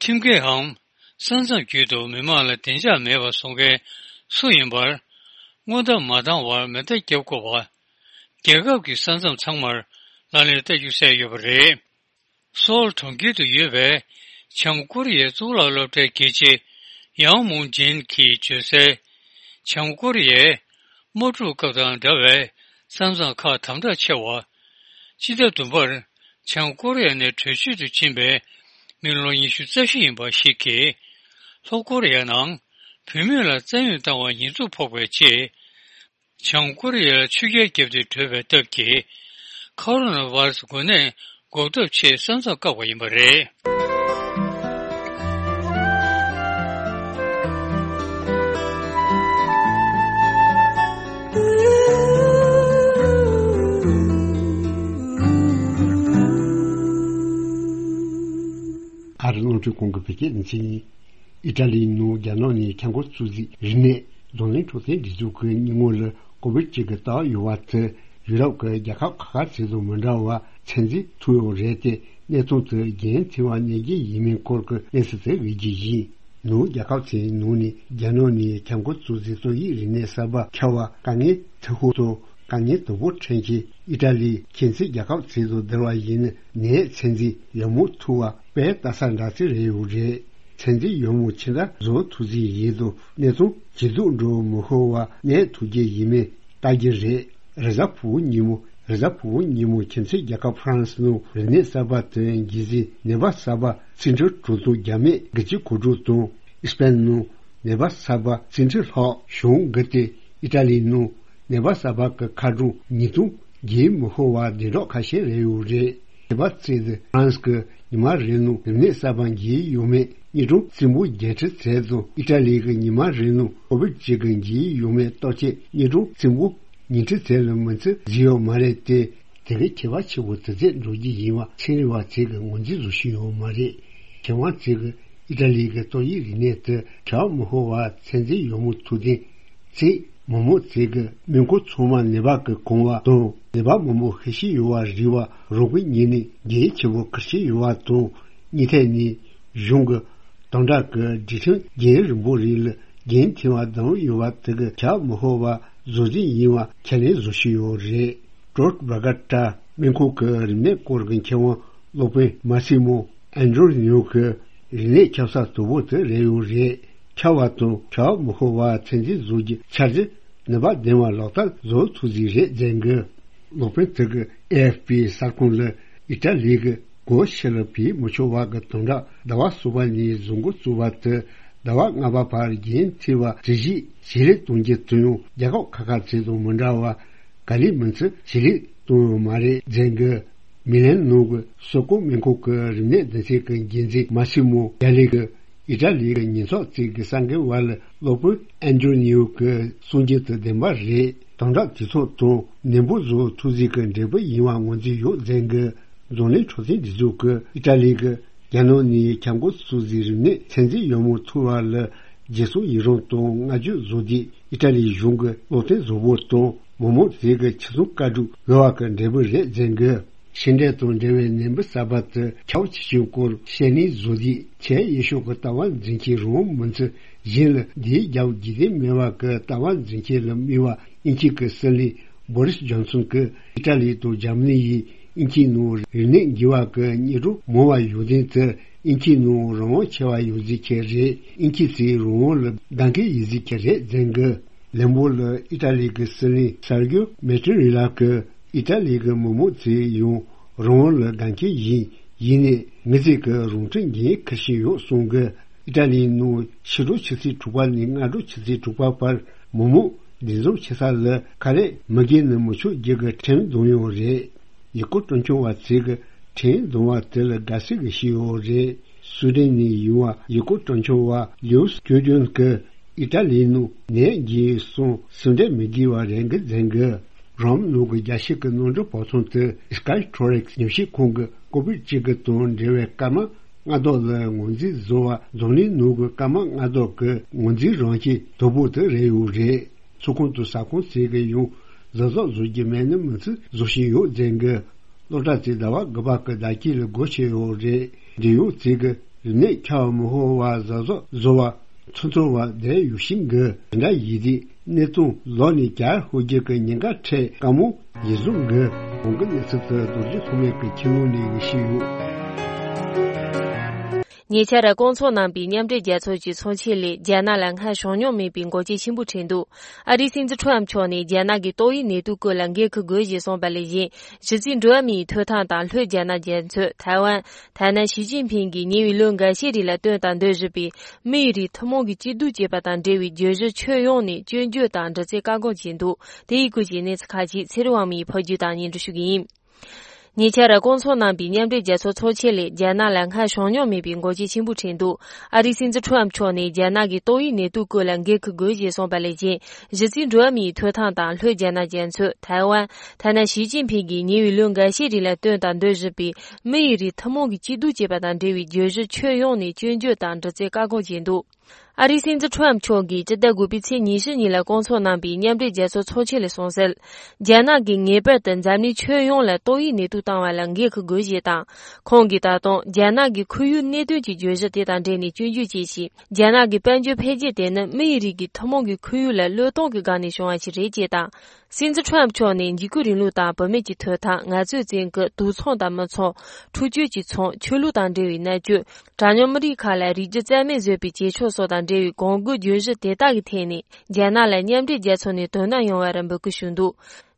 ཁྲིམས་འགལ་འམ་ས་མཚམས་བརྒྱུད་དུ་མི་མང་ལ་བདེ་འཇགས་མེད་པ་བཟོ་མཁན་སུ་ཡིན་པར། སྔོན་བརྡ་མ་བཏང་བར་མེ་མདའ་བརྒྱབ་དགོས་པ། རྒྱལ་ཁབ་ཀྱི་ས་མཚམས་ཚང་མར་ལག་ལེན་བསྟར་རྒྱུ་གསལ་ཡོད་པ་རེད། སོལ་གྲོང་ཁྱེར་དུ་ཡོད་པའི་བྱང་ཀོ་རི་ཡའི་གཙུག་ལག་སློབ་གྲྭའི་དགེ་ཆེ་ཡའོ་མུང་ཇིན་གྱིས་བརྗོད་གསལ། བྱང་ཀོ་རི་ཡས་དམག་འཁྲུག་སྐབས་དང་འདྲ་བའི་ས་མཚམས་ཁག་དམ་དྲག་ཆེ་བ། ཕྱི་ཟླ་བདུན་པར་བྱང་ཀོ་རི་ཡ་ནས་བྲོས་བྱོལ་དུ་ཕྱིན་པའི་མི་ལོ་ཉི་ཤུ་རྩ་བཞི་ཡིན་པ་ཞིག་གིས། ལྷོ་ཀོ་རི་ཡ་ནང་བུད་མེད་ལ་བཙན་གཡེམ་བཏང་བར་ཉེས་འཛུགས་ཕོག་པའི་རྗེས། བྱང་ཀོ་རི་ཡ་ལ་ཆོས་རྒྱལ་བརྒྱབ་སྟེ་བྲོས་པའི་སྟབས་ཀྱིས། ཁོ་རོ་ན་བྷ་ར་སི་འགོས་ནད་འགོག་ཐབས་ཆེད་ས་མཚམས་བཀག་པ་ཡིན་པ་རེད། ཨ་རི་རླུང་འཕྲིན་ཁང་གི་བོད་སྐད་སྡེ་ཚན་ཡིན། ཨི་ཊ་ལིའི་ནང་རྒྱ་ནག་ནས་ཁྱབ་ཁོངས་ཚོད་འཛིན་རིག་གནས་རྡུང་ལེན་འཕྲོད་བསྟེན་སྒྲིག་འཛུགས་ཀྱི་སྙིང་ངོ་ལ་ཀོ་བིད་བཅུ་གི་རྟགས་ཡོད་པ་དེ་ཡུ་རོབ་ཀྱི་རྒྱལ་ཁབ་ཁག་ཁག་ཅིག་དང་མི་འདྲ་བར་ཚད་འཛིན་ཐུབ་ཡོད་རེད་དེ། གནས་སྟངས་དེ་རྒྱུན་མཐུད་པ་གནས་རྒྱུ་ཡིན་མིན་སྐོར་གྱི་གནས་ཚུལ་དེ་བརྗོད་རྒྱུ་ཡིན། ནང་རྒྱལ་ཁབ་ཚོའི་ནང་ནས་རྒྱ་ནག་ནས་ཁྱབ་ཁོངས་ཚོད་འཛིན་ཏོག་དབྱིབས་རིམས་ནད་གསར་པ་ཁྱབ་པ་དཀའ་ངལ་འཕྲད་ཤུགས་དང་། དཀའ་ངལ་དོད་པོ་འཕྲད་མཁན་ཨི་ཊ་ལི་ཁྱིམ་མཚེས་རྒྱལ་ཁབ་ཚོ་དང་བསྡུར་བ་ཡིན་ན། ནད་ཚད་འཛིན་ཡག་མོ་ཐུབ་པ་དཔེ་ལྟ་ས་འདྲ་ཅིག་རེད་ཡོད་རེད། ཚད་འཛིན་ཡག་མོ་ཇི་འདྲ་བཟོ་ཐུབ་ཀྱི་ཡིན་དང་། གནས་སྟངས་ཇེ་སྡུག་འགྲོ་མི་ཤོར་བ་གནས་ཐུབ་ཀྱི་ཡིན་མིན་ལྟ་རྒྱུ་རེད། རེས་གཟའ་ཕུར་བུ་ཉིན་མོ། རེས་གཟའ་ཕུར་བུ་ཉིན་མོ་ཁྱིམ་མཚེས་རྒྱལ་ཁབ་ཧྥ་རན་སི་ནང་རིམས་ནད་གསར་པ་དེ་འགོས་ཟིན་ནད་པ་གསར་པ་རྩིས་འཕྲུལ་གྲངས་ཐོ་བརྒྱ་མེད་དགུ་བཅུ་གོ་དྲུག་དང་། ཨི་སི་པན་ནང་ནད་པ་གསར་པ་རྩིས་འཕྲུལ་ལྷག་བྱུང་གི་སྟེ། ཨི་ཊ་ལིའི་ནང་ནད་པ་གསར་པ་གི་ཁ་གྲངས་ཉིས་སྟོང་བརྒལ་མི་ཤོར་བ་བདེ་འཇགས་ཁ་ཤས་རེད་ཡོད་རེད། ནད་པ་ཚོས་ཧྥ་རན་སི་གི་ཉི་མ་རེ་ནང་རིམས་ནད་གསར་པ་འགོས་ཡོད་མེད་དངོས་གྲངས་རྩིས་འབུལ་བརྒྱད་ཁྲི་ཙམ་དང་། ཨི་ཊ་ལི་གི་ཉི་མ་རེ་ནང་ཀོ་བིད་བཅུ་གི་འགོས་ཡོད་མེད་བརྟག་དཔྱད་དངོས་གྲངས་རྩིས་འབུལ་ཉིས་ཁྲི་ཙམ་ལས་མི་ཚད་བཟོས་ཡོད་མ་རེད་དེ། དེ་གའི་ཁྱད་པར་ཆེ་བོ་དེ་ཚོ་འགྲོ་རྒྱུ་ཡིན་པ་ཚན་རིག་པ་ཚོས་ཀྱི་ངོས་འཛིན་བཟོ་བཞིན་ཡོད་མ་རེད། མཁས་དབང་ཚོས་ཀྱི་ཨི་ཊ་ལི་གི་ཏོག་དབྱིབས་རིམས་ནད་དེ་ཁྱབ་མི་ཤོར་བ་ཚད་འཛིན་ཡག་མོ་ཐུབ་ཐེངས་ཚེ་མང་མང་ཚོས་ཀྱི་སྨན་ཁང་ཚང་མ་ནད་པ་གིས་གང་བ་དང་། ནད་པ་མང་པོ་ཤི་བཞིན་ཡོད་པ་རིག་པ་རང་དབང་ཉིད་ནས་གལ་ཆེ་བོ་ཁུར་བཞིན་ཡོད་པ་དང་། གཉིས་ཐད་ནས་གཞུང་གི་དམ་དྲག་གི་སྒྲིག་ཁྲིམས་རྒྱུན་རིང་པོ་རིང་ལ་རྒྱུན་མཐུད་པ་བསྡམས་ཡོད་པ་དེ་གིས་ཁྱབ་མི་ཤོར་བ་བཟོ་རྒྱུ་ཡིན་པ་ཁས་ལེན་བཟོ་བཞིན་ཡོད་རེད། ཀྲོད་བྷ་ག་ཏྲ་སྨན་ཁང་གི་རིམས་ནད་སྐོར་གྱི་མཁས་དབང་སློབ་དཔོན་མ་སི་མོ་ཨན་ཏྲོ་ནིའོ་གིས་རིམས་ནད་ཁྱབ་ས་དོད་པོ་དེ་རེད་ཡོད་རེད། ཁྱབ་པ་དང་ཁྱབ་མི་ཤོར་བ་ཚད་འཛིན་བཟོ་རྒྱུ་འཆར་གཞི་ནུས་པ་ལྡན་པ་ལག་བསྟར་བཟོ་ཐུབ་ཀྱི་རེད་ཟེར་གི། སློབ་དཔོན་དེ་གིས་ཨེ་ཨེཕ་པི་གསར་ཁང་ལ་ཨི་ཊ་ལི་གི་སྒོ་ཕྱི་ལ་བུད་མི་ཆོག་པ་གི་དམ་དྲག་ཟླ་བ་གསུམ་པ་ནས་བཟོ་འགོ་བཙུགས་པ་དེ་ཟླ་བ་ལྔ་པ་བར་རྒྱུན་མཐུད་པ་གྲ་སྒྲིག་ཇེ་ལེགས་གཏོང་རྒྱུ་དེ་ཡང་རྒྱལ་ཁབ་ཁག་ཁག་ཚོ་དང་མི་འདྲ་བར་ག་ལེར་མུ་མཐུད་ཇེ་ལེགས་གཏོང་ཡོད་མ་རེད་ཟེར་གི། མི་ལན་ནང་གི་སོ་ཀོ་སྨན་ཁང་གི་རིམས་ནད་སྡེ་ཚན་གྱི་འགན་འཛིན་མ་སི་མོ་ཡ་ལི་གིས་ ཨི་ཊ་ལི་གི་ཉེན་ཚབ་རྩིས་ཀྱི་གསར་འགོད་པ་ལ་གློ་བུར་ཨན་ཏྲོ་ནིའོ་གི་གསུང་རྒྱུ་དེ་བདེན་པ་རེད། དམ་དྲག་དུས་ཚོད་དང་ནན་པོ་བཟོ་ཐུབ་རྩིས་ཀྱི་འབྲས་བུ་ཡིན་པ་ངོས་འཛིན་ཡོད་ཟེར་གི། འཛམ་གླིང་འཕྲོད་བསྟེན་སྒྲིག་འཛུགས་ཀྱི་ཨི་ཊ་ལི་གི་རྒྱལ་ནང་ནས་ཁྱབ་ཁོངས་སུ་གཟིགས་རིམས་ནད་ཚད་འཛིན་ཡག་མོ་ཐུབ་པ་ལ་རྗེས་སུ་ཡི་རང་དང་བསྔགས་བརྗོད་བཟོ་དུས། ཨི་ཊ་ལིའི་གཞུང་གི་བློ་བརྟན་བཟང་པོ་དང་མི་མང་དེ་གི་ཆེད་སེམས་བཀའ་སྒྲུབ་ཡོད་པ་གི་འབྲས་བུ་རེད་ཟེར་གི། ཤིང་འབྲས་དང་འབྲེལ་བའི་ནད་འབུ་གསར་པ་དེ་ཁྱབ་ཆེ་ཆུང་སྐོར་བཤད་ནས་བཟོ་དུས། ཆེས་ཡག་ཤོས་ཀྱི་ལྟ་བ་འཛིན་མཁན་རང་དབང་མི་ཚོ་གཞན་ལ་བདེ་རྒྱབ་རྒྱུས་ལྡན་མེད་པ་གི་ལྟ་བ་འཛིན་མཁན་ལ་དམིགས་པ། དབྱིན་ཇི་གི་སྲིད་བློན་བྷོ་རིས་ཇོན་སོན་གྱིས་ཨི་ཊ་ལི་དང་འཇར་མ་ནི་ཡིས་དབྱིན་ཇིའི་ནང་རིམས་ནད་འགོས་པ་གི་ཉེན་རྟོག་མང་བ་ཡོང་དོན་དེ་དབྱིན་ཇིའི་ནང་རང་དབང་ཆེ་བ་ཡོང་རྩིས་ཀྱི་རེད། དབྱིན་ཇི་ཚོས་རང་དབང་ལ་གདེང་འཁེལ་ཡོད་རྩིས་ཀྱི་རེད་ཟེར་གི། ལན་པོ་ལ་ཨི་ཊ་ལི་གི་སྲིད་བློན་སར་གྱོ་མེ་ཏྲི་རི་ལ་གིས་ཨི་ཊ་ལི་གི་མི་མང་ཚོས་ཡང་རང་དབང་ལ་གདེང་འཁེལ་ཡིན། ཡིན་ནའི་མི་ཚེ་གི་རང་ཁྲིམས་འགན་འཁུར་བཞིན་ཡོད་གསུང་གི། ཨི་ཊ་ལིའི་ནང་ཕྱི་དྲོ་ཆུ་ཚོད་དྲུག་པ་ནས་སྔ་དྲོ་ཆུ་ཚོད་དྲུག་པ་བར་མི་མང་འདུ་འཛོམས་བྱེད་ས་ལ་ཁ་ལས་མི་བརྒལ་ནས་མི་ཆོག་རྒྱུ་གི་ཁྲིམས་བསྡམས་ཡོད་རེད། ཡུལ་སྐོར་སྤྲོ་འཆམ་པ་ཚོས་ཀྱི་ཁྲིམས་བསྡམས་པ་དེ་ལ་དགའ་བསུ་གི་ཞུས་ཡོད་རེད། སུའེ་ཌེན་ནས་ཡོང་བ་ཡུལ་སྐོར་སྤྲོ་འཆམ་པ་ལིའུ་སི་ཀྲུའུ་ཏུན་གྱིས་ཨི་ཊ་ལིའི་ནང་ནད་འགོས་སོང་། སེམས་ཁྲལ་མི་དགོས་པ་རེད་འགི་ཟེར་གི། རོམ་ནང་གི་རྒྱལ་སྤྱི་གི་གནམ་གྲུ་བབ་ཐང་དུ་སི་ཀའི་ཊོ་རེག་སི་ཉམས་ཞིབ་ཁང་གི་ཀོ་བིཌ་བཅུ་དགུ་དང་འབྲེལ་བའི་སྐར་མ་ལྔ་བདོ་ལ་ངོས་འཛིན་བཟོ་བ་འཛམ་གླིང་ནང་གི་སྐར་མ་ལྔ་བདོ་གི་ངོས་འཛིན་རང་བཞིན་དོད་པོ་དེ་རེད་ཡོད་རེད། ཚོགས་ཁང་དང་ཟ་ཁང་ཚོས་ཀྱི་ཡང་གཟབ་གཟབ་བཟོ་རྒྱུ་མེད་ན་མི་ཚོས་བཟོ་བཞིན་ཡོད་ཟེར་གི། སློབ་གྲྭ་ཚོས་ཟླ་བ་དགུ་པ་གི་ཟླ་དཀྱིལ་ལ་སྒོ་ཕྱེ་ཡོད་རེད། འབྲེལ་ཡོད་ཚོས་ཀྱི་རིམས་ནད་ཁྱབ་མི་ཤོར་བ་གཟབ་གཟབ་བཟོ་བ་ཚོད་མཐོ་བ་བསྡད་ཡོད་ཤིང་གི། དེ་འདྲ་ཡིན་དུས་གནས་སྟངས་ལོག་ནས་གྱར་ཤོར་རྒྱུ་གི་ཉེན་ཁ་འཕྲད་དཀའ་མོ་ཡིན་བཟོ་གི། གོང་གི་གནས་ཚུལ་དེ་རྡོ་རྗེ་ཐོགས་མེད་ཀྱི་ཁྱིམ་ལུང་ནས་ཞུས་ཡོད། ཉེ་ཆར་བསྐོང་ཚོགས་གནང་པའི་མཉམ་འབྲེལ་རྒྱལ་ཚོགས་ཀྱི་ཚོགས་ཆེན་ལས་རྒྱ་ནག་ལ་སྔར་བྱུང་མྱོང་མེད་པའི་འགོག་རྐྱེན་ཆེན་པོ་འཕྲད་འདུག། ཨ་རིའི་སྲིད་འཛིན་ཁྲོམ་མཆོག་ནས་རྒྱ་ནག་གི་ཏོག་དབྱིབས་ནད་དུག་སྐོར་ལ་འགན་འཁུར་དགོས་ཞེས་གསུངས་པ་ལས་གཞན། གཞི་རྩའི་འགྲོ་བ་མིའི་ཐོབ་ཐང་དང་ལྷོ་རྒྱ་ནག་རྒྱ་མཚོ། ཐའེ་ཝན། ཐ་ན་ཞི་ཅིན་ཕིང་གིས་ཉེ་བའི་ལོ་འགའ་ཤས་རིང་ལ་བཏོན་དང་འདོན་བཞིན་པའི་མི་ཡི་རིགས་ཐུན་མོང་གི་སྐྱིད་སྡུག་ཅེས་པ་དང་འབྲེལ་བའི་བརྗོད་གཞི་ཁྱོན་ཡོངས་ནས་སྐྱོན་བརྗོད་དང་འདྲི་རྩད་བཀག་འགོག་བྱས་འདུག། དེ་ཡི་སྐོར་གྱི་གནས་ཚུལ་ཁག་ཅིག་ཚེ་རིང་དབང་མོས་ཕབ་སྒྱུར་དང་སྙན་སྒྲོན་ཞུ་གི་ཡིན། ཉེ་ཆར་བསྐོང་ཚོགས་གནང་པའི་མཉམ་འབྲེལ་རྒྱལ་ཚོགས་ཚོགས་ཆེན་ལས་རྒྱ་ནག་ལ་སྔར་བྱུང་མྱོང་མེད་པའི་འགོག་རྐྱེན་ཆེན་པོ་འཕྲད་འདུག། ཨ་རིའི་སྲིད་འཛིན་ཁྲོམ་མཆོག་ནས་རྒྱ་ནག་གི་ཏོག་དབྱིབས་ནད་དུག་སྐོར་ལ་འགན་འཁུར་དགོས་ཞེས་གསུངས་པ་ལས་གཞན། གཞི་རྩའི་འགྲོ་བ་མིའི་ཐོབ་ཐང་དང་ལྷོ་རྒྱ་ནག་རྒྱ་མཚོ། ཐའེ་ཝན། ཐ་ན་ཞི་ཅིན་ཕིང་གིས་ཉེ་བའི་ལོ་འགའ་ཤས་རིང་ལ་བཏོན་དང་འདོན་བཞིན་པའི་མི་ཡི་རིགས་ཐུན་མོང་གི་སྐྱིད་སྡུག་ཅེས་པ་དང་འབྲེལ་བའི་བརྗོད་གཞི་ཁྱོན་ཡོངས་ནས་སྐྱོན་བརྗོད་དང་འདྲི་རྩད་བཀག་འགོག་བྱས་འདུག། ཨ་རིའི་སྲིད་འཛིན་ཁྲོམ་མཆོག་གིས་སྤྱི་ཟླ་དགུ་པའི་ཚེས་ཉི་ཤུ་ཉིན་ལ་བསྐོང་ཚོགས་གནང་པའི་མཉམ་འབྲེལ་རྒྱལ་ཚོགས་ཚོགས་ཆེན་ལ་གསུངས་གསལ། རྒྱ་ནག་གིས་ངེས་པར་དུ་འཛམ་གླིང་ཁྱོན་ཡོངས་ལ་ཏོག་དབྱིབས་ནད་དུག་བཏང་བ་ལ་འགན་འཁུར་དགོས་ཞེས་དང་། ཁོང་གིས་ད་དུང་རྒྱ་ནག་གི་ཁོར་ཡུག་གནད་དོན་གྱི་བརྗོད་གཞི་དེ་དང་འབྲེལ་ནས་སྐྱོན་བརྗོད་བྱས་ཤིང་། རྒྱ་ནག་གི་དཔལ་འབྱོར་འཕེལ་རྒྱས་དེ་ནི་མི་ཡི་རིགས་ཀྱི་ཐུན་མོང་གི་ཁོར་ཡུག་ལ་བློས་གཏོང་གི་སྒང་ནས་བྱུང་བ་ཞིག་རེད་ཅེས་དང་། སྲིད་འཛིན་ཁྲོམ་མཆོག་ནས་འཇིགས་སྐུལ་རིང་ལུགས་དང་བུད་མེད་ཀྱི་ཐོབ་ཐང་། ངལ་རྩོལ་བཙོན་སྐུལ། དུག་ཚོང་དང་མི་ཚོང་། འཁྲུག་སྤྱོད་ཀྱི་ཚོང་། ཆོས་ལུགས་དང་འབྲེལ་བའི་མནར་གཅོད། གྲངས་ཉུང་མི་རིགས་ཁག་ལ་རིགས་རྒྱུད་རྩ་མེད་བཟོས་པའི་བྱེད་ཕྱོགས་སོགས་དང་འབྲེལ་བའི་གོང་དགུའི་བརྗོད་གཞི་དེ་དག་གི་ཐད་ནས་རྒྱ་ནག་ལ་མཉམ་འབྲེལ་རྒྱལ་ཚོགས་ནས་དོ་སྣང་ཡོང་བར་འབོད་སྐུལ་ཞུས་འདུག།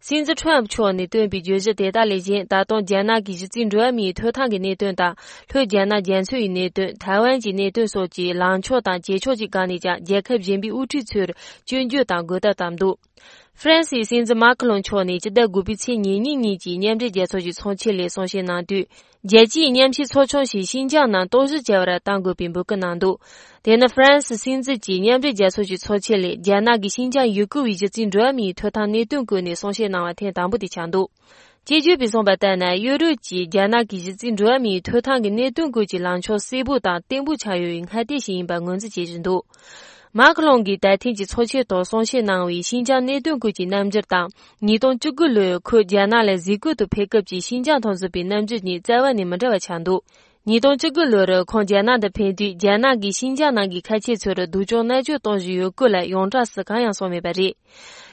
སྲིད་འཛིན་ཁྲོམ་མཆོག་ནས་བཏོན་པའི་བརྗོད་གཞི་དེ་དག་ལས་གཞན། ད་དུང་རྒྱ་ནག་གི་གཞི་རྩའི་འགྲོ་བ་མིའི་ཐོབ་ཐང་གི་གནད་དོན་དང་། ལྷོ་རྒྱ་ནག་རྒྱ་མཚོ་ཡི་གནད་དོན། ཐའེ་ཝན་གྱི་གནད་དོན་སོགས་ཀྱི་ལངས་ཕྱོགས་དང་བྱེད་ཕྱོགས་ཀྱི་སྒང་ནས་ཀྱང་རྒྱལ་ཁབ་གཞན་པའི་དབུ་ཁྲིད་ཚོར་སྐྱོན་བརྗོད་དང་དགོད་བྲོ་བཏབ་འདུག། ཧྥ་རན་སིའི་སྲིད་འཛིན་མཱ་ཁི་ལོང་མཆོག་ནས་སྤྱི་ཟླ་དགུ་པའི་ཚེས་ཉེར་གཉིས་ཉིན་གྱི་མཉམ་འབྲེལ་རྒྱལ་ཚོགས་ཀྱི་ཚོགས་ཆེན་ལས་གསུང་བཤད་གནང་དུས། རྒྱལ་སྤྱིའི་མཉམ་ཞུགས་ཚོགས་ཆུང་ཞིག་ཤིན་ཅང་ནང་རྟོག་ཞིབ་བྱ་བར་གཏང་དགོས་པའི་འབོད་སྐུལ་གནང་འདུག། དེ་ནི་ཧྥ་རན་སི་སྲིད་འཛིན་གྱིས་མཉམ་འབྲེལ་རྒྱལ་ཚོགས་ཀྱི་ཚོགས་ཆེན་ལས་རྒྱ་ནག་གི་ཤིན་ཅང་ཡུ་གུར་བའི་གཞི་རྩའི་འགྲོ་བ་མིའི་ཐོབ་ཐང་གནད་དོན་སྐོར་ནས་གསུང་བཤད་གནང་བ་ཐེངས་དང་པོ་དེ་ཆགས་འདུག། དཔྱད་བརྗོད་པས་གསུངས་པ་ལྟར་ན། གཡོ་རུ་གྱིས་རྒྱ་ནག་གི་གཞི་རྩའི་འགྲོ་བ་མིའི་ཐོབ་ཐང་གི་གནད་དོན་སྐོར་གྱི་ལངས་ཕྱོགས་གསལ་པོ་དང་བརྟན་པོ་ཆགས་ཡོད་པའི་ཁ་གཏད་ཞིག་ཡིན་པར་ངོས་འཛིན་བྱེད་བཞིན་འདུག། མཱ་ཁི་ལོང་གིས་ད་ཐེངས་ཀྱི་ཚོགས་ཆེན་ཐོག་གསུང་བཤད་གནང་བའི་ཤིན་ཅང་གནད་དོན་སྐོར་གྱི་རྣམ་འགྱུར་དང་། ཉིས་སྟོང་བཅུ་དགུ་ལོར་ཁོས་རྒྱ་ནག་ལ་གཟིགས་སྐོར་དུ་ཕེབས་སྐབས་ཀྱི་ཤིན་ཅང་དང་འཛོམས་པའི་རྣམ་འགྱུར་གཉིས་རྩ་བ་ནས་མི་འདྲ་བ་ཆགས་འདུག། ཉིས་སྟོང་བཅུ་དགུ་ལོར་ཁོང་རྒྱ་ནག་ཏུ་ཕེབས་དུས། རྒྱ་ནག་གིས་ཤིན་ཅང་ནང་གི་ཁ་ཆེ་ཚོར་སྡུག་སྦྱོང་མནར་གཅོད་གཏོང་བཞིན་ཡོད་སྐོར་ལ་ཡོངས་གྲགས་སུ་གང་ཡང་གསུངས་མེད་པ་རེད།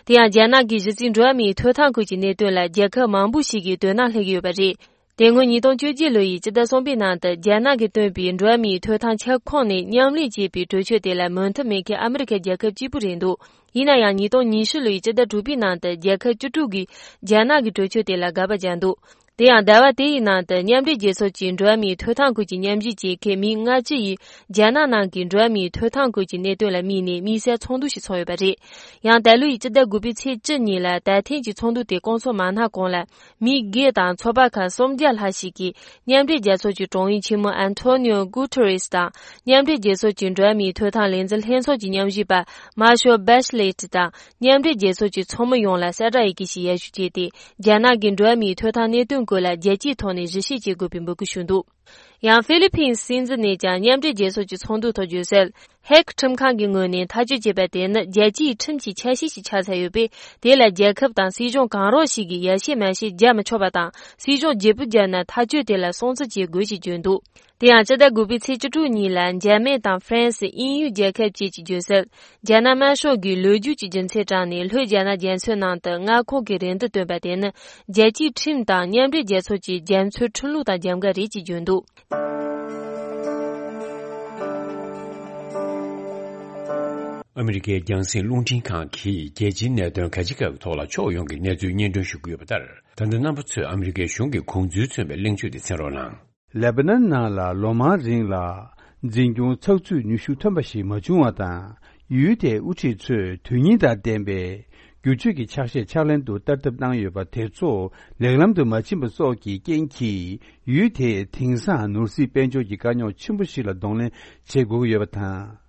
དེ་ཡང་། རྒྱ་ནག་གི་གཞི་རྩའི་འགྲོ་བ་མིའི་ཐོབ་ཐང་སྐོར་གྱི་གནད་དོན་ལ་རྒྱལ་ཁབ་མང་པོ་ཞིག་གིས་དོ་སྣང་སླེབས་ཀྱི་ཡོད་པ་རེད། དེ་སྔོན་ཉིས་སྟོང་བཅོ་བརྒྱད་ལོ་ཡི་སྤྱི་ཟླ་གསུམ་པའི་ནང་དུ། རྒྱ་ནག་གིས་བཏོན་པའི་འགྲོ་བ་མིའི་ཐོབ་ཐང་ཁྱབ་ཁོངས་ནས་མཉམ་ལས་བྱེད་པའི་གྲོས་ཆོད་དེ་ལ་མོས་མཐུན་མེད་མཁན་ཨ་མི་རི་ཁའི་རྒྱལ་ཁབ་གཅིག་པུ་རེད་འདུག། ཡིན་ན་ཡང་། ཉིས་སྟོང་ཉི་ཤུ་ལོའི་སྤྱི་ཟླ་དྲུག་པའི་ནང་དུ། རྒྱལ་ཁབ་བཅུ་དྲུག་གིས་རྒྱ་ནག་གི་གྲོས་ཆོད་དེ་ལ་དགག་པ་བརྒྱབ་འདུག། དེ་ཡང་ཟླ་བ་དེ་ཡི་ནང་དུ་མཉམ་འབྲེལ་རྒྱལ་ཚོགས་ཀྱི་འགྲོ་བ་མིའི་ཐོབ་ཐང་སྐོར་གྱི་མཉམ་ཞུགས་ཀྱི་ཁེ་མི་ལྔ་བཅུ་ཡིས་རྒྱ་ནག་ནང་གི་འགྲོ་བ་མིའི་ཐོབ་ཐང་སྐོར་གྱི་གནད་དོན་ལ་དམིགས་ནས་དམིགས་བསལ་ཚོགས་འདུ་ཞིག་ཚོགས་ཡོད་པ་རེད། ཡང་ད་ལོ་ཡི་སྤྱི་ཟླ་དགུ་པའི་ཚེས་བཅུ་ཉིན་ལ་ད་ཐེངས་ཀྱི་ཚོགས་འདུ་དེ་སྐོང་ཚོགས་མ་གནང་གོང་ལ། མི་སྒེར་དང་ཚོགས་པ་ཁག་སུམ་བརྒྱ་ལྷག་ཞིག་གིས་མཉམ་འབྲེལ་རྒྱལ་ཚོགས་ཀྱི་དྲུང་ཡིག་ཆེན་མོ་ཨན་ཐོ་ནིའོ་གུ་ཐེ་རེས་དང་། མཉམ་འབྲེལ་རྒྱལ་ཚོགས་ཀྱི་འགྲོ་བ་མིའི་ཐོབ་ཐང་ལས་འཛིན་ལྷན་ཚོགས་ཀྱི་མཉམ་ཞུགས་པ་མཱ་ཤོ་བེ་ཤི་ལེ་ཏི་དང་། མཉམ་འབྲེལ་རྒྱལ་ཚོགས་ཀྱི་ཚོགས་མི་ཡོངས་ལ་གསལ་བསྒྲགས་ཡི་གེ་ཞིག་ཡར་ཞུ་བྱས་ཏེ། རྒྱ་ནག་གི་འགྲོ་བ་མིའི་ཐོབ་ཐང་གནད་དོན་སྐོར་ལ་རྒྱལ་སྤྱིའི་ཐོག་ནས་གཞི་བྱེད་བྱེད་དགོས་པའི་འབོད་སྐུལ་ཞུས་འདུག། ཡང་ཧྥི་ལི་ཕིན་སྲིད་འཛིན་ནས་ཀྱང་མཉམ་འབྲེལ་རྒྱལ་ཚོགས་ཀྱི་ཚོགས་འདུ་ཐོག་བརྗོད་གསལ། ཧེག་ཁྲིམས་ཁང་གི་ངོས་ནས་ཐག་གཅོད་བྱས་པ་དེ་ནི་རྒྱལ་སྤྱིའི་ཁྲིམས་ཀྱི་ཆ་ཤས་ཤིག་ཆགས་ཚར་ཡོད་པས། དེ་ལ་རྒྱལ་ཁབ་དང་སྲིད་གཞུང་གང་རུང་ཞིག་གིས་ཡར་བཤད་མར་བཤད་རྒྱག་མི་ཆོག་པ་དང་། སྲིད་གཞུང་བརྗེ་པོ་བརྒྱབ་ན་ཐག་གཅོད་དེ་ལ་སྲུང་བརྩི་བྱེད་དགོས་ཞེས་བརྗོད་འདུག། དེ་ཡང་སྤྱི་ཟླ་དགུ་པའི་ཚེས་བཅུ་དྲུག་ཉིན་ལ་འཇར་མན་དང་ཧྥ་རན་སི། དབྱིན་ཡུལ་རྒྱལ་ཁབ་བཅས་ཀྱིས་བརྗོད་གསལ། རྒྱ་ནག་དམར་ཤོག་གིས་ལོ་རྒྱུས་ཀྱི་རྒྱུ་མཚན་དྲངས་ནས་ལྷོད་རྒྱ་ནག་རྒྱ་མཚོའི་ནང་དུ་མངའ་ཁོངས་ཀྱི་རེ་འདུན་བཏོན་པ་དེ་ནི། རྒྱལ་སྤྱིའི་ཁྲིམས་དང་མཉམ་འབྲེལ་རྒྱལ་ཚོགས་ཀྱི་རྒྱ་མཚོའི་ཁྲིམས་ལུགས་དང་འགལ་འགལ་རེད་ཅེས་བརྗོད་འདུག། ཨ་མི་རི་ཀའི་རྒྱང་སྲིང་རླུང་འཕྲིན་ཁང་གིས་རྒྱལ་སྤྱིའི་གནད་དོན་ག་ཅི་ག་གི་ཐོག་ལ་ཕྱོགས་ཡོངས་ཀྱི་གནས་ཚུལ་སྙན་སྒྲོན་ཞུ་གི་ཡོད་པ་ལྟར། ད་ལྟ་རྣམ་པ་ཚོས་ཨ་མི་རི་ཀའི་གཞུང་གི་དགོངས་ཚུལ་མཚོན་པའི་གླེང་བརྗོད་དེ་གསན་རོགས་གནང་། ལེ་བྷ་ནན་ནང་ལ་ལོ་མང་རིང་ལ་འཛིན་སྐྱོང་ཚགས་ཚུད་ནུས་ཤུགས་ཐོན་པ་ཞིག་མ་བྱུང་བ་དང་། ཡུལ་དེའི་དབུ་ཁྲིད་ཚོས་དོན་སྙིང་དང་ལྡན་པའི་བསྒྱུར་བཅོས་ཀྱི་ཕྱག་བཞེས་ཕྱག་ལེན་དུ་བསྟར་ཐབས་གནང་ཡོད་པ་དེ་ཚོ་ལེགས་ལམ་དུ་མ་ཕྱིན་པ་སོགས་ཀྱི་རྐྱེན་གྱིས། ཡུལ་དེས་དེང་སང་ནོར་སྲིད་དཔལ་འབྱོར་གྱི་དཀའ་རྙོག་ཆེན་པོ་ཞིག་ལ་གདོང་ལེན་བྱེད་དགོས་ཀྱི་ཡོད་པ་དང་།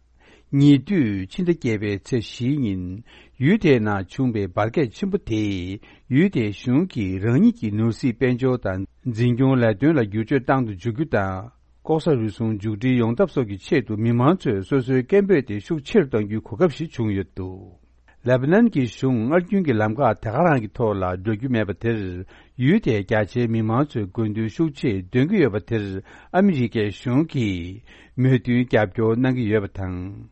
ཉེ་དུས་ཕྱི་ཟླ་བརྒྱད་པའི་ཚེས་བཞིའི་ཉིན། ཡུལ་དེའི་ནང་བྱུང་བའི་འབར་གས་ཆེན་པོ་དེས། ཡུལ་དེའི་གཞུང་གིས་རང་ཉིད་ཀྱི་ནོར་སྲིད་དཔལ་འབྱོར་དང་འཛིན་སྐྱོང་ལས་དོན་ལ་བསྒྱུར་བཅོས་བཏང་དུ་འཇུག་རྒྱུ་དང་། ལྐོག་ཟ་རུལ་སུངས་མཇུག་སྒྲིལ་ཡོང་ཐབས་སོགས་ཀྱི་ཆེད་དུ། མི་མང་ཚོས་སོ་སོའི་སྐད་འབོད་དེ་ཤུགས་ཆེ་རུ་གཏང་རྒྱུའི་གོ་སྐབས་ཤིག་བྱུང་ཡོད་འདུག། ལེ་བྷ་ནན་གྱི་གཞུང་སྔར་རྒྱུན་གྱི་ལམ་ཁ་དེ་ག་རང་གི་ཐོག་ལ་འགྲོ་རྒྱུ་མེད་པ་དེར། ཡུལ་དེའི་རྒྱ་ཆེའི་མི་མང་ཚོས་དགོས་འདུན་ཤུགས་ཆེ་འདོན་གྱི་ཡོད་པ་དེར། ཨ་མི་རི་ཀའི་གཞུང་གིས་མོས་མཐུན་རྒྱབ་སྐྱོར་གནང་གི་ཡོད་པ་དང་།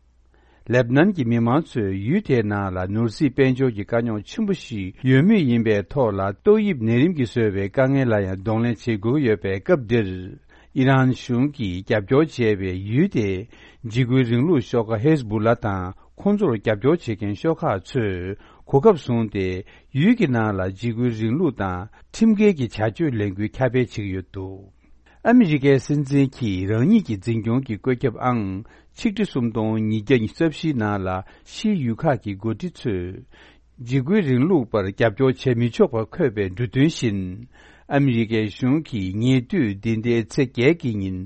ལེ་བྷ་ནན་གྱི་མི་མང་ཚོས་ཡུལ་དེའི་ནང་ལ་ནོར་སྲིད་དཔལ་འབྱོར་གྱི་དཀའ་རྙོག་ཆེན་པོ་ཞིག་ཡོད་མུས་ཡིན་པའི་ཐོག་ལ། ཏོག་དབྱིབས་ནད་རིམས་ཀྱིས་བཟོས་པའི་དཀའ་ངལ་ལ་ཡང་གདོང་ལེན་བྱེད་དགོས་ཀྱི་ཡོད་པའི་སྐབས་འདིར། ཨི་རན་གཞུང་གིས་རྒྱབ་སྐྱོར་བྱས་པའི་ཡུལ་དེའི་འཇིགས་སྐུལ་རིང་ལུགས་ཤོག་ཁག་ཧེ་ཟ་བུ་ལ་དང་། ཁོང་ཚོར་རྒྱབ་སྐྱོར་བྱེད་མཁན་ཤོག་ཁག་ཚོས་གོ་སྐབས་བཟུང་སྟེ། ཡུལ་གྱི་ནང་ལ་འཇིགས་སྐུལ་རིང་ལུགས་དང་ཁྲིམས་འགལ་གྱི་བྱ་སྤྱོད་ལས་འགུལ་ཁྱབ་སྤེལ་བྱེད་ཀྱི་ཡོད་འདུག། ཨ་མི་རི་ཀའི་སྲིད་འཛིན་གྱིས་རང་ཉིད་ཀྱི་འཛིན་སྐྱོང་གི་བཀོད་ཁྱབ་ཨང་ཆིག་ཁྲི་སུམ་སྟོང་ཉིས་བརྒྱ་ཉི་ཤུ་རྩ་བཞིའི་ནང་ལ། ཕྱིའི་ཡུལ་ཁག་གི་འགོ་ཁྲིད་ཚོས་འཇིགས་སྐུལ་རིང་ལུགས་པར་རྒྱབ་སྐྱོར་བྱེད་མི་ཆོག་པར་འཁོད་པའི་འབྲུ་དོན་བཞིན། ཨ་མི་རི་ཀའི་གཞུང་གིས་ཉེ་དུས་འདི་ཟླའི་ཚེས་བརྒྱད་ཀྱི་ཉིན།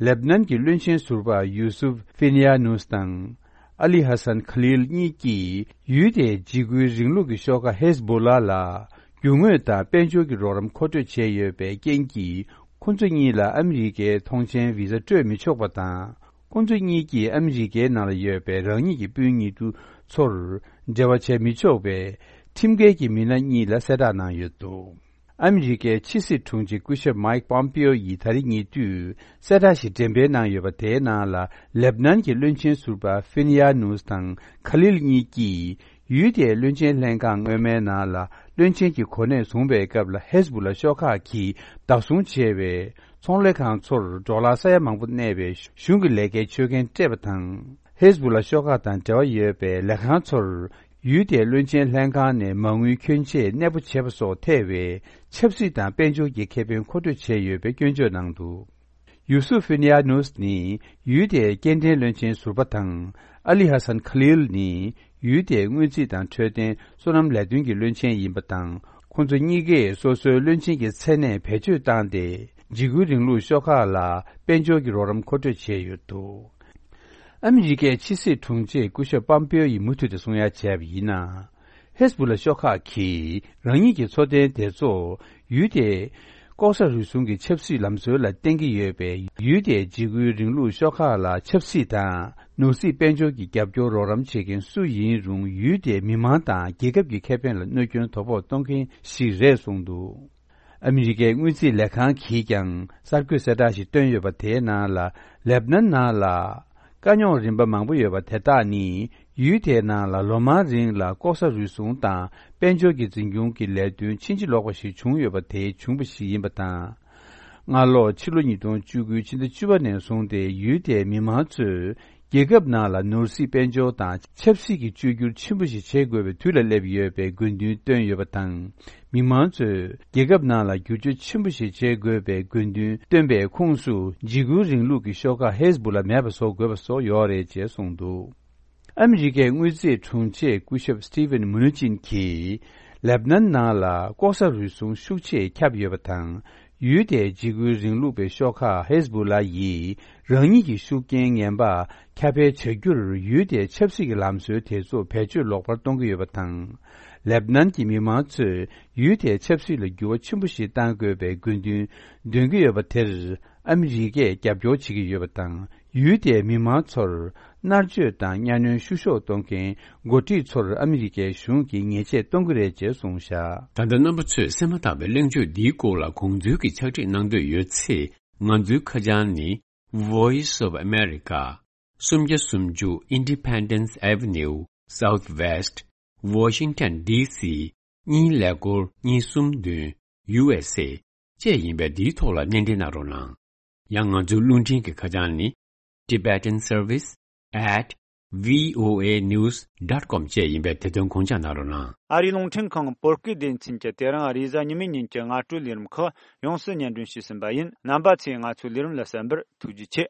ལེ་བྷ་ནན་གྱི་བློན་ཆེན་ཟུར་པ་ཡུ་སུབ་ཧྥི་ནི་ཡ་ནུས་དང་། ཨ་ལི་ཧ་སན་ཁ་ལིལ་གཉིས་ཀྱིས། ཡུལ་དེའི་འཇིགས་སྐུལ་རིང་ལུགས་ཀྱི་ཤོག་ཁག་ཧེ་ཟ་བུ་ལ་ལ། རྒྱུ་དངོས་དང་དཔལ་འབྱོར་གྱི་རོགས་རམ་མཁོ་སྤྲོད་བྱས་ཡོད་པའི་རྐྱེན་གྱིས། ཁོ་ཚོ་གཉིས་ལ་ཨ་མི་རི་ཀའི་ཐོངས་མཆན་བི་ཟ་སྤྲོད་མི་ཆོག་པ་དང་། ཁོ་ཚོ་གཉིས་ཀྱིས་ཨ་མི་རི་ཀའི་ནང་ལ་ཡོད་པའི་རང་ཉིད་ཀྱི་སྤུན་ཉེ་དུ་ཚོར་འབྲེལ་བ་བྱས་མི་ཆོག་པའི་ཁྲིམས་འགལ་གྱི་མི་སྣ་གཉིས་ལ་གསལ་བསྒྲགས་གནང་ཡོད་འདུག། ཨ་མི་རི་ཀའི་ཕྱི་སྲིད་དྲུང་ཆེ་སྐུ་ཞབས་མའེག་པོམ་པིའོ་ཡིས་ད་རེས་ཉེ་དུས་གསལ་བསྒྲགས་ཤིག་འགྲེམས་སྤེལ་གནང་ཡོད་པ། དེའི་ནང་ལ་ལེབ་ནན་གྱི་བློན་ཆེན་ཟུར་པ་ཧྥིན་ཡ་ནུས་དང་ཁ་ལིལ་གཉིས་ཀྱིས། ཡུལ་དེའི་བློན་ཆེན་ལྷན་ཁང་སྔོན་མའི་ནང་ལ་བློན་ཆེན་གྱི་གོ་གནས་བཟུང་བའི་སྐབས་ལ། ཧེ་ཟ་བུ་ལ་ཤོག་ཁག་གིས་བདག་བཟུང་བྱས་པའི་ཚོང་ལས་ཁང་ཚོར་འབྲོག་ལྷ་ས་ཡ་མང་པོ་གནས་པའི་གཞུང་གི་ལས་ཀའི་ཆོད་གན་སྤྲད་པ་དང་། ཧེ་ཟ་བུ་ལ་ཤོག་ཁག་དང་འབྲེལ་བ་ཡོད་པའི་ལས་ཁང་ཚོར་ཡུལ་དེའི་བློན་ཆེན་ལྷན་ཁང་ནས་མ་དངུལ་ཁྱོན་ཆེ་གནས་སྤོ་བྱས་པ་སོགས་ཐེ་བའི་ཆབ་སྲིད་དང་དཔལ་འབྱོར་གྱི་ཁེ་ཕན་མཁོ་སྤྲོད་བྱས་ཡོད་པའི་སྐྱོན་བརྗོད་གནང་འདུག། ཡུ་སུབ་ཧྥིན་ཡ་ནུས་ནི་ཡུལ་དེའི་སྐྱེལ་འདྲེན་བློན་ཆེན་ཟུར་པ་དང་། ཨ་ལི་ཧ་སན་ཁ་ལིལ་ནི་ཡུལ་དེའི་སྔོན་རྩིས་དང་འཕྲོད་བསྟེན་སོ་ནམ་ལས་དོན་གྱི་བློན་ཆེན་ཡིན་པ་དང་། ཁོང་ཚོ་གཉིས་ཀས་སོ་སོའི་བློན་ཆེན་གྱི་མཚན་གནས་བེད་སྤྱོད་བཏང་སྟེ། འཇིགས་སྐུལ་རིང་ལུགས་ཤོག་ཁག་ལ་དཔལ་འབྱོར་གྱི་རོགས་རམ་མཁོ་སྤྲོད་བྱས་ཡོད་འདུག། ཨ་མི་རི་ཀའི་ཕྱི་སྲིད་དྲུང་ཆེ་སྐུ་ཞབས་པམ་པེའོ་ཡིས་མུ་མཐུད་དུ་གསུང་ཡ་བྱས་པ་ཡིན་ན། ཧེ་ཟ་བུ་ལ་ཤོག་ཁག་གིས་རང་ཉིད་ཀྱི་འཚོ་རྟེན་དེ་ཚོ་ཡུལ་དེའི་ལྐོག་ཟ་རུལ་སུངས་ཀྱི་ཆབ་སྲིད་ལམ་སྲོལ་ལ་བརྟེན་གྱི་ཡོད་པས། ཡུལ་དེའི་འཇིགས་སྐུལ་རིང་ལུགས་ཤོག་ཁག་ལ་ཆབ་སྲིད་དང་ནོར་སྲིད་དཔལ་འབྱོར་གྱི་རྒྱབ་སྐྱོར་རོགས་རམ་བྱེད་མཁན་སུ་ཡིན་རུང་། ཡུལ་དེའི་མི་མང་དང་རྒྱལ་ཁབ་ཀྱི་ཁེ་ཕན་ལ་གནོད་སྐྱོན་དོ་ཕོག་གཏོང་མཁན་ཞིག་རེད་གསུངས་འདུག། ཨ་མི་རི་ཀའི་དངུལ་རྩིས་ལས་ཁང་གིས་ཀྱང་གསར་འགོད་གསལ་བསྒྲགས་ཤིག་བཏོན་ཡོད་པ། དེའི་ནང་ལ་ལེབ་ནན་ནང་ལ་དཀའ་རྙོག་རིམ་པ་མང་པོ་ཡོད་པ་དེ་དག་ནི། ཡུལ་དེའི་ནང་ལ་ལོ་མང་རིང་ལ་ལྐོག་ཟ་རུལ་སུངས་དང་དཔལ་འབྱོར་གྱི་འཛིན་སྐྱོང་གི་ལས་དོན་ཕྱིན་ཅི་ལོག་པ་ཞིག་བྱུང་ཡོད་པ། དེས་བྱུང་བ་ཞིག་ཡིན་པ་དང་། སྔ་ལོ་ཕྱི་ལོ་ཉིས་སྟོང་བཅུ་དགུ་ཕྱི་ཟླ་བཅུ་པ་ནས་བཟུང་སྟེ། ཡུལ་དེའི་མི་མང་ཚོས་ རྒྱལ་ཁབ་ནང་ལ་ནོར་སྲིད་དཔལ་འབྱོར་དང་ཆབ་སྲིད་ཀྱི་བཅོས་བསྒྱུར་ཆེན་པོ་ཞིག་བྱེད་དགོས་པའི་དུས་ལ་སླེབས་ཡོད་པའི་དགོས་འདུན་བཏོན་ཡོད་པ་དང་། མི་མང་ཚོས་རྒྱལ་ཁབ་ནང་ལ་བསྒྱུར་བཅོས་ཆེན་པོ་ཞིག་བྱེད་དགོས་པའི་དགོས་འདུན་བཏོན་པའི་ཁོངས་སུ་འཇིགས་སྐུལ་རིང་ལུགས་ཀྱི་ཤོག་ཁག་ཧེ་ཟ་བུ་ལ་མེད་པ་བཟོ་དགོས་པ་སོགས་ཡོད་རེད་ཅེས་གསུངས་འདུག་ཨ་མི་རི་ཀའི་དངུལ་རྩིས་དྲུང་ཆེ་སྐུ་ཞབས་སི་ཏི་ཝན་མུ་ནུ་ཅིན་གྱིས། ལེབ་ནན་ནང་ལ་ལྐོག་ཟ་རུལ་སུངས་ཤུགས་ཆེ་ཁྱབ་ཡོད་པ་དང་། ཡུལ་དེའི་འཇིགས་སྐུལ་རིང་ལུགས་པའི་ཤོག་ཁག་ཧེ་ཟ་བུ་ལ་ཡིས་རང་ཉིད་ཀྱི་ཤུགས་རྐྱེན་ངན་པ་ཁྱབ་སྤེལ་བྱ་རྒྱུར་ཡུལ་དེའི་ཆབ་སྲིད་ཀྱི་ལམ་སྲོལ་དེ་ཚོ་བེད་སྤྱོད་ལོག་པར་གཏོང་གི་ཡོད་པ་དང་། ལེབ་ནན་གྱི་མི་མང་ཚོས་ཡུལ་དེའི་ཆབ་སྲིད་ལ་འགྱུར་བ་ཆེན་པོ་ཞིག་གཏང་དགོས་པའི་དགོས་འདུན་འདོན་གྱི་ཡོད་པ་དེར་ཨ་མི་རི་ཀས་རྒྱབ་སྐྱོར་བྱེད་ཀྱི་ཡོད་པ་དང་། ཡུལ་དེའི་མི་མང་ཚོར་མནར་གཅོད་དང་གཉའ་གནོན་བཤུ་གཞོག་གཏོང་མཁན་འགོ་ཁྲིད་ཚོར་ཨ་མི་རི་ཀའི་གཞུང་གིས་ཉེས་ཆད་གཏོང་གི་རེད་ཅེས་གསུངས་བཞག་ད་ལྟ་རྣམ་པ་ཚོས་གསན་མ་ཐག་པའི་གླེང་བརྗོད་འདིའི་སྐོར་ལ་དགོངས་ཚུལ་གྱི་ཕྱག་བྲིས་གནང་འདོད་ཡོད་ཚེ། ང་ཚོའི་ཁ་བྱང་ནི། Voice of America། སུམ་བརྒྱ་སུམ་ཅུ་Independence Avenue Southwest Washington D C གཉིས་ཀླད་ཀོར་གཉིས་གསུམ་བདུན། U S A བཅས་ཡིན་པས་འདིའི་ཐོག་ལ་སྣེ་འདྲེན་གནང་རོགས་གནང་། ཡང་ང་ཚོའི་རླུང་འཕྲིན་གྱི་ཁ་བྱང་ནི། Tibetan Service at V O A news dot com བཅས་ཡིན་པས་དེ་དོན་དགོངས་འཇགས་གནང་རོགས་གནང་། ཨ་རིའི་རླུང་འཕྲིན་ཁང་བོད་སྐད་སྡེ་ཚན་གྱིས་དེ་རིང་རེས་གཟའ་ཉི་མའི་ཉིན་གྱི་སྔ་དྲོའི་ལས་རིམ་ཁག་ཡོངས་སུ་སྙན་སྒྲོན་ཞུས་ཟིན་པ་ཡིན། རྣམ་པ་ཚོས་ང་ཚོའི་ལས་རིམ་ལ་གསན་པར་ཐུགས་རྗེ་ཆེ།